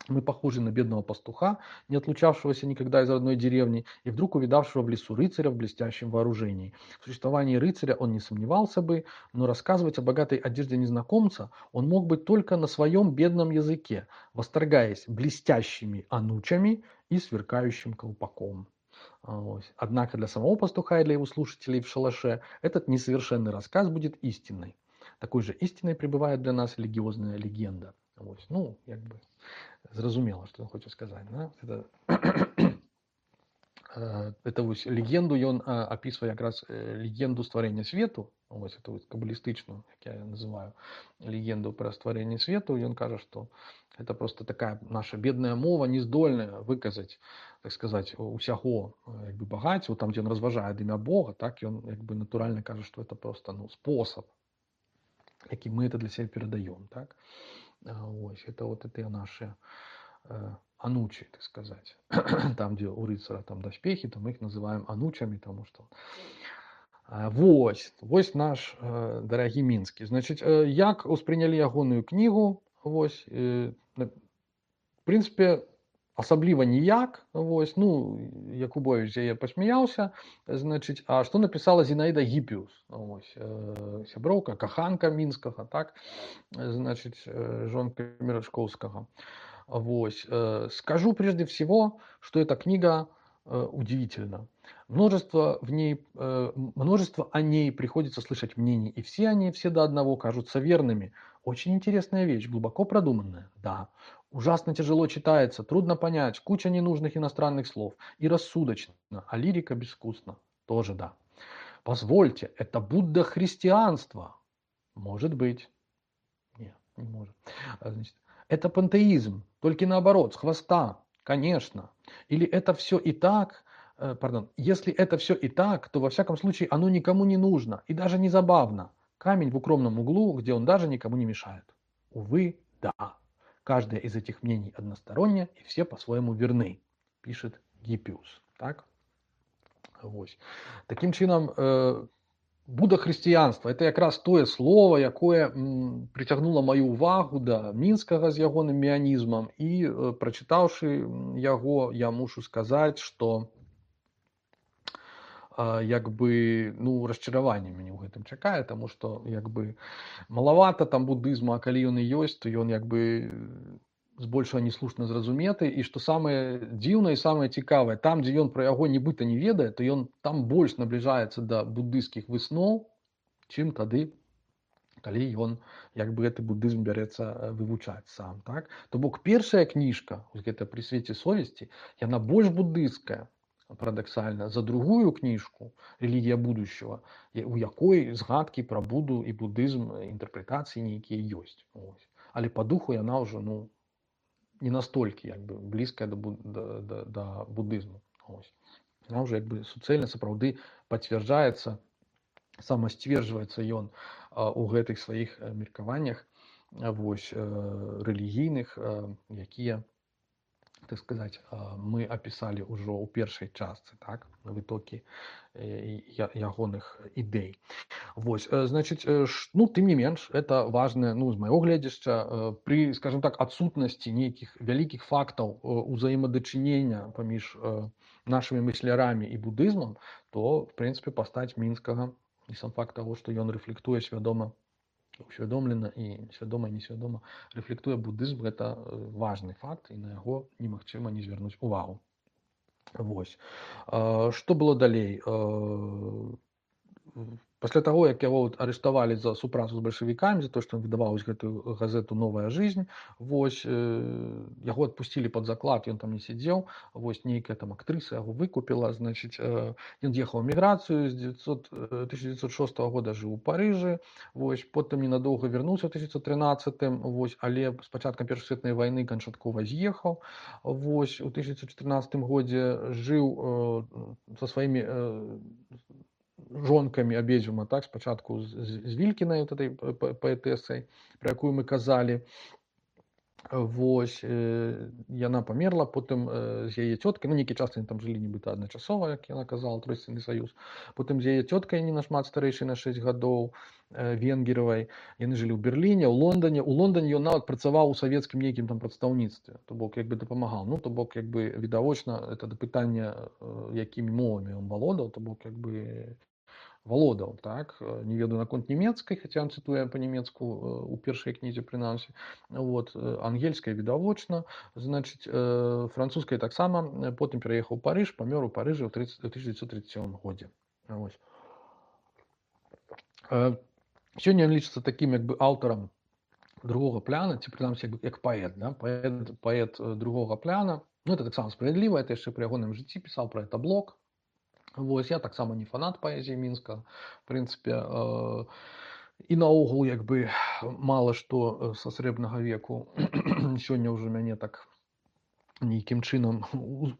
Мы похожи на бедного пастуха, не отлучавшегося никогда из родной деревни, и вдруг увидавшего в лесу рыцаря в блестящем вооружении. В существовании рыцаря он не сомневался бы, но рассказывать о богатой одежде незнакомца он мог бы только на своем бедном языке, восторгаясь блестящими анучами и сверкающим колпаком. Однако для самого пастуха и для его слушателей в шалаше этот несовершенный рассказ будет истинной. Такой же истиной пребывает для нас религиозная легенда. Ну, как бы зразумела, што ён хоча сказаць, да? Это вось легенду ён апісвае якраз легенду стварэння свету, вось это вось кабалістычную, як я называю, легенду пра стварэнне свету. Ён кажа, што это просто такая наша бедная мова, не здольная выказаць, так сказаць, усяго як бы багацця, там дзе ён разважае ад імя Бога, так ён як бы натуральна кажа, што это просто спосаб, які мы это для сябе перадаём, так? Ось, это вот это наши анучи, так сказать. Там, где у рыцара там доспехи, то мы их называем анучами, потому что... Вось наш дарагі мінскі. Значит, як успрынялі ягоную кнігу, вось, в принципе, асабліва ніяк, вось, ну, Якубович яе пасмяяўся, значыць, а што напісала Зінаіда Гіппіус, вось, сяброўка, каханка мінскага, так, значыць, жонка Мерачкоўскага. Вось, скажу прежде всего, что эта книга удивительна. Множество о ней приходится слышать мнений, и все они, все до одного, кажутся верными. Очень интересная вещь, глубоко продуманная, да. Ужасно тяжело читается, трудно понять, куча ненужных иностранных слов. И рассудочно, а лирика безвкусна. Тоже да. Позвольте, это Будда христианства. Может быть. Нет, не может. Значит, это пантеизм, только наоборот, с хвоста. Конечно. Или это все и так, если это все и так, то во всяком случае оно никому не нужно и даже не забавно. Камень в укромном углу, где он даже никому не мешает. Увы, да. Каждое из этих мнений одностороннее, и все по-своему верны, пишет Гиппиус. Так? Вось. Таким чином, будахрысціянства это якраз тое слово, якое прыцягнула маю ўвагу да мінскага з ягоным меанізмам, і прачытаўшы яго, я мушу сказаць, што як бы, ну, расчараванне мяне ў гэтым чакае, таму што як бы малавата там будызму, а калі ён і ёсць, то ён як бы збольшага неслушна зразуметы, і што самае дзіўнае і самае цікавае, там, дзе ён пра яго нібыта не ведае, то ён там больш набліжаецца да буддыйскіх высноў, чым тады, калі ён як бы гэты буддызм бярэцца вывучаць сам, так? То бок першая кніжка, гэта «Пры свеце совесці», яна больш буддыйская, парадаксальна, за другую кніжку «Рэлігія будущего», у якой згадкі пра Будду і буддызм, інтэрпрэтацыі нейкія ёсць. Але па духу яна ўжо, ну, не настолькі як бы блізкая да буддызму. Яна ўжо як бы суцэльна сапраўды пацвярджаецца, самасцверджваецца ён у гэтых сваіх меркаваннях, вось, рэлігійных, якія, так сказаць, мы апісалі ўжо ў першай частцы, так, вытокі ягоных ідэй. Вось, значыць, ну, тым не менш, это важна, ну, з майго гледзяшча, пры, скажем так, адсутнасці нейкіх вялікіх фактаў узаемадачынення паміж нашымі мыслярамі і будызмам, то, в прынцыпе, пастаць мінскага і сам факт таго, што ён рэфлектуе свядома, усвядомлена і свядома і несвядома рэфлектуе будызм, гэта важны факт, і на яго немагчыма не звярнуць увагу. Вось. Што было далей? пасля таго, як яго арыштавалі за супрацу з бальшавікамі, за то, што ён выдаваў гэтую газету «Новая жизнь», вось, яго адпусцілі пад заклад, ён там не сядзеў, вось нейкая там актрыса яго выкупіла, значыць, ён з'ехаў у эміграцыю, з 1906 года жыў у Парыжы, вось, потым ненадоўга вярнуўся ў 1913, вось, але з пачаткам Першай светнай вайны канчаткова з'ехаў, вось, у 1914 годзе жыў са сваімі жонкамі абедзвюма, так, спачатку з Вількінай, вот этой паэтэсай, пра якую мы казалі, вось, яна памерла, потым з яе цёткай, ну, нейкі час яны там жылі нібыта адначасова, як яна казала, Тройственны саюз, потым з яе цёткай, не нашмат старэйшай на 6 гадоў, венгеравай, яны жылі ў Берліне, ў Лондоне. У Лондоне ён нават працаваў у савецкім нейкім там прадстаўніцтве, то бок як бы дапамагаў, ну, то бок як бы відавочна, это да пытання, якімі мовамі ён валодаў, то бок як бы валодаў, так, не ведаю наконт нямецкай, хаця ён цытуе па-нямецку у першай кнізе прынамсі, вот, ангельская відавочна, значыць, французская таксама, потым пераехаў у Парыж, памёр у Парыжы ў 1937 годзе. Вось. Сёння ён лічыцца такім як бы аўтарам другога пляна, ці прынамсі як паэт, да? паэт другога пляна, ну, это таксама справядліва, это яшчэ пры ягоным жыцці пісаў пра это блог. Вось, я таксама не фанат паэзіі мінска, в прынцыпе, і наогул як бы мала што са срэбнага веку сёння ўжо мяне так нейкім чынам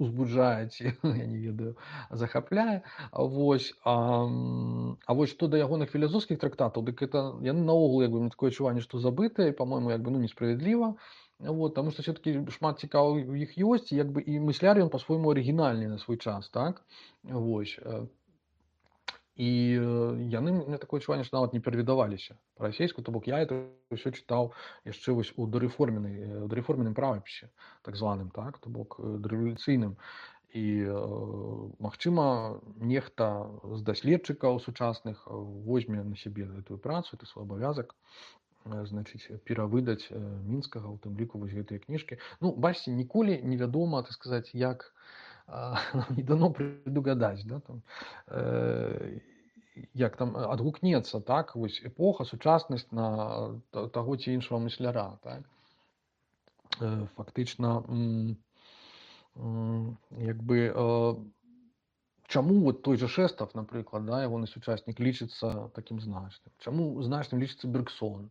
узбуджае ці, я не ведаю, захапляе. Вось, вось што да ягоных філасофскіх трактатаў, дык это яны наогул як бы такое адчуванне, што забытыя, па-мойму, як бы, ну, несправядліва. Вот, таму што все-таки шмат цікавых у іх ёсць, як бы і мысляр ён па-свойму арыгінальны на свой час, так? Вось. І яны, мне такое адчуванне, што нават не перавідаваліся па-расейску, то бок я это ўсё чытаў яшчэ вось у дарэформеным правапісе, так званым, так, то бок дарэвалюцыйным. І, магчыма, нехта з даследчыкаў сучасных возьме на сябе гэтую працу, это свой абавязак, значыць, перавыдаць мінскага, у тым ліку вось гэтыя кніжкі. Ну, бачыце, ніколі невядома, так сказаць, як не дано предугадаць, да, там, як там адгукнецца, так, вось эпоха, сучаснасць на таго ці іншага мысляра, так. Фактычна, як бы, чаму вот той же Шэстав, напрыклад, да, ягоны сучаснік лічыцца такім значным? Чаму значным лічыцца Бергсон?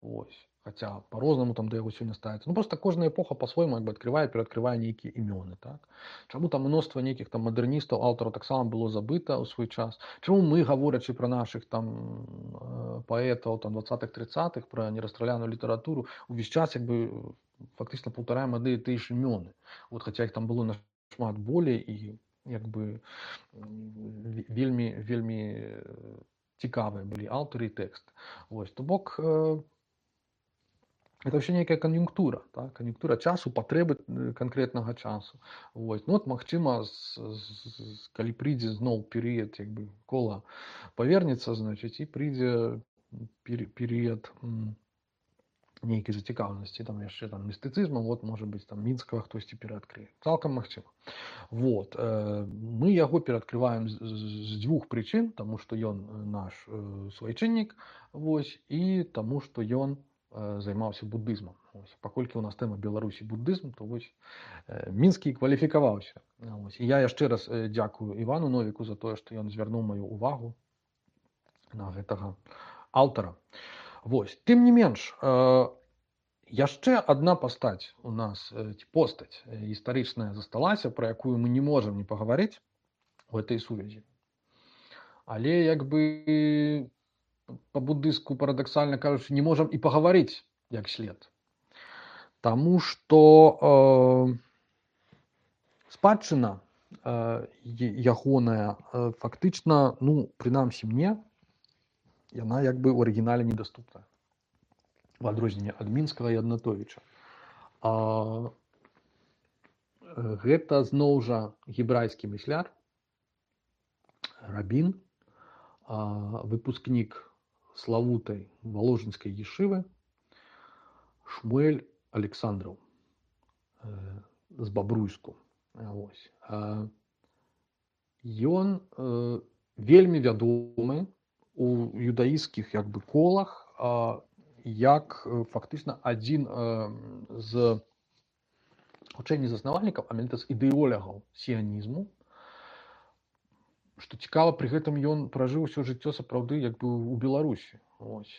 Вось. Хаця па-рознаму там да яго сёння ставіцца. Ну, проста кожная эпоха па-свойму як бы адкрывае, пераадкрывае нейкія імёны, так? Чаму там мноства нейкіх там мадэрністаў, аўтараў таксама было забыта ў свой час? Чаму мы, гаворачы пра нашых там паэтаў там 20-30-х, пра нерастраляную літаратуру, увесь час як бы фактычна паўтараем адны і тыя ж імёны. Вот, хаця іх там было нашмат болей і як бы вельмі цікавыя былі аўтары і тэкст. Вось, то бок, это вообще некая конъюнктура, так? Конъюнктура часу, патрэбы канкрэтнага часу. Вось. Ну, от, магчыма, калі прыйдзе зноў перыяд, як бы кола павернецца, значыць, і прыйдзе перыяд нейкай зацікаўленасці, там яшчэ там містыцызму, вот, можа быць, там мінскага хтосьці пераадкрые. Цалкам магчыма. Вот. Мы яго пераадкрываем з дзвюх прычын, таму што ён наш свайчыннік, вось, і таму што ён займаўся буддызмам. Паколькі у нас тэма Беларусі буддызм, то вось мінскі кваліфікаваўся. І я яшчэ раз дзякую Івану Новіку за тое, што ён звярнуў маю увагу на гэтага аўтара. Вось. Тым не менш, яшчэ адна пастаць у нас, ці постаць гістарычная засталася, пра якую мы не можам не пагаварыць у гэтай сувязі. Але як бы по-буддыску, парадаксальна кажучы, не можам і пагаварыць як след. Таму што спадчына ягоная фактычна, ну, прынамсі мне, яна як бы ў арыгінале недаступная. В адрозненне ад мінскага і Аднатовіча. Гэта зноў жа гебрайскі мысляр, рабін, выпускнік славутай Воложенскай ешывы Шмуэль Александраў з Бабруйску. Ён вельмі вядомы у юдаійскіх як бы колах, як фактычна адзін з хутчэй не заснавальнікаў, а менавіта з ідэолягаў сіянізму. Што цікава, пры гэтым ён пражыў усё жыццё сапраўды як бы ў Беларусі. Вось,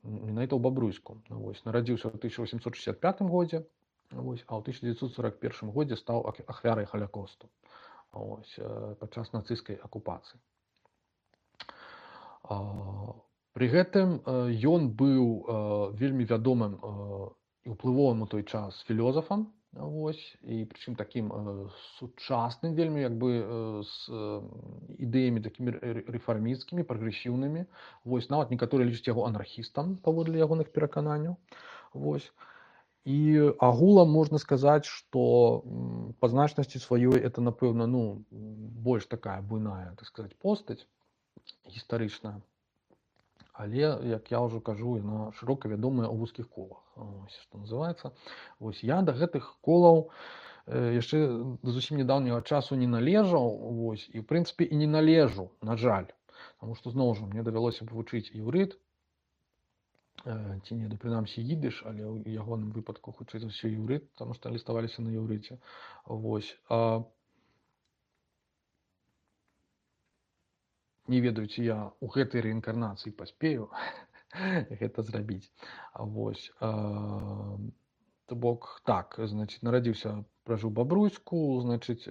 менавіта ў Бабруйску. Вось, нарадзіўся ў 1865 годзе, вось, а ў 1941 годзе стаў ахвярай Халякосту, вось, падчас нацысцкай акупацыі. Пры гэтым ён быў вельмі вядомым і ўплывовым у той час філёзафам, вось, і прычым такім сучасным вельмі як бы з ідэямі такімі рэфармісцкімі, прагрэсіўнымі. Вось, нават некаторыя лічаць яго анархістам паводле ягоных перакананняў. Вось. І агулам можна сказаць, што па значнасці сваёй это, напэўна, ну, больш такая буйная, так сказаць, постаць гістарычная. Але, як я ўжо кажу, яна шырока вядомая ў вузкіх колах, ось, што называецца. Вось, я да гэтых колаў яшчэ да зусім нядаўняга часу не належаў, вось, і ў прынцыпе і не належу, на жаль, таму што зноў жа мне давялося б вучыць іўрыт, ці не, прынамсі ідыш, але ў ягоным выпадку хутчэй за ўсё іўрыт, таму што ліставаліся на іўрыце. Вось. Не ведаю, ці я ў гэтай рэінкарнацыі паспею гэта зрабіць. Вось. То бок, так, значыць, нарадзіўся, пражыў Бабруйску, значыць,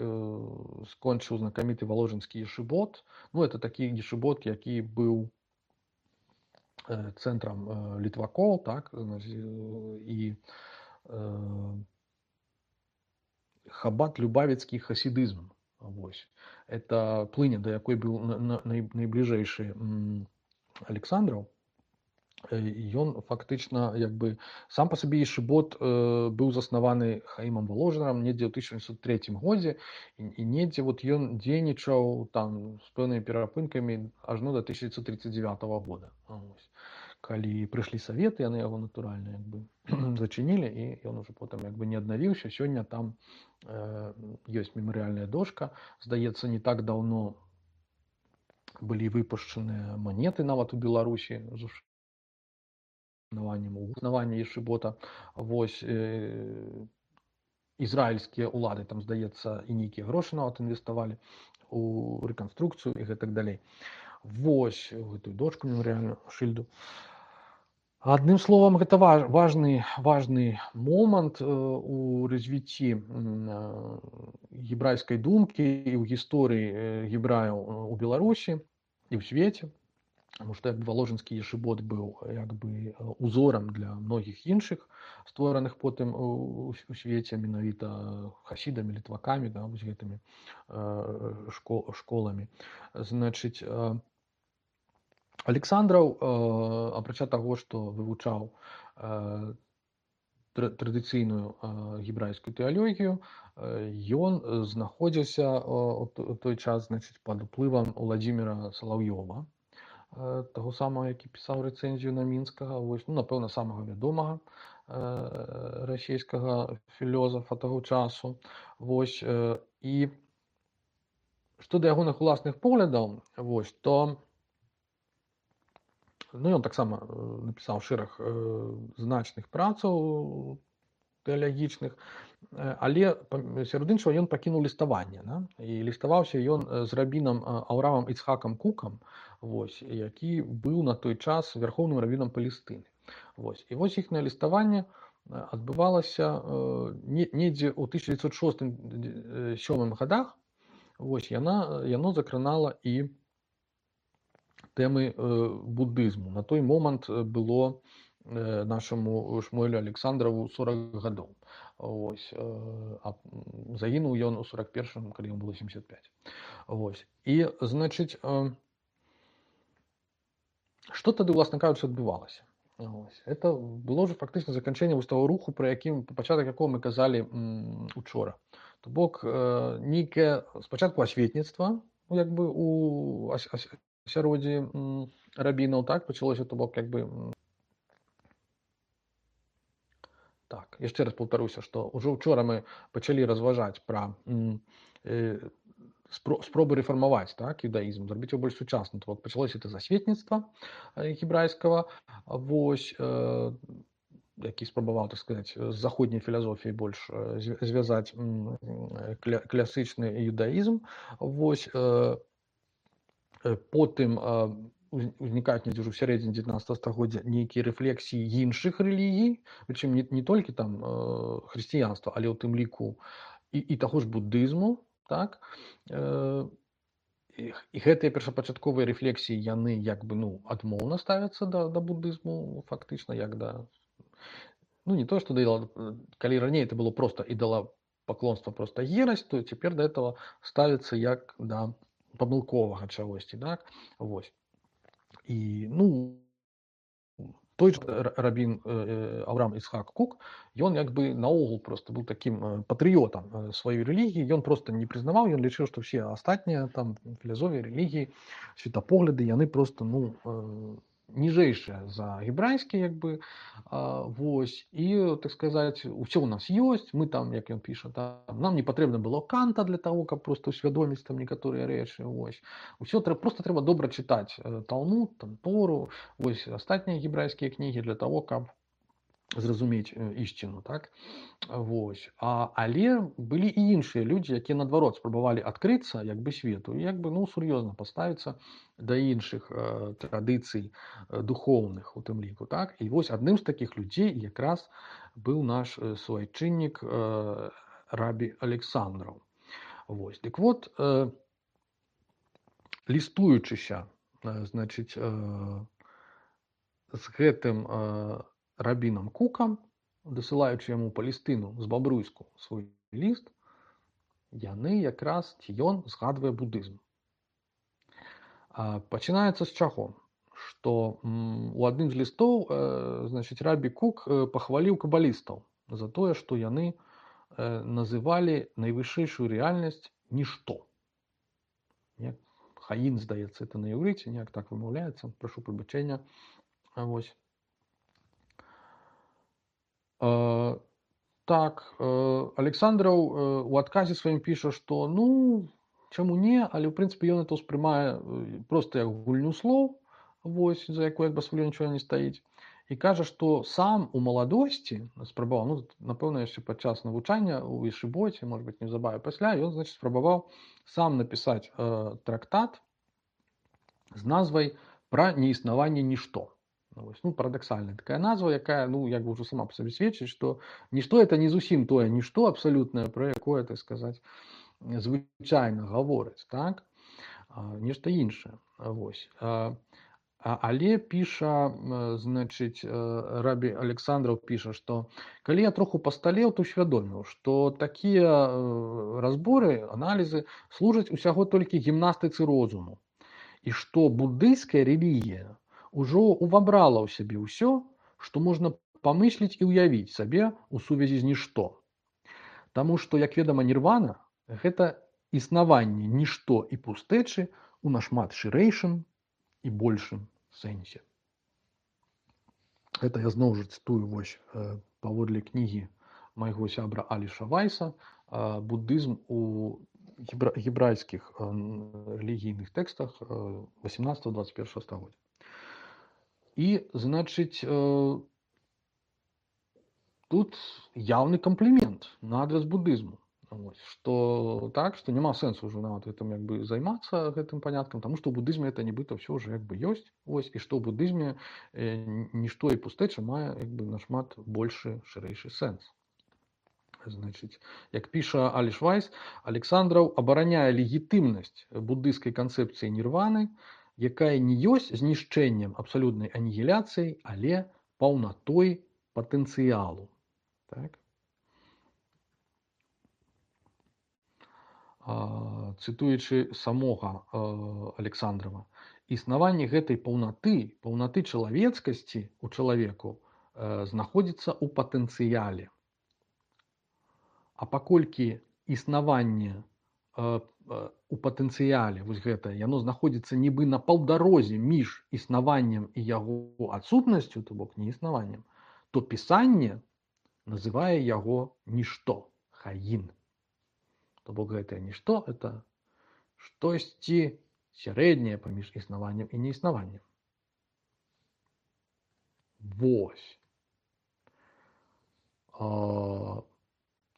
скончыў знакаміты валожынскі ешыбот. Ну, это такі ешыбот, які быў цэнтрам літвакоў, так, значыць, і хабат любавіцкі хасідызм. Вось. Это плыня, да якой быў найбліжэйшы Александраў. Ён фактычна як бы сам па сабе ешыбот быў заснаваны Хаімам Воложанам недзе ў 1903 годзе, і недзе вот ён дзейнічаў там з пэўнымі перапынкамі ажно да 1939 года. Вось. Калі прыйшлі саветы, яны яго натуральна як бы зачынілі, і ён ужо потым як бы не аднавіўся. Сёння там ёсць мемарыяльная дошка. Здаецца, не так даўно былі выпушчаныя манеты нават у Беларусі з узнавання ешыбота. Вось, ізраільскія ўлады там, здаецца, і нейкія грошы нават інвеставалі у рэканструкцыю і гэтак далей. Вось, гэтую дошку мемарыяльную, шыльду. Адным словам, гэта важны момант у развіцці гебрайскай думкі і ў гісторыі гебраяў у Беларусі і ў свеце, таму што валожынскі ешыбот быў як бы узорам для многіх іншых створаных потым у свеце менавіта хасідамі, літвакамі, да, вось гэтымі школамі. Значыць, Александраў, апрача таго, што вывучаў традыцыйную гебрайскую тэалогію, ён знаходзіўся ў той час, значыць, пад уплывам Уладзіміра Салаўёва, таго самага, які пісаў рэцэнзію на Мінскага, вось, ну, напэўна, самага вядомага расійскага філёзафа таго часу. Вось, і што да ягоных уласных поглядаў, вось, то ну, ён таксама напісаў шэраг значных працаў тэалагічных, але сярод іншага ён пакінуў ліставанне, да? І ліставаўся ён з рабінам Аўрамам Іцхакам Кукам, вось, які быў на той час вярхоўным рабінам Палестыны. Вось. І вось іхнае ліставанне адбывалася недзе ў 1906-1907 годах. Вось, яно закранала і тэмы буддызму. На той момант было нашаму Шмуэлю Александраву 40 гадоў. Ось, загінуў ён у 41-м, калі ему было 75. Ось. І, значыць, што тады, власна кажучы, адбывалася? Ось. Это было ж фактычна заканчэнне вось таго руху, пра якім, пачатак якога мы казалі учора. То бок, нейкае спачатку асветніцтва, як бы у асяроддзі рабінаў, так, пачалося, то бок, як бы... Так, яшчэ раз паўтаруся, што ўжо ўчора мы пачалі разважаць пра спробы рэфармаваць, так, іўдаізм, зрабіць яго больш сучасным. То бок пачалося это засветніцтва гебрайскага, вось, які спрабаваў, так сказаць, з заходняй філасофіяй больш звязаць класычны іўдаізм. Вось, потым узнікаюць недзе ўжо ў сярэдзіне 19 стагоддзя нейкія рэфлексіі іншых рэлігій, прычым не толькі там хрысціянства, але ў тым ліку і таго ж буддызму, так. І гэтыя першапачатковыя рэфлексіі, яны як бы, ну, адмоўна ставяцца да буддызму, фактычна, як да, ну, не то, что калі раней это было просто идолопоклонство, просто ересь, то теперь до этого ставится як да памылковага чагосьці, так. Вось. І, ну, той же рабін Авраам Ісхак Кук, ён як бы наогул просто быў такім патрыётам сваёй рэлігіі, ён просто не прызнаваў, ён лічыў, што все астатнія там філасофіі, рэлігіі, светапогляды, яны просто, ну, ніжэйшыя за гебрайскія, як бы, вось, і, так сказаць, усё ў нас ёсць, мы там, як ён піша, там, нам не патрэбна было Канта для таго, каб просто ўсвядоміць там некаторыя рэчы, вось. Усё просто трэба добра чытаць Талмуд, там, Тору, вось, астатнія гебрайскія кнігі для таго, каб зразумець ісціну, так. Вось. Але былі і іншыя людзі, якія наадварот спрабавалі адкрыцца як бы свету і як бы, ну, сур'ёзна паставіцца да іншых традыцый духоўных у тым ліку, так. І вось адным з такіх людзей якраз быў наш суайчыннік рабі Александраў. Вось. Дык вот, лістуючыся, значыць, з гэтым рабінам Кукам, дасылаючы яму Палестыну з Бабруйску свой ліст, яны якраз, ці ён згадвае будызм. Пачынаецца з чаго? Што у адным з лістоў, значыць, рабі Кук пахваліў кабалістаў за тое, што яны называлі найвышэйшую рэальнасць нішто. Хаін, здаецца, это на іўрыце, неяк так вымаўляецца, прашу прабачэння. Вось. Так, Александраў у адказе сваім піша, што, ну, чаму не, але ў прынцыпе ён это ўспрымае проста як гульню слоў, вось, за якой як бы сваё нічога не стаіць. І кажа, што сам у маладосці спрабаваў, ну, напэўна, яшчэ падчас навучання ў Ешыбоце, можа быць, неўзабаве пасля, ён, значыць, спрабаваў сам напісаць трактат з назвай «Пра неіснаванне нішто». Ну, парадаксальная такая назва, якая, ну, як бы ўжо сама па сабе сведчыць, што нішто это не зусім тое нішто абсалютнае, пра якое, так сказаць, звычайна гавораць, так? Нешта іншае. Вось. Але піша, значыць, рабі Александраў піша, што калі я троху пасталеў, то ўсвядоміў, што такія разборы, аналізы служаць усяго толькі гімнастыцы розуму. І што буддыйская рэлігія ўжо увабрала ў сябе ўсё, што можна памысліць і ўявіць сабе ў сувязі з нішто. Таму што, як вядома, нірвана – гэта існаванне нішто і пустэчы ў нашмат шырэйшым і большым сэнсе. Гэта я зноў жа цытую вось паводле кнігі майго сябра Аліша Вайса «Буддызм у гебрайскіх рэлігійных тэкстах 18-21 стагоддзя». І, значыць, тут яўны камплімент на адрас буддызму. Што так, што няма сэнсу ўжо нават гэтым як бы займацца гэтым паняткам, таму што ў буддызме это нібыта ўсё ўжо як бы ёсць. Вось, і што ў буддызме нішто і пустэча мае як бы нашмат большы, шырэйшы сэнс. Значыць, як піша Аліш Вайс, Александраў абараняе легітымнасць буддыйскай канцэпцыі нірваны, якая не ёсць знішчэннем абсалютнай анігіляцыяй, але паўнатой патэнцыялу. Так? Цытуючы самога Александрава, існаванне гэтай паўнаты чалавецкасці ў чалавеку знаходзіцца ў патэнцыяле. А паколькі існаванне у патэнцыяле, вось гэта, яно знаходзіцца нібы на паўдарозе між існаваннем і яго адсутнасцю, то бок неіснаваннем, то пісанне называе яго нішто, хаін. То бок гэтае нішто – это штосьці сярэдняе паміж існаваннем і неіснаваннем. Вось.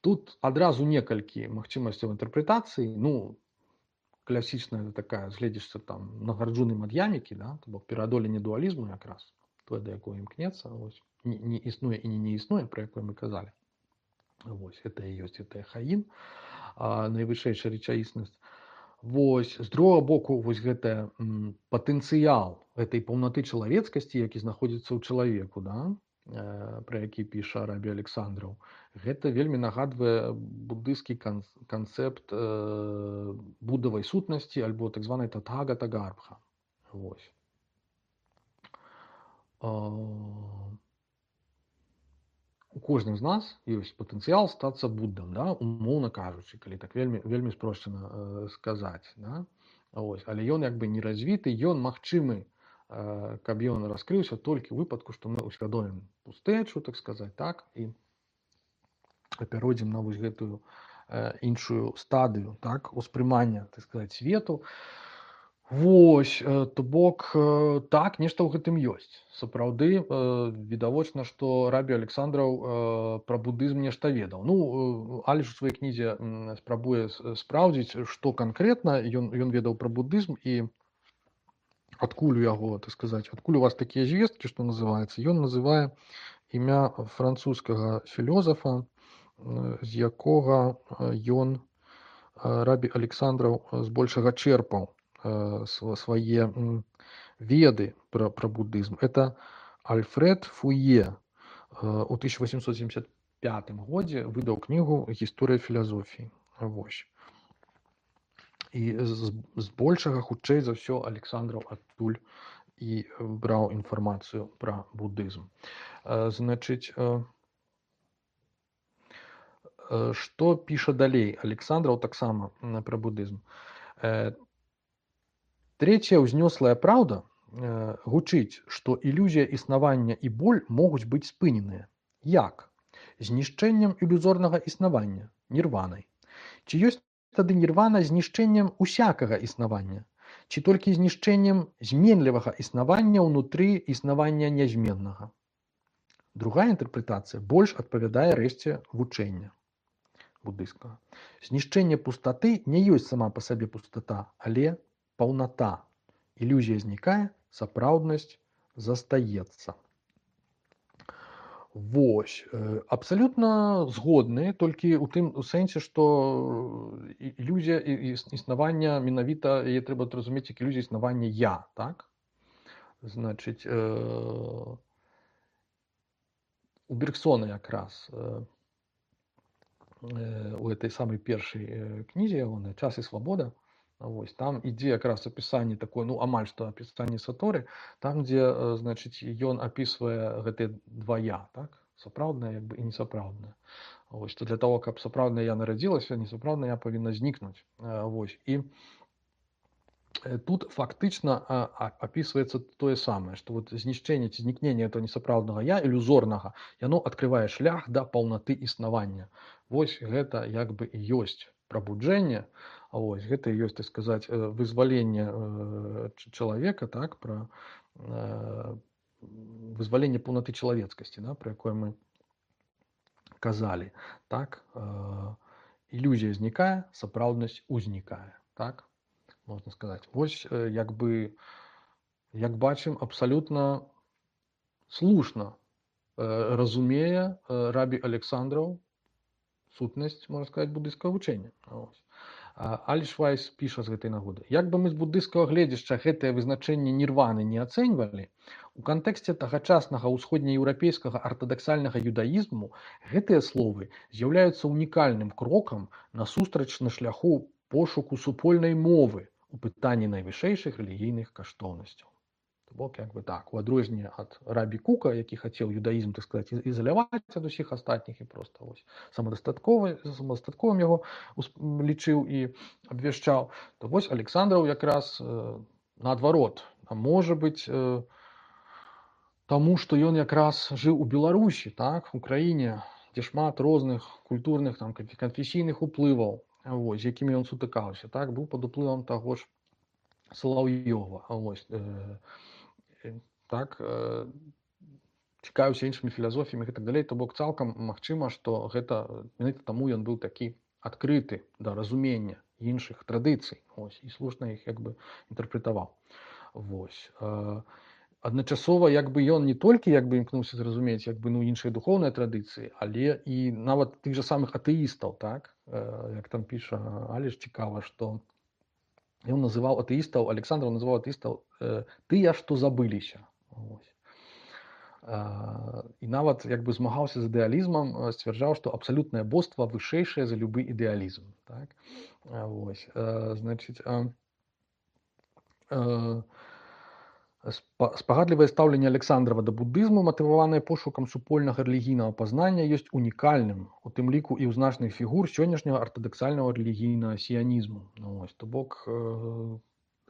Тут адразу некалькі магчымасцяў інтэрпрэтацыі. Ну, класічная такая, згледзішся там на гарджуным ад ямікі, да? То бок пераадоленне дуалізму якраз, тое, да якое імкнецца, вось. Не існуе і не існуе, пра якое мы казалі. Вось, гэта і ёсць, гэта хаін, найвышэйшая рэчаіснасць. Вось, з другога боку, вось гэта патэнцыял гэтай паўнаты чалавецкасці, які знаходзіцца ў чалавеку, да? Пра які піша Арабі Александраў. Гэта вельмі нагадвае буддысцкі канцэпт буддавай сутнасці альбо так званай татхагата-гарбха. Вось. У кожным з нас ёсць патэнцыял стацца буддам, да? Умоўна кажучы, калі так вельмі спрошчана сказаць. Да? Вось. Але ён як бы не развіты, ён магчымы, каб ён раскрыўся толькі ў выпадку, што мы ўсвядомім пустэчу, так сказаць, так, і пяройдзем на вось гэтую іншую стадыю, так, успрымання, так сказаць, свету. Вось, то бок, так, нешта ў гэтым ёсць. Сапраўды, відавочна, што Арабі Александраў пра буддызм нешта ведаў. Ну, Аліш у сваёй кнізе спрабуе спраўдзіць, што канкрэтна ён ведаў пра буддызм і адкуль у яго, так сказаць, адкуль у вас такія звесткі, што называецца. Ён называе імя французскага філёзафа, з якога ён, Арабі Александраў, збольшага чэрпаў свае веды пра буддызм. Это Альфред Фуе у 1875 годзе выдаў кнігу «Гісторыя філазофіі». Вось. І збольшага, хутчэй за ўсё, Александраў адтуль і браў інфармацыю пра буддызм. Значыць, што піша далей Александраў таксама пра буддызм. Трэцяя ўзнёслая праўда гучыць, што ілюзія існавання і боль могуць быць спыненыя. Як? Знішчэннем ілюзорнага існавання, нірванай. Ці ёсць тады нірвана знішчэннем усякага існавання? Ці толькі знішчэннем зменлівага існавання ўнутры існавання нязменнага? Другая інтэрпрэтацыя больш адпавядае рэшце вучэння буддыйскага. Знішчэнне пустаты не ёсць сама па сабе пустата, але паўната. Ілюзія знікае, сапраўднасць застаецца. Вось, абсалютна згодны, толькі ў тым сэнсе, што ілюзія існавання, менавіта яе трэба разумець як ілюзія існавання я, так? Значыць, у Бергсона якраз у этой самай першай кнізе ягонай «Час і свабода», вось, там ідзе якраз апісанне такое, ну, амаль што апісанне саторы, там, дзе, значыць, ён апісвае гэтыя два я, так? Сапраўднае, як бы, і несапраўднае. Вось, што для таго, каб сапраўднае я нарадзілася, несапраўднае я павінна знікнуць. Вось, і тут фактычна апісваецца тое самае, што вот знішчэнне ці знікненне этого несапраўднага я, ілюзорнага, яно адкрывае шлях да паўнаты існавання. Вось гэта як бы і ёсць прабуджэнне, вось, гэта і ёсць, так сказаць, вызваленне чалавека, так, пра вызваленне паўнаты чалавецкасці, да, пра якое мы казалі, так, ілюзія знікае, сапраўднасць узнікае, так, можна сказаць. Вось, як бы, як бачым, абсалютна слушна разумее Рабі Александраў сутнасць, можна сказаць, буддыйскага вучэння. Аліш Вайс піша з гэтай нагоды. Як бы мы з буддыйскага гледзяшча гэтае вызначэнне нірваны не ацэньвалі, у кантэксце тагачаснага ўсходнееўрапейскага артадаксальнага юдаізму гэтыя словы з'яўляюцца унікальным крокам насустрач на шляху пошуку супольнай мовы у пытанні найвышэйшых рэлігійных каштоўнасцяў. То бок, як бы так, у адрозненне ад Рабі Кука, які хацеў юдаізм, так сказаць, ізаляваць ад усіх астатніх і проста вось самадастатковым яго лічыў і абвяшчаў, то вось Александраў якраз наадварот, а можа быць, таму, што ён якраз жыў у Беларусі, так, у краіне, дзе шмат розных культурных, там, канфесійных уплываў. вось, з якімі ён сутыкаўся, так, быў пад уплывам таго ж Салаўёва, вось, так, цікавіўся іншымі філасофіямі і так далей, то бок цалкам магчыма, што гэта менавіта таму ён быў такі адкрыты да разумення іншых традыцый, вось, і слушна іх як бы інтэрпрэтаваў. Вось. Адначасова як бы ён не толькі як бы імкнуўся зразумець як бы ну іншыя духоўныя традыцыі, але і нават тых жа самых атэістаў, так, як там піша Аліш цікава, што ён называў атэістаў, Александраў называў атэістаў тыя, што забыліся. Вось. І нават як бы змагаўся з ідэалізмам, сцвярджаў, што абсалютнае боства вышэйшае за любы ідэалізм. Так? Вось. Значыць, спагадлівае стаўленне Александрава да будызму, матываванае пошукам супольнага рэлігійнага пазнання, ёсць унікальным, у тым ліку і ў значных фігур сённяшняга артадаксальнага рэлігійнага сіянізму. Ну, то бок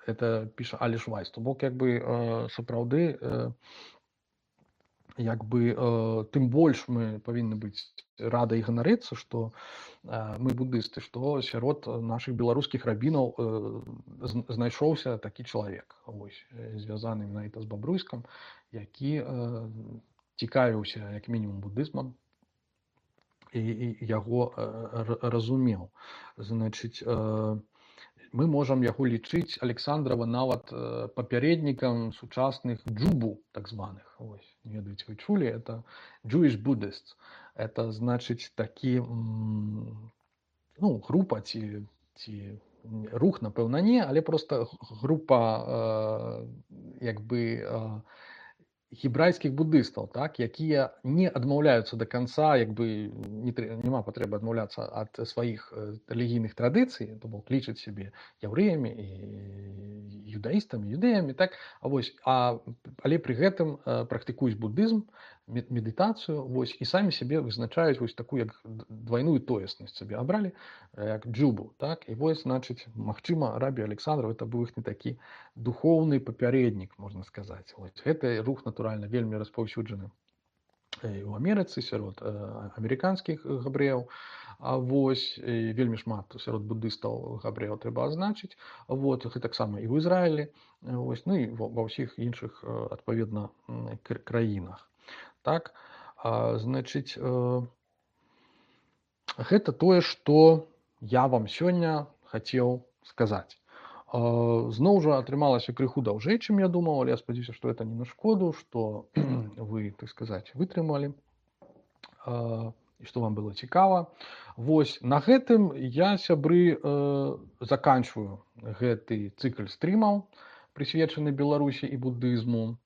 это піша Аліш Вайс, то бок як бы сапраўды як бы тым больш мы павінны быць рады і ганарыцца, што мы будысты, што сярод нашых беларускіх рабінаў знайшоўся такі чалавек, вось, звязаны менавіта з Бабруйскам, які цікавіўся як мінімум будызмам і яго разумеў. Значыць, мы можам яго лічыць Александрава нават папярэднікам сучасных джубу, так званых. Ось, не ведаеце, вы чулі, это Jewish Buddhists. Это значыць такі, ну, група ці рух, напэўна, не, але просто група як бы гебрайскіх будыстаў, так, якія не адмаўляюцца да канца, як бы няма патрэбы адмаўляцца ад сваіх рэлігійных традыцый, то бок лічаць сябе яўрэямі і юдаістамі, юдэямі, так, вось, але пры гэтым практыкуюць будызм, медытацыю, вось, і самі сябе вызначаюць вось такую як двойную тоеснасць сабе абралі, як джубу, так, і вось, значыць, магчыма, рабі Александров это быў іх не такі духоўны папярэднік, можна сказаць. Вось, гэты рух, натуральна, вельмі распаўсюджаны і ў Амерыцы сярод амерыканскіх габрэяў, вось, і вельмі шмат сярод будыстаў габрэяў трэба азначыць, вот, гэтаксама і ў Ізраілі, вось, ну і ва ўсіх іншых адпаведна краінах. Так, значыць, гэта тое, што я вам сёння хацеў сказаць. Зноў жа атрымалася крыху даўжэй, чым я думаў, але я спадзяюся, што гэта не на шкоду, што вы, так сказаць, вытрымалі і што вам было цікава. Вось, на гэтым я, сябры, заканчваю гэты цыкл стрымаў, прысвечаны Беларусі і будызму.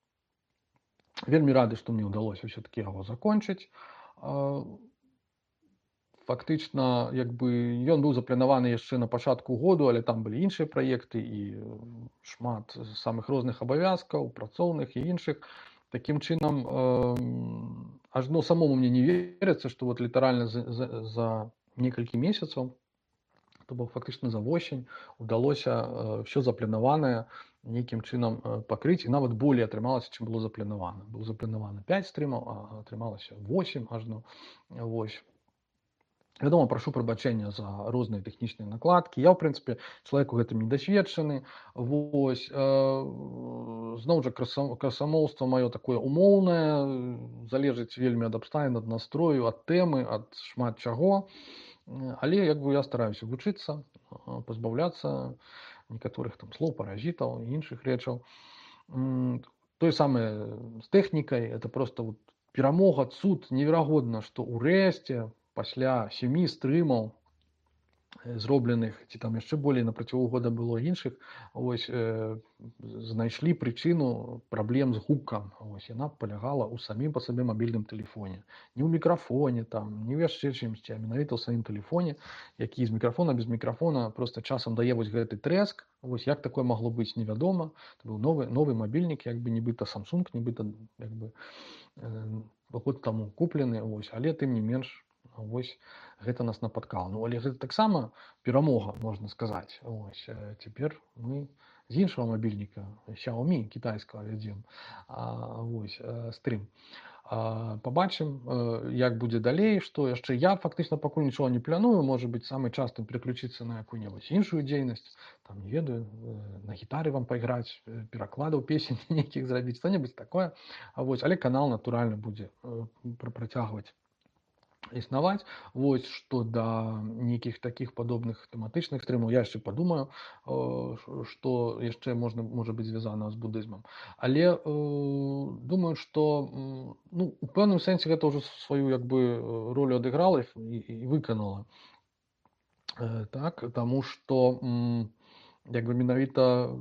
Вельмі рады, што мне ўдалося ўсё-такі яго закончыць. Фактычна, як бы, ён быў запланаваны яшчэ на пачатку году, але там былі іншыя праекты і шмат самых розных абавязкаў, працоўных і іншых. Такім чынам, ажно самому мне не верыцца, што вот літаральна за некалькі месяцаў, то бок фактычна за восень, удалося ўсё запланаванае нейкім чынам пакрыць, і нават болей атрымалася, чым было запланавана. Было запланавана 5 стрымаў, а атрымалася 8 ажно. Вось. Вядома, прашу прабачэння за розныя тэхнічныя накладкі. Я, ў прынцыпе, чалавек у гэтым недасведчаны. Вось. Зноў жа, красамоўства маё такое умоўнае, залежыць вельмі ад абставін, ад настрою, ад тэмы, ад шмат чаго. Але як бы я стараюся вучыцца, пазбаўляцца некаторых там слоў, паразітаў і іншых рэчаў. Тое самае з тэхнікай, это просто вот перамога, цуд, неверагодна, што ўрэшце пасля 7 стрымаў зробленых, ці там яшчэ болей на працягу года было іншых, ось, знайшлі прычыну праблем з гукам. Ось, яна палягала ў самім па сабе мабільным тэлефоне. Не ў мікрафоне, там, не ў яшчэ чымсьці, а менавіта ў самім тэлефоне, які з мікрафона, без мікрафона просто часам дае вось гэты трэск. Вось, як такое магло быць, невядома. Это быў новы мабільнік, як бы нібыта Samsung, нібыта як бы год таму куплены, ось, але тым не менш, вось, гэта нас напаткала. Ну, але гэта таксама перамога, можна сказаць. Ось, цяпер мы з іншага мабільніка, Xiaomi кітайскага вядзем, вось, стрым. Пабачым, як будзе далей, што яшчэ. Я фактычна пакуль нічога не планую, можа быць, самы час там пераключыцца на якую-небудзь іншую дзейнасць, там не ведаю, на гітары вам пайграць, перакладаў песень нейкіх зрабіць, што-небудзь такое. Вось, але канал натуральна будзе працягваць існаваць. Вось, што да нейкіх такіх падобных тэматычных стрымаў я яшчэ падумаю, што яшчэ можа быць звязана з будызмам. Але думаю, што ну, у пэўным сэнсе гэта ўжо сваю як бы ролю адыграла і выканала. Так, таму што як бы менавіта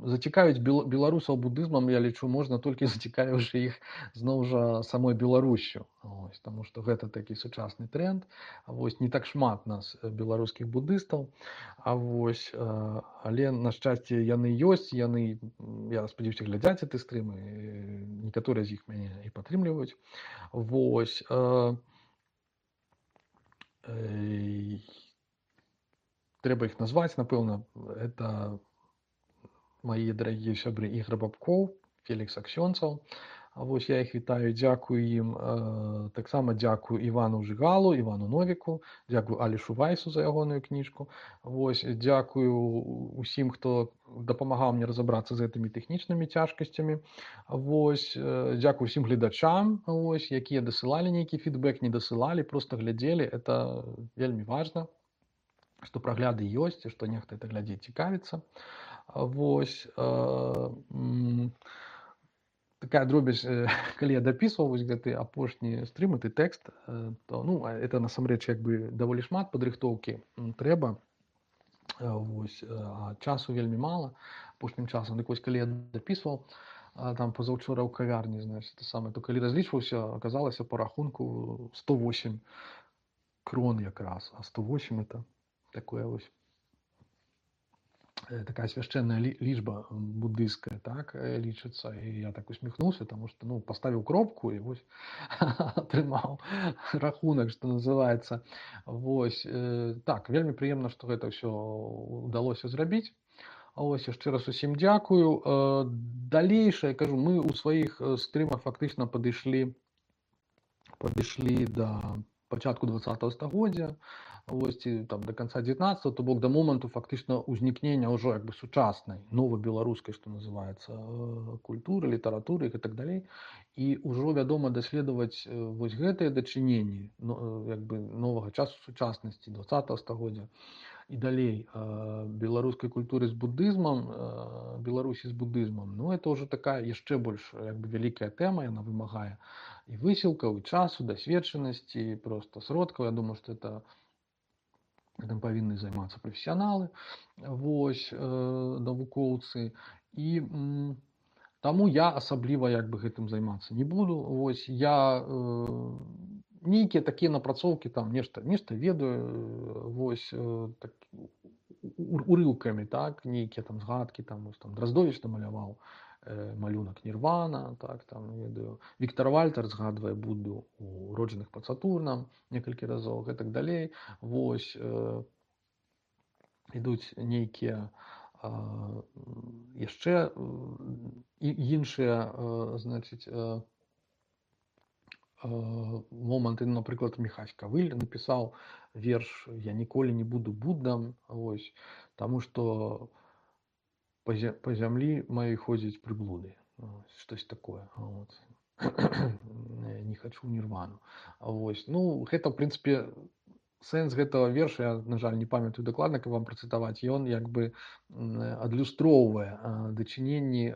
зацікавіць беларусаў будызмам, я лічу, можна толькі зацікавіўшы іх зноў жа самой Беларусю. Вось, таму што гэта такі сучасны тренд. Вось, не так шмат нас беларускіх будыстаў, вось, але на шчасце яны ёсць, яны, я спадзяюся, глядзяць гэты стрым, некаторыя з іх мяне і падтрымліваюць. Вось, трэба іх назваць, напэўна, это мои дарагія сябры Ігор Бабкоў, Фелікс Аксёнцаў. Вось, я іх вітаю, дзякую ім. Таксама дзякую Івану Жыгалу, Івану Новіку, дзякую Алішу Вайсу за ягоную кніжку. Вось, дзякую усім, хто дапамагаў мне разабрацца з гэтымі тэхнічнымі цяжкасцямі. Вось, дзякую усім гледачам, вось, якія дасылалі нейкі фідбэк, не дасылалі, проста глядзелі. Это вельмі важна, што прагляды ёсць, і што нехта это глядзець, цікавіцца. Вось, такая дробязь, калі я дапісваў вось гэты апошні стрым, гэты тэкст, то, ну, это насамрэч як бы даволі шмат падрыхтоўкі трэба. Вось, а часу вельмі мала апошнім часам. Дык вось, калі я дапісваў там пазаўчора ў кавярні, значит, самае, то калі разлічваўся, аказалася па рахунку 108 крон якраз, а 108 это такое вось такая свяшчэнная лічба буддыйская, так, лічыцца. І я так усміхнуўся, таму што, ну, паставіў кропку і вось атрымаў рахунак, што называецца. Вось, так, вельмі прыемна, што гэта ўсё ўдалося зрабіць. Ось, яшчэ раз усім дзякую. Далейшае, кажу, мы ў сваіх стрымах фактычна падышлі да пачатку 20-го стагоддзя, ось, ці там да канца 19-го, то бок да моманту фактычна ўзнікнення ўжо як бы сучаснай, новай беларускай, што называецца, культуры, літаратуры і так далей. І ўжо, вядома, даследаваць вось гэтыя дачыненні, як бы новага часу, сучаснасці 20-го стагоддзя і далей беларускай культуры з будызмам, Беларусі з будызмам, ну, это ўжо такая яшчэ больш як бы вялікая тэма, яна вымагае і высілкаў, і часу, дасведчанасці, проста сродкаў. Я думаю, што гэтым павінны займацца прафесіяналы, вось, навукоўцы. І таму я асабліва як бы гэтым займацца не буду. Вось, я нейкія такія напрацоўкі, там нешта ведаю, вось, так, урыўкамі, так, нейкія там згадкі, там Драздовіч намаляваў малюнак Нірвана, так, там, ведаю, Віктор Вальтер згадвае Будду у «Роджаных пад Сатурнам» некалькі разоў, і так далей. Вось, ідуць нейкія яшчэ іншыя, значыць, моманты. Напрыклад, Міхась Кавыль напісаў верш «Я ніколі не буду Буддам», вось, таму што по зямлі маёй ходзяць прыблуды, штось такое, вот. Не хачу нірвану. Вось, ну, гэта, ў прынцыпе, сэнс гэтага верша, я, на жаль, не памятаю дакладна, каб вам працытаваць. Ён як бы адлюстроўвае дачыненні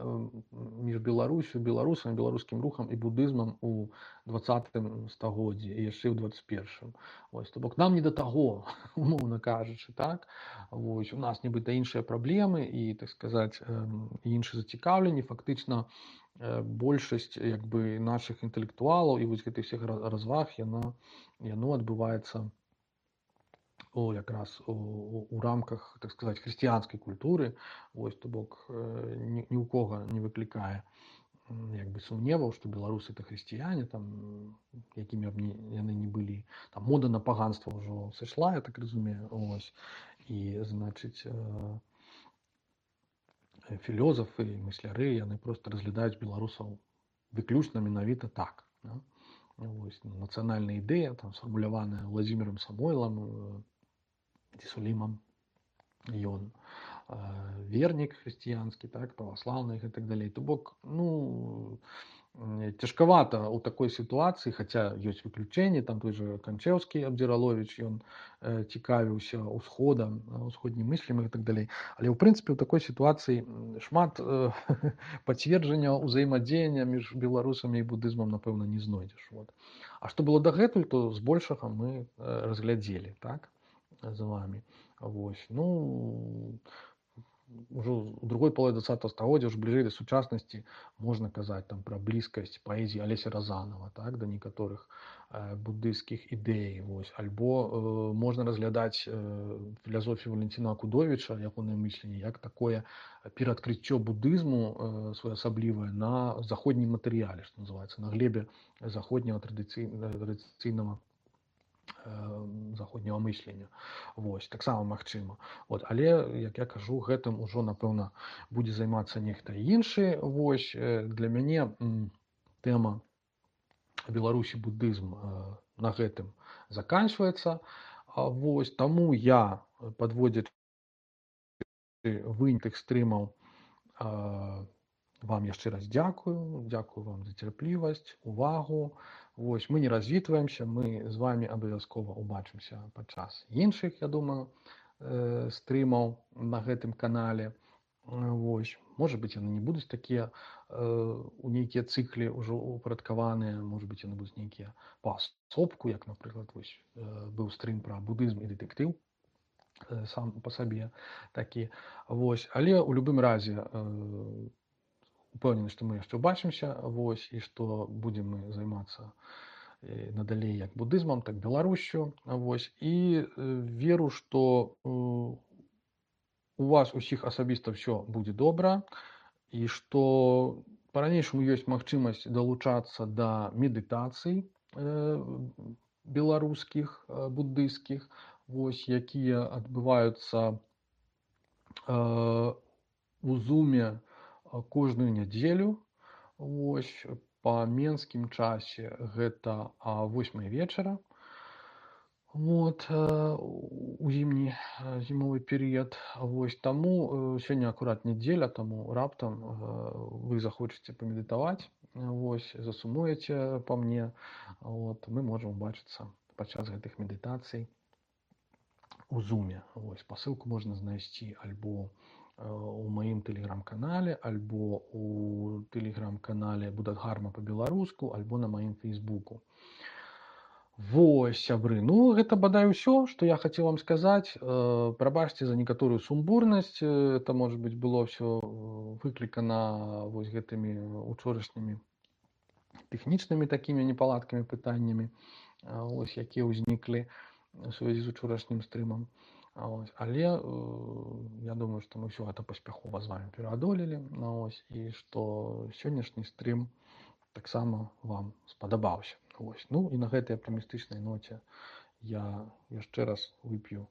між Беларусю, беларусам, беларускім рухам і будызмам у 20-м стагоддзі і яшчэ ў 21-м. Вось, то бок нам не да таго, умоўна кажучы, так? Вось, у нас нібыта іншыя праблемы і, так сказаць, іншыя зацікаўленні. Фактычна большасць як бы нашых інтэлектуалаў і вось гэтых всех разваг, яно адбываецца якраз у рамках, так сказаць, хрысціянскай культуры. Вось, то бок ні ў кога не выклікае як бы сумневаў, што беларусы это хрысціяне, там, якімі б яны не былі. Там мода на паганства ўжо сышла, я так разумею. Ось, і, значыць, філёзафы, мысляры, яны проста разглядаюць беларусаў выключна менавіта так. Да? Вось, нацыянальная ідэя, там, сфармуляваная Владзімірам Самойлам, ці Сулімам. Ён вернік хрысціянскі, так, праваслаўны і так далей. То бок, ну, цяжкавата ў такой сітуацыі, хаця ёсць выключэнні, там той жа Канчэўскі Абдзіраловіч, ён цікавіўся ўсходам, усходнім мыслем і так далей. Але ў прынцыпе ў такой сітуацыі шмат пацверджання ўзаемадзеяння між беларусамі і будызмам, напэўна, не знойдзеш. Вот. А што было дагэтуль, то збольшага мы разглядзелі, так, з вамі. Вось. Ну, ўжо ў другой палове 20 стагоддзя, ўжо бліжэй да сучаснасці, можна казаць там пра блізкасць паэзіі Алеся Разанова, так, да некаторых буддысцкіх ідэй. Вось. Альбо можна разглядаць філасофію Валенціна Акудовіча, ягонае мысленне, як такое пераадкрыццё будызму своеасаблівае на заходнім матэрыяле, што называецца, на глебе заходняга традыцыйнага заходняга мыслення. Вось, таксама магчыма. Вот, але, як я кажу, гэтым ужо, напэўна, будзе займацца нехта іншы. Вось, для мяне тэма Беларусі будызм на гэтым заканчваецца. Вось, таму я, падводзячы вынік тых стрымаў, вам яшчэ раз дзякую. Дзякую вам за цярплівасць, увагу. Вось, мы не развітваемся, мы з вами абавязкова ўбачымся падчас іншых, я думаю, стрымаў на гэтым канале. Вось. Можа быць, яны не будуць такія у нейкія цыклі ўжо упарадкаваныя, можа быць, яны будуць нейкія паасобку, як, напрыклад, вось, быў стрым пра будызм і дэтэктыў сам па сабе такі. Вось. Але ў любым разе упэўнены, што мы яшчэ ўбачымся, вось, і што будзем мы займацца надалей як будызмам, так Беларусю. Вось. І веру, што у вас усіх асабіста ўсё будзе добра, і што па-ранейшаму ёсць магчымасць далучацца да медытацый беларускіх, буддысцкіх, вось, якія адбываюцца у зуме кожную нядзелю. Вось, па менскім часе гэта 8 вечара. Вот, у зімовы перыяд. Вось, таму сёння акурат нядзеля, таму раптам вы захочаце памедытаваць, вось, засумуеце па мне, вот, мы можам убачыцца падчас гэтых медытацый у зуме. Вось, спасылку можна знайсці альбо у маім тэлеграм-канале, альбо у тэлеграм-канале Будатгарма па-беларуску, альбо на маім фейсбуку. Вось, сябры, ну, гэта бадай усё, што я хацеў вам сказаць. Прабачце за некаторую сумбурнасць, это, можа быць, было ўсё выклікана вось гэтымі учорашнімі тэхнічнымі такімі непаладкамі, пытаннямі, вось, якія ўзніклі у сувязі з учорашнім стрымам. Вось. Але я думаю, што мы ўсё гэта паспяхова з вами пераадолелі, вось, і што сённяшні стрым таксама вам спадабаўся. Вось. Ну і на гэтай аптымістычнай ноце я яшчэ раз вып'ю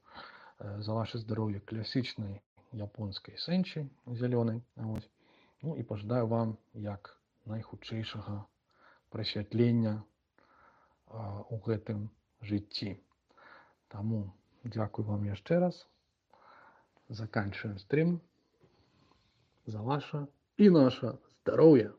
за ваше здароўе класічнай японскай сэнчы зялёнай. Вось. Ну і пажадаю вам як найхутчэйшага прасвятлення у гэтым жыцці. Таму дзякую вам яшчэ раз. Заканчиваем стрим за ваше и наше здоровье.